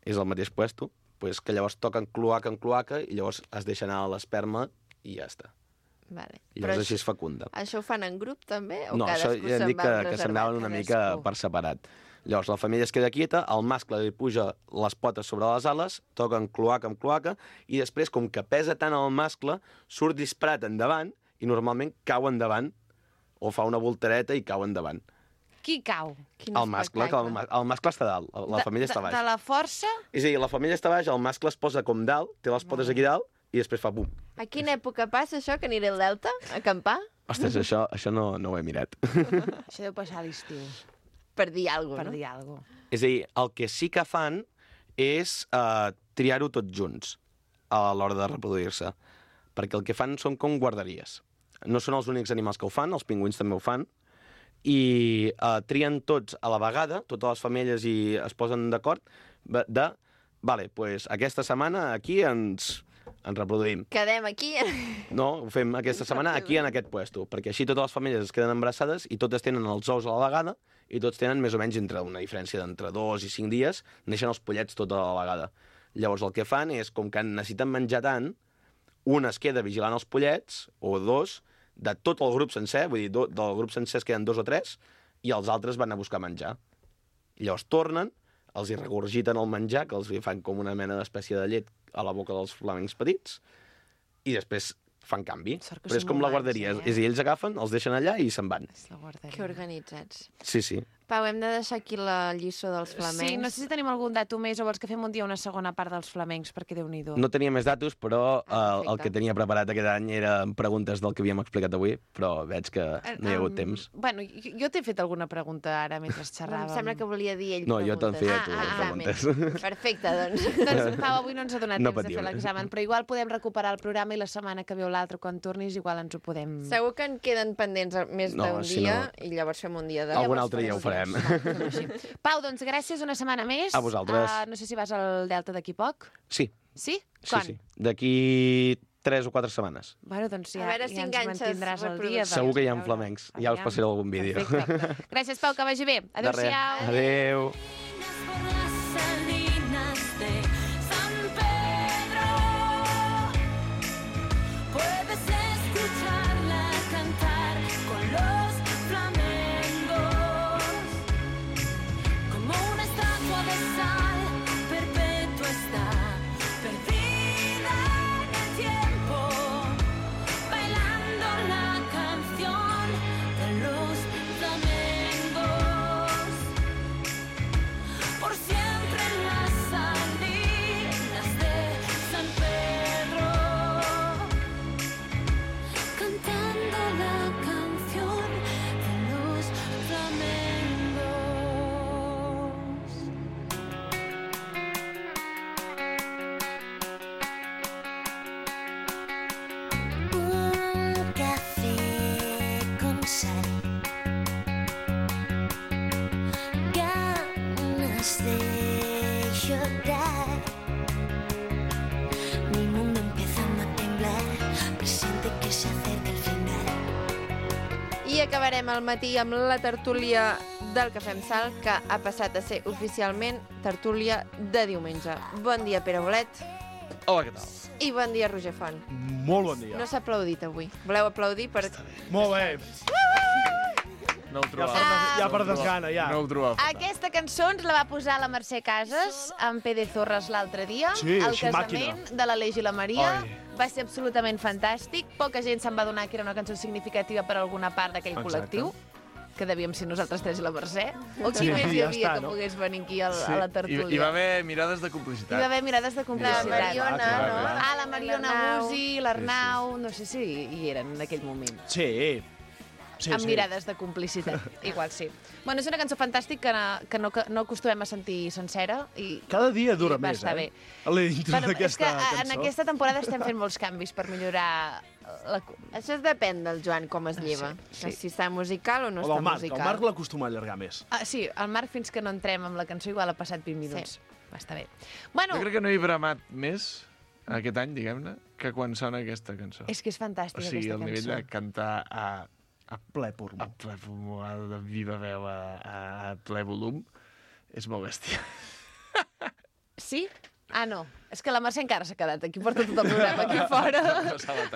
[SPEAKER 9] és el mateix puesto, que llavors toquen cloaca en cloaca i llavors es deixa anar l'esperma i ja està.
[SPEAKER 1] Vale.
[SPEAKER 9] I llavors així es fecunda.
[SPEAKER 1] Això ho fan en grup, també?
[SPEAKER 9] No, això ja hem dit que s'anaven una mica per separat. Llavors la femella es queda quieta, el mascle li puja les potes sobre les ales, toquen cloaca amb cloaca, i després, com que pesa tant el mascle, surt disparat endavant i normalment cau endavant, o fa una voltereta i cau endavant.
[SPEAKER 2] Qui cau?
[SPEAKER 9] El mascle, el mascle està dalt, la femella està baix.
[SPEAKER 2] De la força?
[SPEAKER 9] És a dir, la femella està baix, el mascle es posa com dalt, té les potes aquí dalt, i després fa bum.
[SPEAKER 1] A quina època passa això, que aniré al Delta a acampar?
[SPEAKER 9] Ostres, això no ho he mirat.
[SPEAKER 2] Això deu passar a l'estiu.
[SPEAKER 1] Per dir alguna cosa,
[SPEAKER 2] Per dir alguna cosa.
[SPEAKER 9] És a dir, el que sí que fan és triar-ho tots junts a l'hora de reproduir-se, perquè el que fan són com guarderies. No són els únics animals que ho fan, els pingüins també ho fan, i trien tots a la vegada, totes les femelles, i es posen d'acord vale, pues aquesta setmana aquí ens reproduïm.
[SPEAKER 1] Quedem aquí.
[SPEAKER 9] No, ho fem aquesta setmana aquí en aquest puesto, perquè així totes les famílies es queden embarassades i totes tenen els ous a la vegada i tots tenen més o menys una diferència d'entre 2 i 5 dies, neixen els pollets tot a la vegada. Llavors el que fan és, com que necessiten menjar tant, un es queda vigilant els pollets, o 2, de tot el grup sencer, vull dir, del grup sencer es queden 2 o 3, i els altres van a buscar menjar. I llavors tornen, els hi regurgiten el menjar, que els fan com una mena d'espècie de llet a la boca dels flamencs petits, i després fan canvi. Però és com la guarderia. És a dir, ells agafen, els deixen allà i se'n van.
[SPEAKER 1] Que organitzats.
[SPEAKER 9] Sí, sí.
[SPEAKER 1] Pau, hem de deixar aquí la lliçó dels flamencs.
[SPEAKER 2] Sí, no sé si tenim algun dato més o vols que fem un dia una segona part dels flamencs, perquè Déu-n'hi-do.
[SPEAKER 9] No tenia més datos, però el que tenia preparat aquest any eren preguntes del que havíem explicat avui, però veig que no hi ha hagut temps.
[SPEAKER 2] Bueno, jo t'he fet alguna pregunta ara mentre xerràvem.
[SPEAKER 1] Em sembla que volia dir ell
[SPEAKER 9] no,
[SPEAKER 1] preguntes.
[SPEAKER 9] Jo te'n feia tu preguntes.
[SPEAKER 1] Perfecte, doncs.
[SPEAKER 2] Doncs Pau, avui no ens ha donat temps de fer l'examen, però igual podem recuperar el programa i la setmana que ve o l'altra, quan tornis, igual ens ho podem...
[SPEAKER 1] Segur que en queden pendents més d'un dia i llavors fem un dia de...
[SPEAKER 9] Algun altre dia ho farem.
[SPEAKER 2] Pau, doncs gràcies una setmana més.
[SPEAKER 9] A vosaltres.
[SPEAKER 2] No sé si vas al Delta d'aquí poc.
[SPEAKER 9] Sí.
[SPEAKER 2] Sí? Quan?
[SPEAKER 9] Sí. D'aquí 3 o 4 setmanes.
[SPEAKER 2] Bueno, doncs ja,
[SPEAKER 1] a veure si
[SPEAKER 2] ja ens mantindràs al dia.
[SPEAKER 9] Segur que hi ha flamencs. Ja us passaré algun vídeo.
[SPEAKER 2] Perfecte. Gràcies, Pau, que vagi bé. Adéu-siau.
[SPEAKER 9] Adéu.
[SPEAKER 1] I acabarem el matí amb la tertúlia del Cafè amb Sal, que ha passat a ser oficialment tertúlia de diumenge. Bon dia, Pere Bolet.
[SPEAKER 10] Hola, què tal?
[SPEAKER 1] I bon dia, Roger Font.
[SPEAKER 10] Molt bon dia.
[SPEAKER 1] No s'ha aplaudit avui. Voleu aplaudir per...
[SPEAKER 10] Molt bé. No ho trobava. Ja per desgana, ja. No ho trobava.
[SPEAKER 2] Aquesta cançó ens la va posar la Mercè Casas amb Pere Zorras l'altre dia.
[SPEAKER 10] Sí,
[SPEAKER 2] al
[SPEAKER 10] així
[SPEAKER 2] casament
[SPEAKER 10] màquina.
[SPEAKER 2] de l'Aleix i la Maria.
[SPEAKER 10] Ai.
[SPEAKER 2] Va ser absolutament fantàstic. Poca gent se'n va donar que era una cançó significativa per a alguna part d'aquell col·lectiu, que devíem ser nosaltres tres i la Mercè. O qui més hi havia que pogués venir aquí a la tertúlia?
[SPEAKER 10] Hi va haver mirades de complicitat.
[SPEAKER 2] Hi va haver mirades de complicitat.
[SPEAKER 1] La Mariona, no?
[SPEAKER 2] Ah, la Mariona Musi, l'Arnau... No sé si hi eren en aquell moment.
[SPEAKER 10] Sí.
[SPEAKER 2] Amb mirades de complicitat. Igual sí. Bueno, és una cançó fantàstica que no acostumem a sentir sencera.
[SPEAKER 10] Cada dia dura més,
[SPEAKER 2] eh?
[SPEAKER 10] Bé. L'intro d'aquesta cançó.
[SPEAKER 2] En aquesta temporada estem fent molts canvis per millorar...
[SPEAKER 1] Això depèn del Joan, com es lleva. Sí. Si està musical o no està musical.
[SPEAKER 10] El Marc l'acostuma a allargar més.
[SPEAKER 2] Sí, el Marc, fins que no entrem amb la cançó, igual ha passat 20 minuts. Sí. Va estar bé. Bueno,
[SPEAKER 10] jo crec que no he bramat més aquest any, diguem-ne, que quan sona aquesta cançó.
[SPEAKER 2] És que és fantàstica, aquesta cançó.
[SPEAKER 10] O sigui, el nivell de cantar a
[SPEAKER 11] ple pulmó.
[SPEAKER 10] A ple pulmó, de viva veu, a ple volum, és molt bèstia.
[SPEAKER 2] Sí? Ah, no. És que la Mercè encara s'ha quedat aquí, porta tot el programa aquí fora.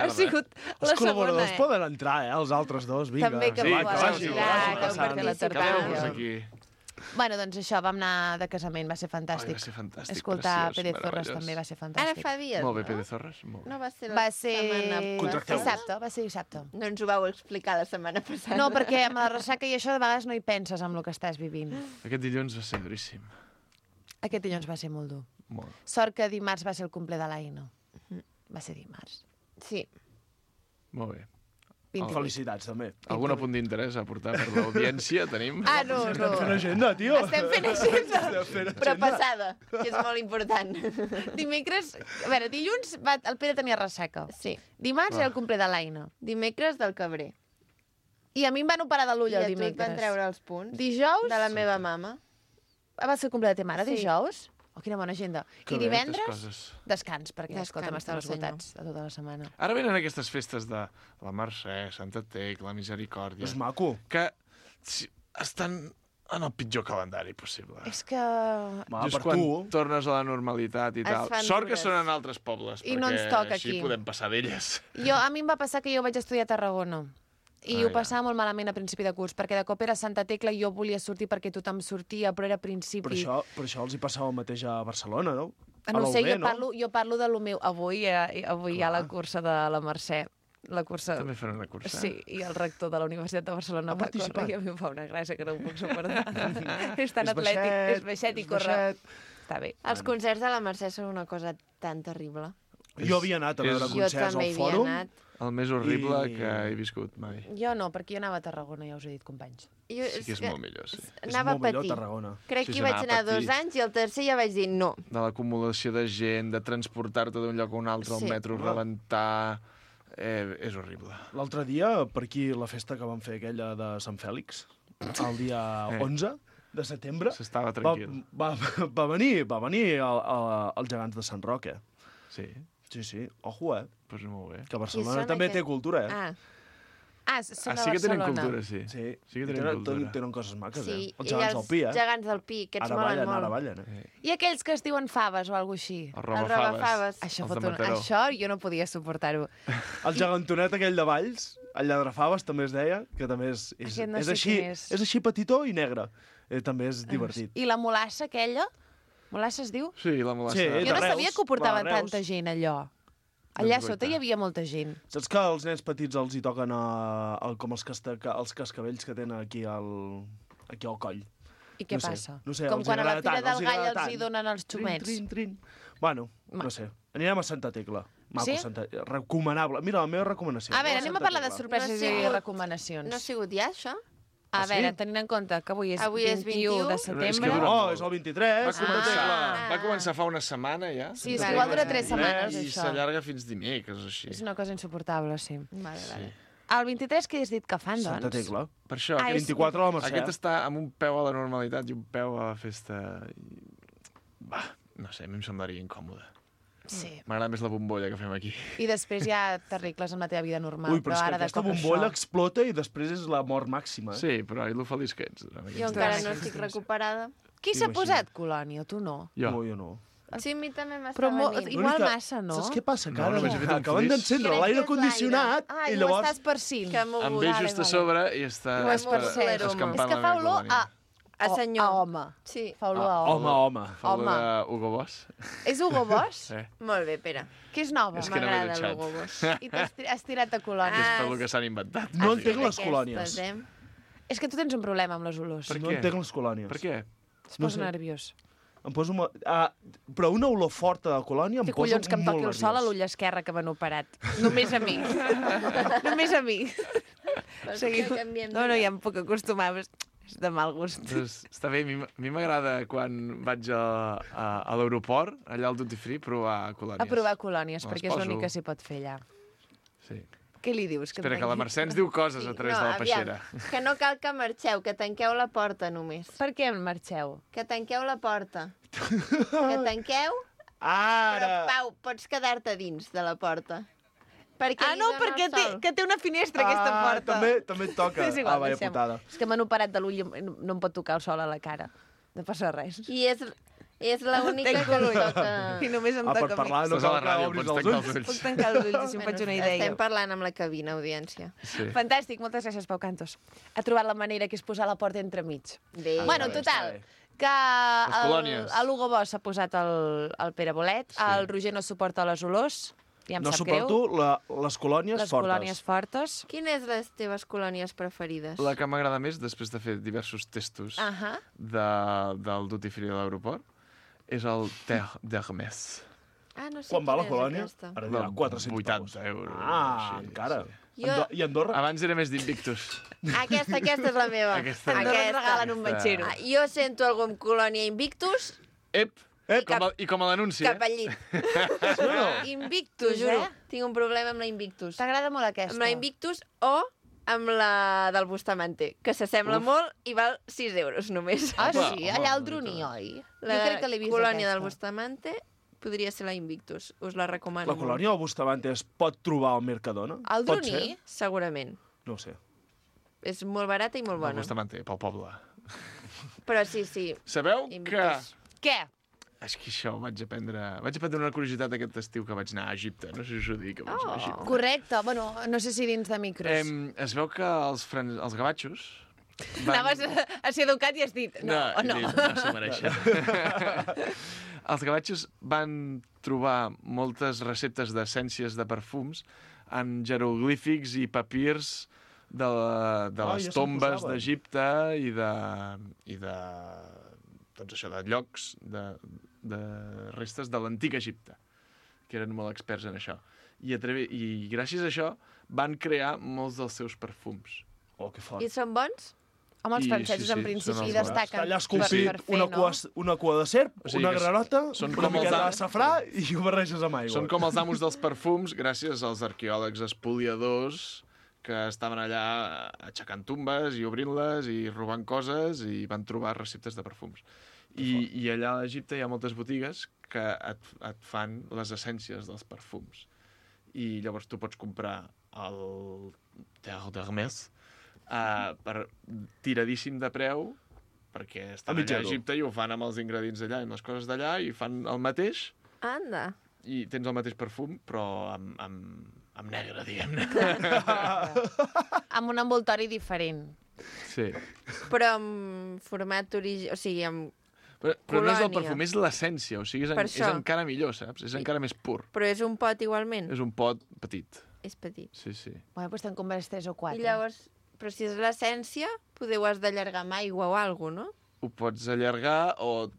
[SPEAKER 2] Ha sigut la
[SPEAKER 11] Els col·laboradors poden entrar, els altres dos, vinga.
[SPEAKER 2] També que poden entrar, que per la tertúlia.
[SPEAKER 10] Aquí.
[SPEAKER 2] Bueno, doncs això, vam anar de casament, va ser fantàstic.
[SPEAKER 10] Va ser fantàstic,
[SPEAKER 2] escoltar
[SPEAKER 10] preciós,
[SPEAKER 2] Pere Zorras també va ser fantàstic.
[SPEAKER 1] Ara fa dies,
[SPEAKER 10] molt bé, Pere Zorras.
[SPEAKER 1] No va ser
[SPEAKER 2] la setmana
[SPEAKER 1] passada.
[SPEAKER 2] Va ser dissabte.
[SPEAKER 1] No ens ho vau explicar la setmana passada.
[SPEAKER 2] No, perquè amb la ressaca i això de vegades no hi penses amb el que estàs vivint.
[SPEAKER 10] Aquest dilluns va ser duríssim.
[SPEAKER 2] Aquest dilluns va ser molt dur.
[SPEAKER 10] Molt.
[SPEAKER 2] Sort que dimarts va ser el cumple de l'Aino. Va ser dimarts.
[SPEAKER 1] Sí.
[SPEAKER 10] Molt bé.
[SPEAKER 11] Felicitats, també.
[SPEAKER 10] Algun apunt d'interès a portar per l'audiència tenim?
[SPEAKER 8] No.
[SPEAKER 11] Estem fent agenda, tio.
[SPEAKER 8] Estem fent agenda,
[SPEAKER 1] però passada, que és molt important.
[SPEAKER 8] Dimecres, a veure, dilluns el Pere tenia ressaca.
[SPEAKER 1] Sí.
[SPEAKER 8] Dimarts era el complet de l'Aina.
[SPEAKER 1] Dimecres del Cabré.
[SPEAKER 8] I a mi em van operar de l'ull el
[SPEAKER 1] dimecres. I a tu et van treure els punts.
[SPEAKER 8] Dijous...
[SPEAKER 1] De la meva mama.
[SPEAKER 8] Va ser el complet de ta mare, dijous? Oh, quina bona agenda. I divendres, descans, perquè, escolta, estem esgotats de tota la setmana.
[SPEAKER 10] Ara venen aquestes festes de la Mercè, Santa Tecla, Misericòrdia...
[SPEAKER 11] És maco.
[SPEAKER 10] Que estan en el pitjor calendari possible.
[SPEAKER 8] És que...
[SPEAKER 10] Just quan tornes a la normalitat i tal. Sort que són en altres pobles, perquè així podem passar d'elles.
[SPEAKER 8] A mi em va passar que jo vaig estudiar a Tarragona. I ho passava molt malament a principi de curs, perquè de cop era Santa Tecla i jo volia sortir perquè tothom sortia, però era a principi...
[SPEAKER 11] Per això els hi passava el mateix a Barcelona, no?
[SPEAKER 8] No sé, jo parlo de lo meu. Avui hi ha la cursa de la Mercè.
[SPEAKER 10] També fan una cursa?
[SPEAKER 8] Sí, i el rector de la Universitat de Barcelona va córrer i a mi em fa una gràcia que no ho puc suportar. És tan atlètic, és baixet i corre. Està bé.
[SPEAKER 1] Els concerts de la Mercè són una cosa tan terrible.
[SPEAKER 11] Jo havia anat a veure concerts al Fòrum.
[SPEAKER 10] El més horrible que he viscut mai.
[SPEAKER 8] Jo no, perquè jo anava a Tarragona, ja us he dit, companys.
[SPEAKER 10] Sí que és molt millor, sí.
[SPEAKER 1] Anava a patir. Crec que hi vaig anar 2 anys i el tercer ja vaig dir no.
[SPEAKER 10] De l'acumulació de gent, de transportar-te d'un lloc a un altre, al metro, rebentar... És horrible.
[SPEAKER 11] L'altre dia, per aquí, la festa que vam fer aquella de Sant Fèlix, el dia 11 de setembre...
[SPEAKER 10] S'estava tranquil.
[SPEAKER 11] Va venir els gegants de Sant Roque.
[SPEAKER 10] Sí.
[SPEAKER 11] Sí, ojo,
[SPEAKER 10] Pues molt bé.
[SPEAKER 11] Que Barcelona també té cultura,
[SPEAKER 8] Són
[SPEAKER 10] sí que tenen cultura, sí.
[SPEAKER 11] Sí
[SPEAKER 10] que tenen cultura.
[SPEAKER 11] Tenen coses maques,
[SPEAKER 1] sí.
[SPEAKER 11] Els gegants del Pi,
[SPEAKER 1] Els gegants del Pi, aquests molen molt.
[SPEAKER 11] Ara ballen,
[SPEAKER 8] I aquells que es diuen faves o alguna així?
[SPEAKER 10] Els robafaves.
[SPEAKER 8] Això jo no podia suportar-ho.
[SPEAKER 11] El gegantonet aquell de Valls, el Lladrafaves també es deia, que també és així petitó i negre. També és divertit.
[SPEAKER 8] I la molassa aquella? Molassa es diu?
[SPEAKER 10] Sí, la molassa.
[SPEAKER 8] Jo no sabia que ho portaven tanta gent, allò. Allà sota hi havia molta gent.
[SPEAKER 11] Saps que als nens petits els hi toquen com els cascavells que tenen aquí al coll?
[SPEAKER 8] I què passa?
[SPEAKER 11] No sé,
[SPEAKER 8] com quan a la Fira del Gall els hi donen els xumets.
[SPEAKER 11] Trin. Bueno, no sé. Anirem a Santa Tecla. Maco, recomanable. Mira, la meva recomanació.
[SPEAKER 8] A veure, anem a parlar de sorpreses i recomanacions.
[SPEAKER 1] No ha sigut ja, això?
[SPEAKER 8] A veure, tenint en compte que avui és 21 de setembre...
[SPEAKER 11] És el 23.
[SPEAKER 10] Va començar fa una setmana, ja.
[SPEAKER 8] Sí, igual dura 3 setmanes,
[SPEAKER 10] això. I s'allarga fins dimecres, així.
[SPEAKER 8] És una cosa insuportable, sí. Vale. El 23 què has dit que fan, doncs?
[SPEAKER 11] Santa Tecla.
[SPEAKER 10] Per això,
[SPEAKER 11] el 24 a la Mercè.
[SPEAKER 10] Aquest està amb un peu a la normalitat i un peu a la festa... No sé, a mi em semblaria incòmode.
[SPEAKER 8] Sí.
[SPEAKER 10] M'agrada més la bombolla que fem aquí.
[SPEAKER 8] I després ja t'arregles amb la teva vida normal.
[SPEAKER 11] Ui, però és que aquesta bombolla explota i després és la mort màxima.
[SPEAKER 10] Sí, però lo feliç que ets.
[SPEAKER 1] Jo encara no estic recuperada.
[SPEAKER 8] Qui s'ha posat colònia, tu no?
[SPEAKER 11] Jo no.
[SPEAKER 1] Sí, a mi també m'està
[SPEAKER 8] però igual massa, no?
[SPEAKER 11] Saps què passa? Que ara acaben d'encendre l'aire condicionat i llavors...
[SPEAKER 8] estàs percint.
[SPEAKER 10] Em ve just a sobre i està escampant
[SPEAKER 8] la meva colònia.
[SPEAKER 1] A senyor.
[SPEAKER 8] A home.
[SPEAKER 1] Sí.
[SPEAKER 8] Fa olor a
[SPEAKER 11] home.
[SPEAKER 10] Fa olor a Hugo Boss.
[SPEAKER 8] És Hugo Boss?
[SPEAKER 10] Sí.
[SPEAKER 1] Molt bé, Pere.
[SPEAKER 8] Que és nova.
[SPEAKER 10] És que no m'he dutxat.
[SPEAKER 1] L'Hugo Boss.
[SPEAKER 8] I t'has tirat a colònies.
[SPEAKER 10] És per lo que s'han inventat.
[SPEAKER 11] No entenc les colònies.
[SPEAKER 8] És que tu tens un problema amb les olors.
[SPEAKER 11] No entenc les colònies.
[SPEAKER 10] Per què?
[SPEAKER 8] Es posa nerviós.
[SPEAKER 11] Em poso... Però una olor forta de colònia em posa molt nerviós.
[SPEAKER 8] Que collons que em toqui el sol a l'ull esquerre que m'han operat. Només a mi. Només a mi. No, ja em puc acostumar. És de mal gust.
[SPEAKER 10] Doncs, està bé, a mi m'agrada quan vaig a l'aeroport, allà al Duty Free, provar colònies.
[SPEAKER 8] A provar colònies, perquè és l'únic que s'hi pot fer allà.
[SPEAKER 10] Sí.
[SPEAKER 8] Què li dius?
[SPEAKER 10] Espera, que la Mercè ens diu coses a través de la peixera.
[SPEAKER 1] Que no cal que marxeu, que tanqueu la porta només.
[SPEAKER 8] Per què marxeu?
[SPEAKER 1] Que tanqueu la porta. Que tanqueu...
[SPEAKER 11] Ara!
[SPEAKER 1] Però, Pau, pots quedar-te dins de la porta.
[SPEAKER 8] Perquè té una finestra aquesta porta.
[SPEAKER 11] També et toca.
[SPEAKER 8] Igual,
[SPEAKER 11] vaya putada.
[SPEAKER 8] És que m'han operat de l'ull i no em pot tocar el sol a la cara. No passa res.
[SPEAKER 1] I és l'única que em toca.
[SPEAKER 8] I només em toca
[SPEAKER 11] per parlar, no cal que obris els ulls.
[SPEAKER 8] Puc tancar els ulls, si em faig una idea.
[SPEAKER 1] Estem parlant amb la cabina, audiència.
[SPEAKER 8] Fantàstic, moltes gràcies, Pau Cantos. Ha trobat la manera que és posar la porta entremig. Bueno, total, que l'Hugo Boss s'ha posat el Pere Bolet, el Roger no suporta les olors. Ja
[SPEAKER 11] no suporto les colònies fortes.
[SPEAKER 8] Les colònies fortes.
[SPEAKER 1] Quines les teves colònies preferides?
[SPEAKER 10] La que m'agrada més, després de fer diversos testos del Duty Free de l'aeroport, és el Terre d'Hermès.
[SPEAKER 1] no sé
[SPEAKER 11] Quan va la
[SPEAKER 1] quina és
[SPEAKER 11] colònia?
[SPEAKER 1] aquesta.
[SPEAKER 11] Ara dirà 400
[SPEAKER 10] 80 euros.
[SPEAKER 11] Encara.
[SPEAKER 1] Jo-
[SPEAKER 11] I Andorra?
[SPEAKER 10] Abans era més d'Invictus.
[SPEAKER 1] Aquesta és la meva.
[SPEAKER 10] Aquesta.
[SPEAKER 2] Andorra et regalen un batxero.
[SPEAKER 1] Jo sento algú amb colònia Invictus,
[SPEAKER 10] Ep!
[SPEAKER 1] cap-
[SPEAKER 10] I com a l'anunci,
[SPEAKER 1] cap al llit.
[SPEAKER 2] Invictus,
[SPEAKER 1] T'ho juro, tinc un problema amb la Invictus.
[SPEAKER 2] T'agrada molt aquesta?
[SPEAKER 1] Amb la Invictus o amb la del Bustamante, que s'assembla molt i val 6 euros només.
[SPEAKER 2] Ah, sí? Allà al Droní, oi?
[SPEAKER 1] La
[SPEAKER 2] Jo crec que l'he vist,
[SPEAKER 1] colònia del
[SPEAKER 2] aquesta.
[SPEAKER 1] Bustamante podria ser la Invictus. Us la recomano.
[SPEAKER 11] La colònia del Bustamante es pot trobar al Mercadona?
[SPEAKER 2] Al
[SPEAKER 11] Pot
[SPEAKER 2] Droní?
[SPEAKER 11] ser?
[SPEAKER 1] Segurament.
[SPEAKER 11] No ho sé.
[SPEAKER 1] És molt barata i molt
[SPEAKER 10] El
[SPEAKER 1] bona.
[SPEAKER 10] Bustamante, pel poble.
[SPEAKER 1] Però sí.
[SPEAKER 10] Sabeu que...
[SPEAKER 1] Invictus.
[SPEAKER 2] Què?
[SPEAKER 10] És que això vaig aprendre una curiositat aquest estiu que vaig anar a Egipte. No sé si us ho dic, que vaig anar a Egipte.
[SPEAKER 2] Correcte. Bueno, no sé si dins de micros.
[SPEAKER 10] Es veu que els gavatxos...
[SPEAKER 2] Anaves a ser educat i has dit no.
[SPEAKER 10] No s'ho mereixen. Els gavatxos van trobar moltes receptes d'essències de perfums en jeroglífics i papirs de les tombes d'Egipte i de doncs això, de llocs, de restes de l'antic Egipte, que eren molt experts en això. I gràcies a això van crear molts dels seus perfums.
[SPEAKER 11] Oh, que fort.
[SPEAKER 1] I són bons?
[SPEAKER 2] Home, els francesos en principi destaquen.
[SPEAKER 11] Està allà esculpit una cua de serp, una granota, una miqueta de safrà i ho barreges amb aigua.
[SPEAKER 10] Són com els amos dels perfums gràcies als arqueòlegs espoliadors que estaven allà aixecant tumbes i obrint-les i robant coses i van trobar receptes de perfums. I allà a Egipte hi ha moltes botigues que et fan les essències dels perfums. I llavors tu pots comprar el Terre d'Hermès per tiradíssim de preu, perquè estan allà a Egipte i ho fan amb els ingredients d'allà i les coses d'allà i fan el mateix.
[SPEAKER 1] Anda.
[SPEAKER 10] I tens el mateix perfum, però amb negre, diguem-ne.
[SPEAKER 2] Amb un envoltori diferent.
[SPEAKER 10] Sí.
[SPEAKER 1] Però amb format o sigui, amb
[SPEAKER 10] Però no és el perfum, és l'essència, o sigui, és encara millor, saps? És encara més pur.
[SPEAKER 1] Però és un pot igualment?
[SPEAKER 10] És un pot petit.
[SPEAKER 1] És petit.
[SPEAKER 10] Sí.
[SPEAKER 2] Bueno, doncs te'n compres 3 o 4.
[SPEAKER 1] I llavors, però si és l'essència, ho has d'allargar amb aigua o alguna cosa, no?
[SPEAKER 10] Ho pots allargar o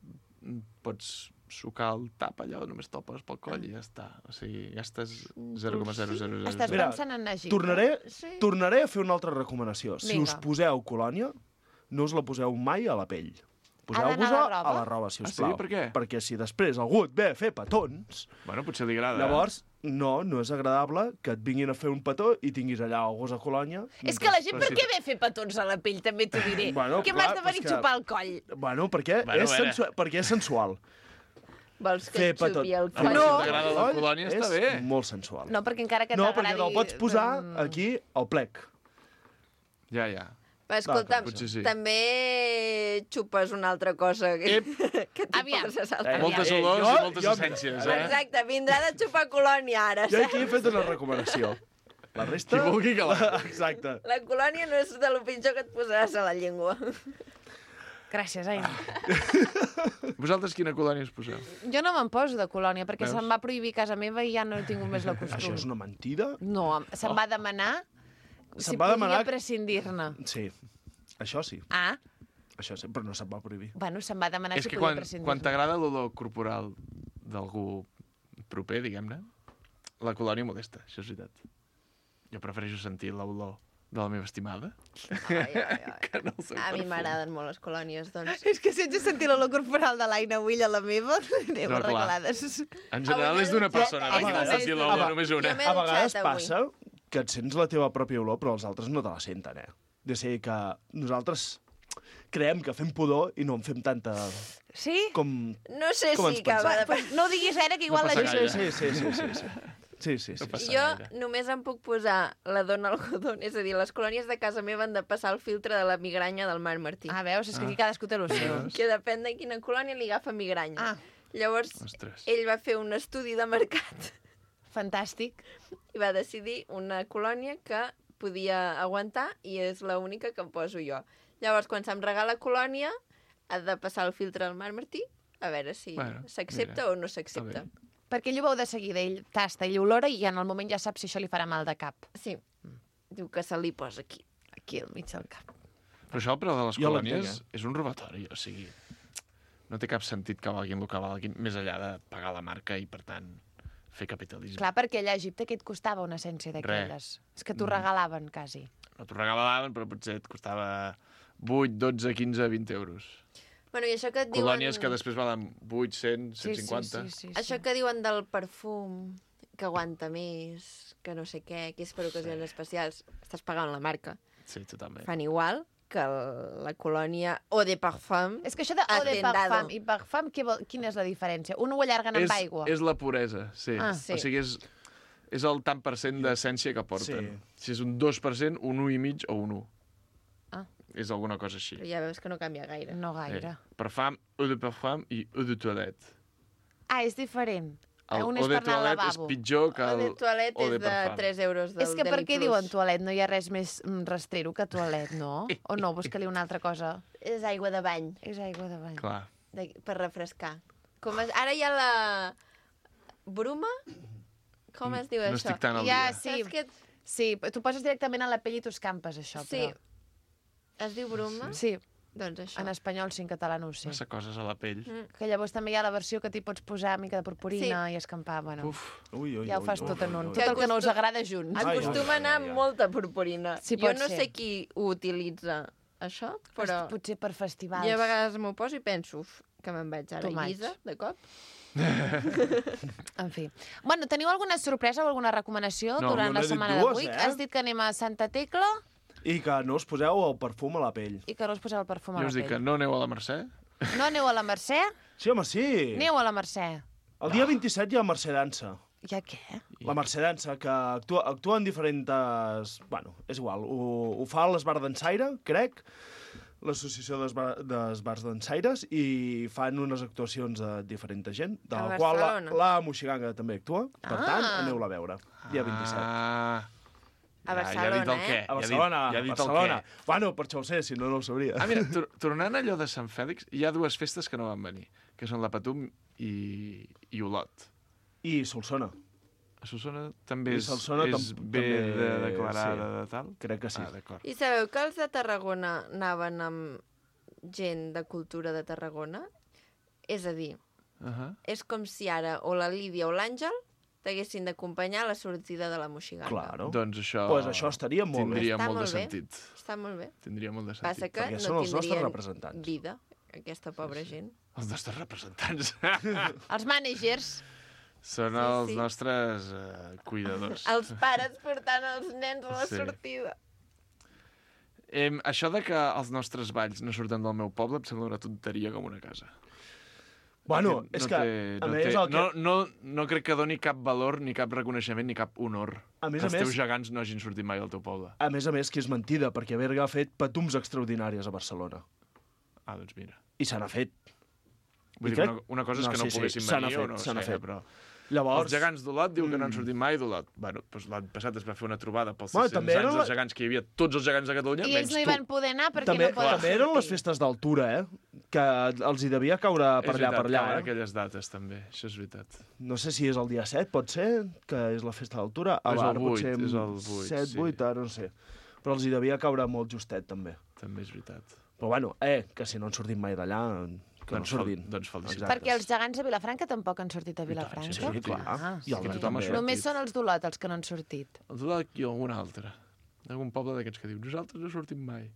[SPEAKER 10] pots sucar el tap allà, o només topes pel coll i ja està. O sigui, gastes 0,0000.
[SPEAKER 2] Estàs pensant en Egipte?
[SPEAKER 11] Tornaré a fer una altra recomanació. Si us poseu colònia, no us la poseu mai a la pell. Poseu-vos-la a la roba, si us plau.
[SPEAKER 10] Sí? Per què?
[SPEAKER 11] Perquè si després algú et ve a fer petons...
[SPEAKER 10] Bueno, potser li agrada.
[SPEAKER 11] Llavors, no és agradable que et vinguin a fer un petó i tinguis allà el gos a colònia.
[SPEAKER 2] És que la gent per què ve a fer petons a la pell, també t'ho diré. Què m'has de venir a xupar el coll?
[SPEAKER 11] Bueno, perquè és sensual.
[SPEAKER 1] Vols que et xupi el coll?
[SPEAKER 10] No! Si t'agrada la colònia, està bé.
[SPEAKER 11] És molt sensual.
[SPEAKER 2] No, perquè encara que t'agradi...
[SPEAKER 11] No, perquè te'l pots posar aquí al plec.
[SPEAKER 10] Ja.
[SPEAKER 1] Escolta, també xupes una altra cosa que
[SPEAKER 2] Aviam.
[SPEAKER 10] Moltes olors i moltes essències,
[SPEAKER 1] Exacte, vindrà de xupar colònia ara.
[SPEAKER 11] Jo aquí he fet una recomanació. La resta...
[SPEAKER 10] Qui vulgui que la...
[SPEAKER 11] Exacte.
[SPEAKER 1] La colònia no és de lo pitjor que et posaràs a la llengua.
[SPEAKER 2] Gràcies, Aina.
[SPEAKER 10] Vosaltres quina colònia us poseu?
[SPEAKER 2] Jo no me'n poso de colònia, perquè se'm va prohibir a casa meva i ja no he tingut més la costum.
[SPEAKER 11] Això és una mentida?
[SPEAKER 2] No, se'm va demanar si podia prescindir-ne.
[SPEAKER 11] Sí, això sí.
[SPEAKER 2] Ah?
[SPEAKER 11] Això sí, però no se'm va prohibir.
[SPEAKER 2] Bueno, se'm va demanar si podia prescindir-ne.
[SPEAKER 10] És que quan t'agrada l'olor corporal d'algú proper, diguem-ne, la colònia molesta, això és veritat. Jo prefereixo sentir l'olor de la meva estimada. Que no el seu
[SPEAKER 1] a mi
[SPEAKER 10] perfum.
[SPEAKER 1] m'agraden molt les colònies, doncs.
[SPEAKER 2] És que si ets de sentir l'olor corporal de l'Aina avui a la meva, anem arreglades.
[SPEAKER 10] En general és d'una persona, no de sentir l'olor només una.
[SPEAKER 11] A vegades passa que et sents la teva pròpia olor, però els altres no te la senten, De ser que nosaltres creiem que fem pudor i no en fem tanta...
[SPEAKER 2] Sí?
[SPEAKER 1] No sé si acaba de...
[SPEAKER 2] No diguis ara que igual la gent...
[SPEAKER 11] Sí.
[SPEAKER 1] Jo només em puc posar la dona algodón, és a dir, les colònies de casa meva han de passar el filtre de la migranya del Marc Martí.
[SPEAKER 2] Ah, veus? És que aquí cadascú té el seu.
[SPEAKER 1] Que depèn de quina colònia li agafa migranya. Llavors, ell va fer un estudi de mercat.
[SPEAKER 2] Fantàstic.
[SPEAKER 1] I va decidir una colònia que podia aguantar i és l'única que em poso jo. Llavors, quan se'm regala colònia, ha de passar el filtre del Marc Martí a veure si s'accepta o no s'accepta.
[SPEAKER 2] Perquè ell ho veu de seguida, ell tasta, ell olora i en el moment ja sap si això li farà mal de cap.
[SPEAKER 1] Sí. Diu que se li posa aquí.
[SPEAKER 2] Aquí al mig del cap.
[SPEAKER 10] Però això, però de les colònies, és un robatori, o sigui... no té cap sentit que valguin el que valguin, més enllà de pagar la marca i, per tant, fer capitalisme.
[SPEAKER 2] Clar, perquè allà a Egipte què et costava una essència d'aquelles? És que t'ho regalaven, quasi.
[SPEAKER 10] No t'ho regalaven, però potser et costava 8, 12, 15, 20 euros.
[SPEAKER 1] Bueno, i això que et diuen...
[SPEAKER 10] Colònies que després valen 8, 100, 150.
[SPEAKER 2] Sí.
[SPEAKER 1] Això que diuen del perfum, que aguanta més, que no sé què, que és per ocasions especials, estàs pagant la marca.
[SPEAKER 10] Sí, totalment.
[SPEAKER 1] Fan igual que la colònia Eau de Parfum.
[SPEAKER 2] És que això de Eau de Parfum i Parfum, quina és la diferència? Un ho allarguen amb aigua?
[SPEAKER 10] És la puresa, sí.
[SPEAKER 2] Sí.
[SPEAKER 10] O sigui, és el tant per cent d'essència que porten. Si és un 2%, un 1,5 o un 1. És alguna cosa així.
[SPEAKER 1] Però ja veus que no canvia gaire.
[SPEAKER 2] No gaire.
[SPEAKER 10] Parfum, Eau de Parfum i Eau de Toilette.
[SPEAKER 2] És diferent.
[SPEAKER 10] Un és per anar al lavabo. És pitjor que el
[SPEAKER 1] Eau de Toilette és de 3 euros del
[SPEAKER 2] És que per què
[SPEAKER 1] Deli+.
[SPEAKER 2] diuen toilet? No hi ha res més rastrero que toilet, no? O no? Busca-li una altra cosa.
[SPEAKER 1] És aigua de bany.
[SPEAKER 2] És aigua de bany.
[SPEAKER 10] Clar.
[SPEAKER 1] Per refrescar. Ara hi ha la... Bruma? Com es diu això?
[SPEAKER 10] No estic tan al dia.
[SPEAKER 2] Sí, tu poses directament a la pell i t'ho escampes, això.
[SPEAKER 1] Sí. Es diu Bruma?
[SPEAKER 2] Sí.
[SPEAKER 1] Doncs això.
[SPEAKER 2] En espanyol sí, en català no ho sé.
[SPEAKER 10] Massa coses a la pell.
[SPEAKER 2] Que llavors també hi ha la versió que t'hi pots posar mica de purpurina i escampar. Bueno, ja ho fas tot en un. Tot el que no us agrada junts.
[SPEAKER 1] Acostuma a anar amb molta purpurina.
[SPEAKER 2] Sí,
[SPEAKER 1] jo no sé qui ho utilitza, això, però...
[SPEAKER 2] Potser per festivals.
[SPEAKER 1] Jo a vegades m'ho poso i penso que me'n vaig ara a Ibiza, de cop.
[SPEAKER 2] En fi. Bueno, teniu alguna sorpresa o alguna recomanació durant la setmana d'avui? Has dit que anem a Santa Tecla...
[SPEAKER 11] I que no us poseu el perfum a la pell.
[SPEAKER 2] I que no us poseu el perfum a la pell.
[SPEAKER 10] Jo us dic que no aneu a la Mercè?
[SPEAKER 2] No aneu a la Mercè?
[SPEAKER 11] Sí, home, sí.
[SPEAKER 2] Aneu a la Mercè.
[SPEAKER 11] El dia 27 hi ha Mercè Dansa.
[SPEAKER 2] Hi ha què?
[SPEAKER 11] La Mercè Dansa, que actua en diferents... Bueno, és igual. Ho fa l'Esbar d'Ensaire, crec, l'associació d'esbars d'ensaires, i fan unes actuacions de diferent gent, de la qual la Moixiganga també actua. Per tant, aneu-la a veure. Dia 27.
[SPEAKER 1] A Barcelona,
[SPEAKER 11] A Barcelona, a Barcelona. Bueno, per això ho sé, si no, no ho sabria.
[SPEAKER 10] Mira, tornant a allò de Sant Fèlix, hi ha dues festes que no van venir, que són la Patum i Olot.
[SPEAKER 11] I Solsona.
[SPEAKER 10] A Solsona també és
[SPEAKER 11] també
[SPEAKER 10] declarada de tal?
[SPEAKER 11] Crec que sí.
[SPEAKER 1] I sabeu que els de Tarragona anaven amb gent de cultura de Tarragona? És a dir, és com si ara o la Lídia o l'Àngel t'haguessin d'acompanyar a la sortida de la Moixiganga.
[SPEAKER 11] Claro.
[SPEAKER 10] Doncs això...
[SPEAKER 11] Pues això estaria molt bé.
[SPEAKER 10] Tindria molt de sentit.
[SPEAKER 1] Està molt bé.
[SPEAKER 10] Tindria molt de sentit.
[SPEAKER 1] Passa que
[SPEAKER 11] perquè
[SPEAKER 1] no
[SPEAKER 11] són els nostres
[SPEAKER 1] tindrien
[SPEAKER 11] representants.
[SPEAKER 1] Vida, aquesta pobra gent.
[SPEAKER 10] Els nostres representants.
[SPEAKER 2] Els mànagers.
[SPEAKER 10] Són els nostres cuidadors.
[SPEAKER 1] Els pares portant els nens a la sortida.
[SPEAKER 10] Això de que els nostres balls no surten del meu poble em sembla una tonteria com una casa.
[SPEAKER 11] Bueno, és que, a més, el que...
[SPEAKER 10] No crec que doni cap valor, ni cap reconeixement, ni cap honor que els teus gegants no hagin sortit mai del teu poble.
[SPEAKER 11] A més, que és mentida, perquè Berga ha fet patums extraordinàries a Barcelona.
[SPEAKER 10] Doncs mira.
[SPEAKER 11] I se n'ha fet.
[SPEAKER 10] Vull dir que una cosa és que no poguessin venir o no sé, però...
[SPEAKER 11] Llavors...
[SPEAKER 10] Els gegants d'Olot diuen que no han sortit mai d'Olot. Bueno, doncs l'any passat es va fer una trobada pels 600 anys dels gegants que hi havia, tots els gegants de Catalunya,
[SPEAKER 2] I ells no hi van poder anar perquè no poden sortir.
[SPEAKER 11] També eren les festes d'altura, que els hi devia caure per allà.
[SPEAKER 10] És veritat, aquelles dates també, això és veritat.
[SPEAKER 11] No sé si és el dia 7, pot ser, que és la festa d'altura.
[SPEAKER 10] És el 8, és el 8.
[SPEAKER 11] 7, 8, ara no sé. Però els hi devia caure molt justet, també.
[SPEAKER 10] També és veritat.
[SPEAKER 11] Però bueno, que si no han sortit mai d'allà...
[SPEAKER 10] Doncs felicitats.
[SPEAKER 2] Perquè els gegants de Vilafranca tampoc han sortit a Vilafranca.
[SPEAKER 11] Sí, clar.
[SPEAKER 10] I tothom ha sortit.
[SPEAKER 2] Només són els d'Olot els que no han sortit.
[SPEAKER 10] Els d'Olot i algun altre. Algun poble d'aquests que diu, nosaltres no sortim mai.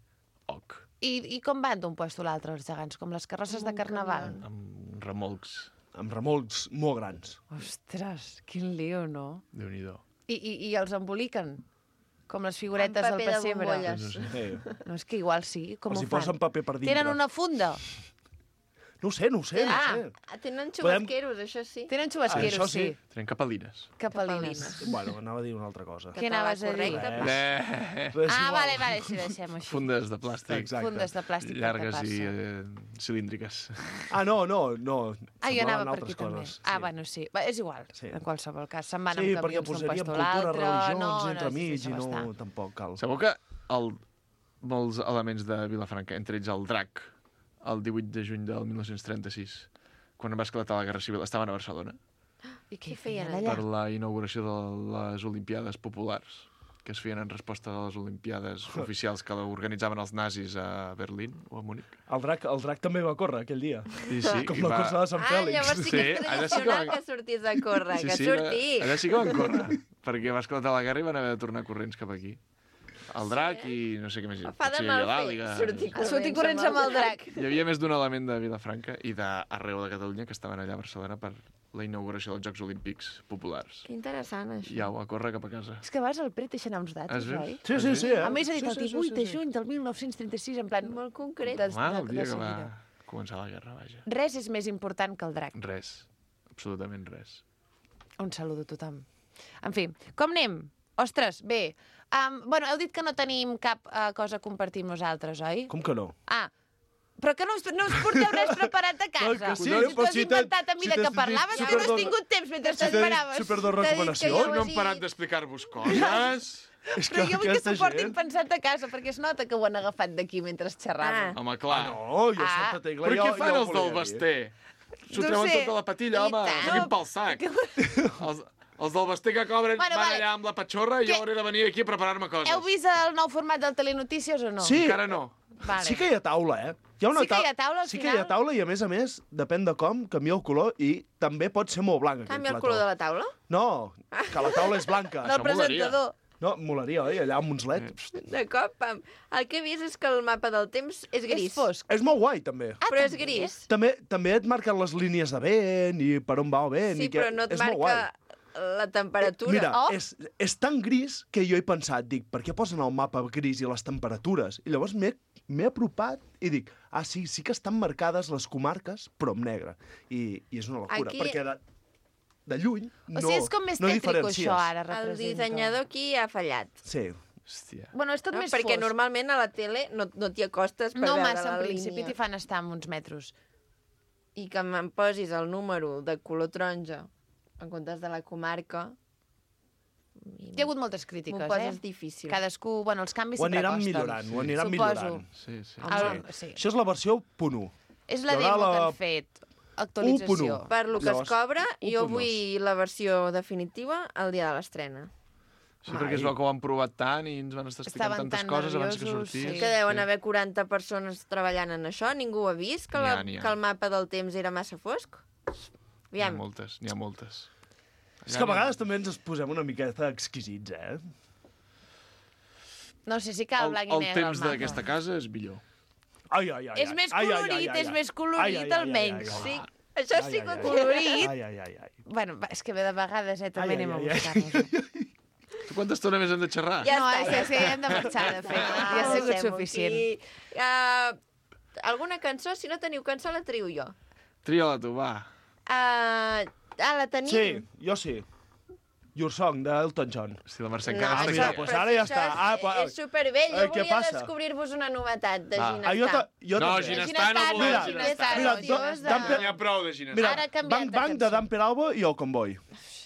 [SPEAKER 2] I com van d'un puesto a l'altre els gegants? Com les carrosses de carnaval?
[SPEAKER 10] Amb remolcs.
[SPEAKER 11] Amb remolcs molt grans.
[SPEAKER 2] Ostres, quin lío, no?
[SPEAKER 10] Déu-n'hi-do.
[SPEAKER 2] I els emboliquen? Com les figuretes del pessebre. No, és que igual sí. Com ho fan?
[SPEAKER 11] Els hi posen paper per dintre.
[SPEAKER 2] Tenen una funda?
[SPEAKER 11] No ho sé.
[SPEAKER 1] Tenen xubasqueros, això sí.
[SPEAKER 2] Tenen xubasqueros, sí.
[SPEAKER 10] Tenen capelines.
[SPEAKER 11] Bueno, anava a dir una altra cosa.
[SPEAKER 2] Què anaves a dir? Vale, sí, deixem-ho així.
[SPEAKER 10] Fundes de plàstic.
[SPEAKER 2] Fundes de plàstic.
[SPEAKER 10] Llargues i cilíndriques.
[SPEAKER 11] No.
[SPEAKER 2] Jo anava per aquí també. Bueno, sí. És igual, en qualsevol cas. Se'n van amb camions d'un puesto a l'altre.
[SPEAKER 11] Religions, entremig, i no, tampoc cal.
[SPEAKER 10] Sabeu que molts elements de Vilafranca, entre ells el drac, el 18 de juny del 1936, quan va esclatar la Guerra Civil, estaven a Barcelona.
[SPEAKER 2] I què feien allà?
[SPEAKER 10] Per la inauguració de les Olimpiades Populars. que es feien en resposta a les Olimpiades oficials que organitzaven els nazis a Berlín o a Múnich.
[SPEAKER 11] El drac també va córrer aquell dia.
[SPEAKER 10] Sí,
[SPEAKER 11] com la cursa de Sant Fèlix.
[SPEAKER 1] Llavors sí que és tradicional que sortís a córrer, que sortís.
[SPEAKER 10] Allà sí que van córrer, perquè va esclatar la guerra i van haver de tornar corrents cap aquí. El drac i no sé què més.
[SPEAKER 1] Fa de mal fer, sortir corrents amb el drac.
[SPEAKER 10] Hi havia més d'un element de Vilafranca i d'arreu de Catalunya que estaven allà a Barcelona per la inauguració dels Jocs Olímpics Populars.
[SPEAKER 1] Que interessant, això.
[SPEAKER 10] I au, a córrer cap a casa.
[SPEAKER 2] És que vas al Pret deixant uns dates, oi?
[SPEAKER 11] Sí.
[SPEAKER 2] A més, ha dit el 18 de juny del 1936, en plan...
[SPEAKER 1] Molt concret.
[SPEAKER 10] El dia que va començar la guerra, vaja.
[SPEAKER 2] Res és més important que el drac.
[SPEAKER 10] Res. Absolutament res.
[SPEAKER 2] Un saludo a tothom. En fi, com anem? Ostres, bé. Bueno, heu dit que no tenim cap cosa a compartir amb nosaltres, oi?
[SPEAKER 11] Com que no?
[SPEAKER 2] Però que no us porteu res preparat a casa.
[SPEAKER 11] Que sí,
[SPEAKER 2] però si t'has inventat a mi que parlaves, que no has tingut temps mentre t'esperaves.
[SPEAKER 11] Super dos recomanacions.
[SPEAKER 10] No hem parat d'explicar-vos coses.
[SPEAKER 2] Però jo vull que s'ho portin pensat a casa, perquè es nota que ho han agafat d'aquí mentre xerraven.
[SPEAKER 10] Home, clar.
[SPEAKER 11] No, jo Santa Tecla...
[SPEAKER 10] Però què fan els del Basté? S'ho treuen tota la patilla, home. S'ho pel sac. Els del Basté que cobren van allà amb la patxorra i jo hauré de venir aquí a preparar-me coses.
[SPEAKER 2] Heu vist el nou format del Telenotícies o no?
[SPEAKER 11] Sí.
[SPEAKER 10] Encara no.
[SPEAKER 11] Sí que hi ha taula,
[SPEAKER 2] Sí que hi ha taula, al
[SPEAKER 11] Sí que hi ha taula i, a més, depèn de com, canvia el color i també pot ser molt blanc, aquell plató.
[SPEAKER 1] Canvia el color de la taula?
[SPEAKER 11] No, que la taula és blanca.
[SPEAKER 2] Del presentador.
[SPEAKER 11] No, molaria, oi? Allà amb uns leds.
[SPEAKER 1] De cop, pam. El que he vist és que el mapa del temps és gris.
[SPEAKER 2] És fosc.
[SPEAKER 11] És molt guai, també.
[SPEAKER 1] Però és gris.
[SPEAKER 11] També et marquen les línies de vent i per on va el vent.
[SPEAKER 1] Sí, però no et marca la temperatura.
[SPEAKER 11] Mira, és tan gris que jo he pensat, dic, per què posen el mapa gris i les temperatures? I llavors m'he apropat i dic, sí que estan marcades les comarques, però amb negre. I és una locura, perquè de lluny no diferencies.
[SPEAKER 2] O sigui, és com més tètrico, això, ara representa.
[SPEAKER 1] El dissenyador aquí ha fallat.
[SPEAKER 11] Sí.
[SPEAKER 10] Hòstia.
[SPEAKER 2] Bueno, és tot més
[SPEAKER 1] perquè
[SPEAKER 2] fosc.
[SPEAKER 1] Normalment a la tele no t'hi acostes per veure la línia.
[SPEAKER 2] No massa, en principi t'hi fan estar amb uns metres.
[SPEAKER 1] I que em posis el número de color taronja en comptes de la comarca...
[SPEAKER 2] Hi ha hagut moltes crítiques,
[SPEAKER 1] M'ho poses difícil.
[SPEAKER 2] Cadascú, bueno, els canvis sempre costen.
[SPEAKER 11] Ho aniran millorant.
[SPEAKER 10] Sí.
[SPEAKER 11] Això és la versió 1.
[SPEAKER 2] És la demo que han fet. Actualització.
[SPEAKER 1] Per lo que es cobra, jo vull la versió definitiva el dia de l'estrena.
[SPEAKER 10] Sí, perquè es veu que ho han provat tant i ens van estar explicant tantes coses abans que sortís.
[SPEAKER 1] Que deuen haver 40 persones treballant en això. Ningú ha vist que el mapa del temps era massa fosc?
[SPEAKER 10] N'hi ha moltes.
[SPEAKER 11] És que a vegades també ens posem una miqueta exquisits,
[SPEAKER 2] No sé si cal blanc i negre.
[SPEAKER 10] El temps d'aquesta casa és millor.
[SPEAKER 2] És més colorit, almenys.
[SPEAKER 1] Sí, això sí que
[SPEAKER 2] colorit. Bueno, és que de vegades també anem a buscar-nos.
[SPEAKER 10] Tu quanta estona més hem de xerrar?
[SPEAKER 2] No, sí, hem de marxar, de fet. Ja ha sigut suficient.
[SPEAKER 1] Alguna cançó? Si no teniu cançó, la trio jo.
[SPEAKER 10] Tria-la tu, va.
[SPEAKER 1] La tenim?
[SPEAKER 11] Sí, jo sí. Your Song, d'Elton John.
[SPEAKER 10] Si la Mercè encara
[SPEAKER 11] està aquí. Pues ara ja està.
[SPEAKER 1] És supervell. Jo volia descobrir-vos una novetat de Ginestar.
[SPEAKER 10] No, Ginestar no volem.
[SPEAKER 11] Mira,
[SPEAKER 10] n'hi ha prou de Ginestar.
[SPEAKER 11] Mira, Bang Bang de Dan Peralbo i el Convoy.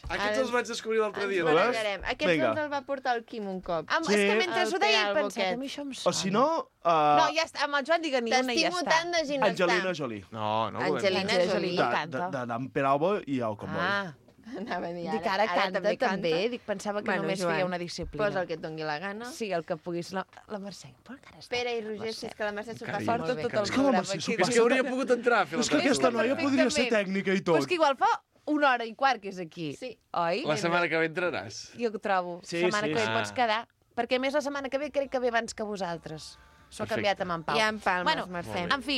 [SPEAKER 10] Aquests els vaig descobrir l'altre dia.
[SPEAKER 1] Aquests ens els va portar el Quim un cop.
[SPEAKER 2] És que mentre ho deia he pensat, a mi això em sona.
[SPEAKER 11] O si no...
[SPEAKER 2] No, ja està, amb el Joan digue-n'hi una i ja està.
[SPEAKER 1] T'estimo tant de Ginestar.
[SPEAKER 11] Angelina Jolie.
[SPEAKER 10] No volem.
[SPEAKER 1] Angelina Jolie
[SPEAKER 11] canta. De Dan Peralbo i el Convoy.
[SPEAKER 1] Anava a dir
[SPEAKER 2] dic, ara canta també. Dic, pensava que només feia una disciplina.
[SPEAKER 1] Posa el que et doni la gana.
[SPEAKER 2] Sí, el que puguis. La Mercè, per encara està.
[SPEAKER 1] Pere i Roger, si és que la Mercè s'ho passa
[SPEAKER 2] molt bé.
[SPEAKER 11] És que la Mercè s'ho passa.
[SPEAKER 10] És que hauria pogut entrar a fer
[SPEAKER 11] És que aquesta noia podria ser tècnica i tot.
[SPEAKER 2] Però és que igual fa 1 hora i quart que és aquí.
[SPEAKER 1] Sí.
[SPEAKER 2] Oi?
[SPEAKER 10] La setmana que ve entraràs.
[SPEAKER 2] Jo ho trobo. La setmana que ve pots quedar. Perquè més la setmana que ve crec que ve abans que vosaltres. S'ho ha canviat amb en Pau.
[SPEAKER 1] I en Palmes, Mercè.
[SPEAKER 2] En fi,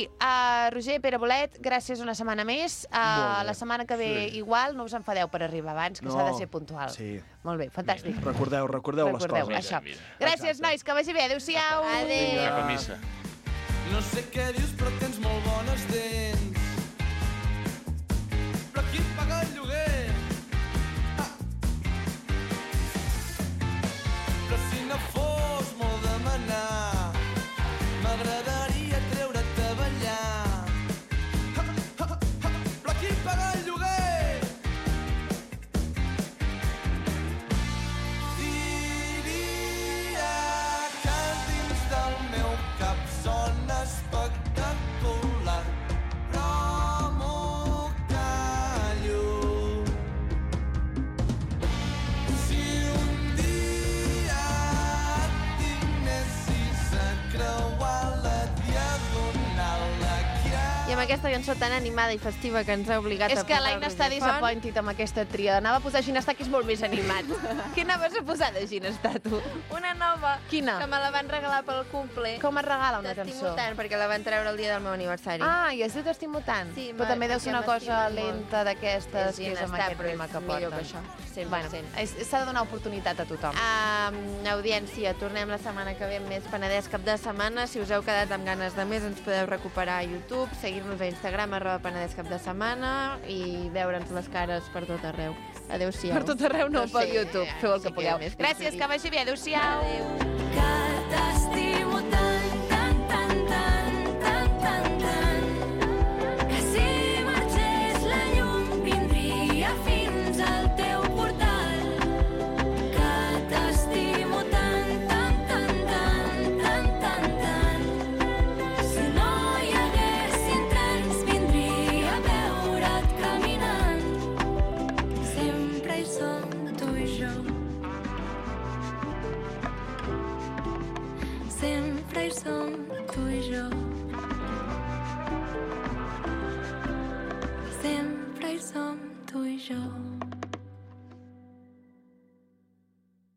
[SPEAKER 2] Roger, Pere Bolet, gràcies una setmana més. La setmana que ve igual, no us enfadeu per arribar abans, que s'ha de ser puntual.
[SPEAKER 11] Sí.
[SPEAKER 2] Molt bé, fantàstic.
[SPEAKER 11] Recordeu les coses.
[SPEAKER 2] Això. Gràcies, nois, que vagi bé. Adéu-siau.
[SPEAKER 1] Adéu.
[SPEAKER 10] Cap a missa.
[SPEAKER 5] No sé què dius, però tens molt bones dents. Però qui paga el lloguer? Però si no fos molt demanar, m'agradaria treure't a ballar. Però qui paga el lloguer? Diria que dins del meu cap sona espectacular, però
[SPEAKER 1] amb aquesta cançó tan animada i festiva que ens ha obligat a posar el
[SPEAKER 2] És que l'Aina està
[SPEAKER 1] Roger Font.
[SPEAKER 2] disappointed amb aquesta tria. Anava a posar Ginestar, que és molt més animat. Què anaves a posar de Ginestar, tu?
[SPEAKER 1] Una nova.
[SPEAKER 2] Quina?
[SPEAKER 1] Que me la van regalar pel cumple.
[SPEAKER 2] Com es regala una
[SPEAKER 1] T'estimo
[SPEAKER 2] cançó?
[SPEAKER 1] tant, perquè la van treure el dia del meu aniversari.
[SPEAKER 2] Ah, i es diu T'estimo tant.
[SPEAKER 1] Sí,
[SPEAKER 2] però també deu ser una cosa
[SPEAKER 1] m'estimo molt.
[SPEAKER 2] lenta d'aquestes, que és amb
[SPEAKER 1] Ginestar,
[SPEAKER 2] aquest
[SPEAKER 1] però
[SPEAKER 2] ritme
[SPEAKER 1] és
[SPEAKER 2] que
[SPEAKER 1] millor
[SPEAKER 2] porten.
[SPEAKER 1] que això, 100%.
[SPEAKER 2] Bueno, s'ha de donar oportunitat a tothom.
[SPEAKER 1] Audiència, tornem la setmana que ve amb més Penedès cap de setmana. Si us heu quedat amb ganes de més, ens podeu recuperar a YouTube, seguir-nos a Instagram, @Penedès cap de setmana, i veure'ns les cares per tot arreu. Adéu-siau.
[SPEAKER 2] Per tot arreu no, pel YouTube. Feu el que pugueu.
[SPEAKER 1] més
[SPEAKER 2] Gràcies, que vagi bé. Adéu-siau.
[SPEAKER 4] Que t'estimo tant, tant, tant, tant, tant, tant, tant, que si marxés la llum vindria fins al teu portal. Que t'estimo tant, tant, tant, tant, tant, tant, tant, si no hi haguessin trens vindria a veure't caminant. Sempre hi som tu i jo. Sempre hi som tu i jo.